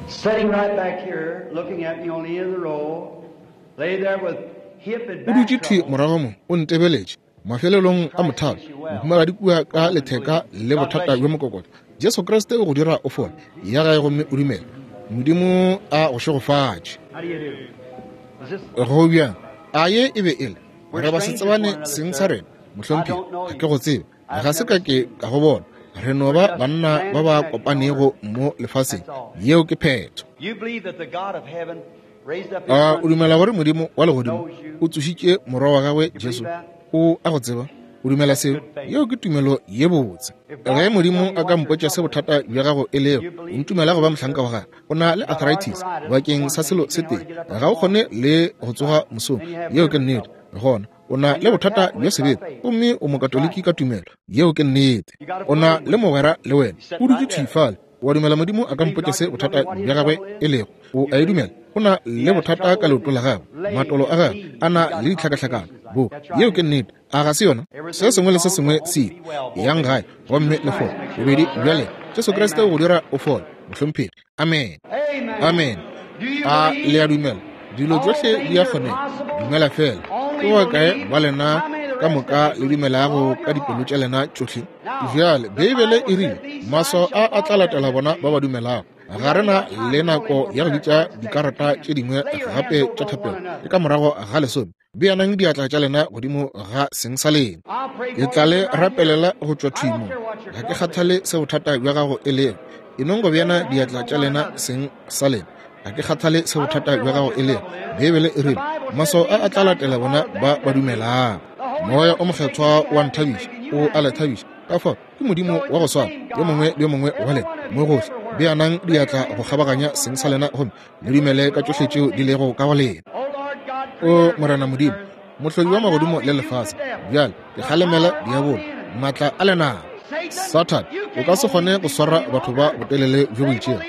Speaker 2: Sitting right back here, looking at me on the end of the row, lay there with hip and
Speaker 1: O
Speaker 2: back
Speaker 1: dutše thwi
Speaker 2: trouble.
Speaker 1: morago mo, o ntebeletše. Mafelelong a mothalo, mohumagadi kua ka letheka le bothata bja mokokotlo. Jesu Kriste o go dira o fole. Ya gae gomme o dumele. Modimo a go šegofatše.
Speaker 2: How do you do? Is this
Speaker 1: Go bjang? A ye e be e le re ba se tsebane seng sa rena, mohlomphegi, ga ke go tsebe, ga se ka ke ka go bona. Re no ba banna ba ba kopanego mo lefaseng. Yeo ke phetho.
Speaker 2: you believe that the God of heaven raised up his
Speaker 1: A o
Speaker 2: son?
Speaker 1: dumela gore Modimo wa legodimo o tsošitše morwa wa gagwe Jesu? O a go tseba? O dumela seo? Yeo ke tumelo ye botse. Ge Modimo a ka mpotša se bothata bja gago e lego, o ntumela go ba mohlanka wa gagwe. O na le arthritis bakeng sa selo se tee, ga o kgone le go tsoga mosong. Yeo ke nnete. Gona o na le bothata bja sebete, gomme o mokatoliki ka tumelo. Yeo ke nnete. O na le mogwera le wena, o dutše thwi fale. O a dumela Modimo a ka mpotša se bothata bja gagwe e lego? O a e dumela? O na le bothata ka leoto la gagwe, matolo a gagwe a na le ditlhakahlakano. Bo, yeo ke nnete, a ga se yona? Se sengwe le se sengwe se ile. Yang gae gomme le fole, bobedi bja lena. Jesu Kriste o go dira o fole, mohlomphegi. Amen. Amen. A le a dumela? Dilo tšohle di a kgonega. Dumela feela. Ke ba kae ba lena ka moka le dumelago ka dipelo tša lena tšohle? Bjale, Beibele e rile, Maswao a a tla latela bona ba ba dumelago. Ga re na le nako ya go bitša dikarata tše dingwe gape tša thapelo. Ke ka morago ga lesome. Beanang diatla tša lena godimo ga seng sa lena. Ke tla le rapelela go tšwa thwi mo. Ga ke kgathale se bothata bja gago e lego. E nong go beana diatla tša lena seng sa lena. Ga ke kgathale se bothata bja gago e lego. Beibele e rile, Maswao a a tla latela bona ba ba dumelago. Moya o Mokgethwa o a nthabiša, o a le thabiša. Ka fao, ke Modimo wa go swana, yo mongwe le yo mongwe wa lena, mo gohle. Beanang diatla go kgabaganya seng sa lena gomme le dumele ka tšohle tšeo di lego ka go lena. O Morena Modimo, Mohlodi wa magodimo le lefase, bjale ke kgalemela diabolo, maatla a lenaba. Sathane, o ka se kgone go swara batho ba botelele bjo bo itšego.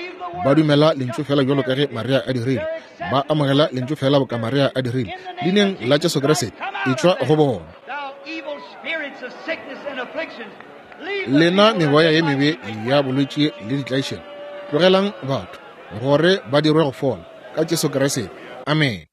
Speaker 1: Ba dumela Lentšu feela bjalo ka ge Maria a dirile. Ba amogela Lentšu feela boka Maria a dirile. Leineng la Jesu Kriste, etšwa go bona. Lena meboya ye mebe ya bolwetši le ditlaišego, tlogelang batho gore ba dirwe go fola ka Jesu Kriste. Amene.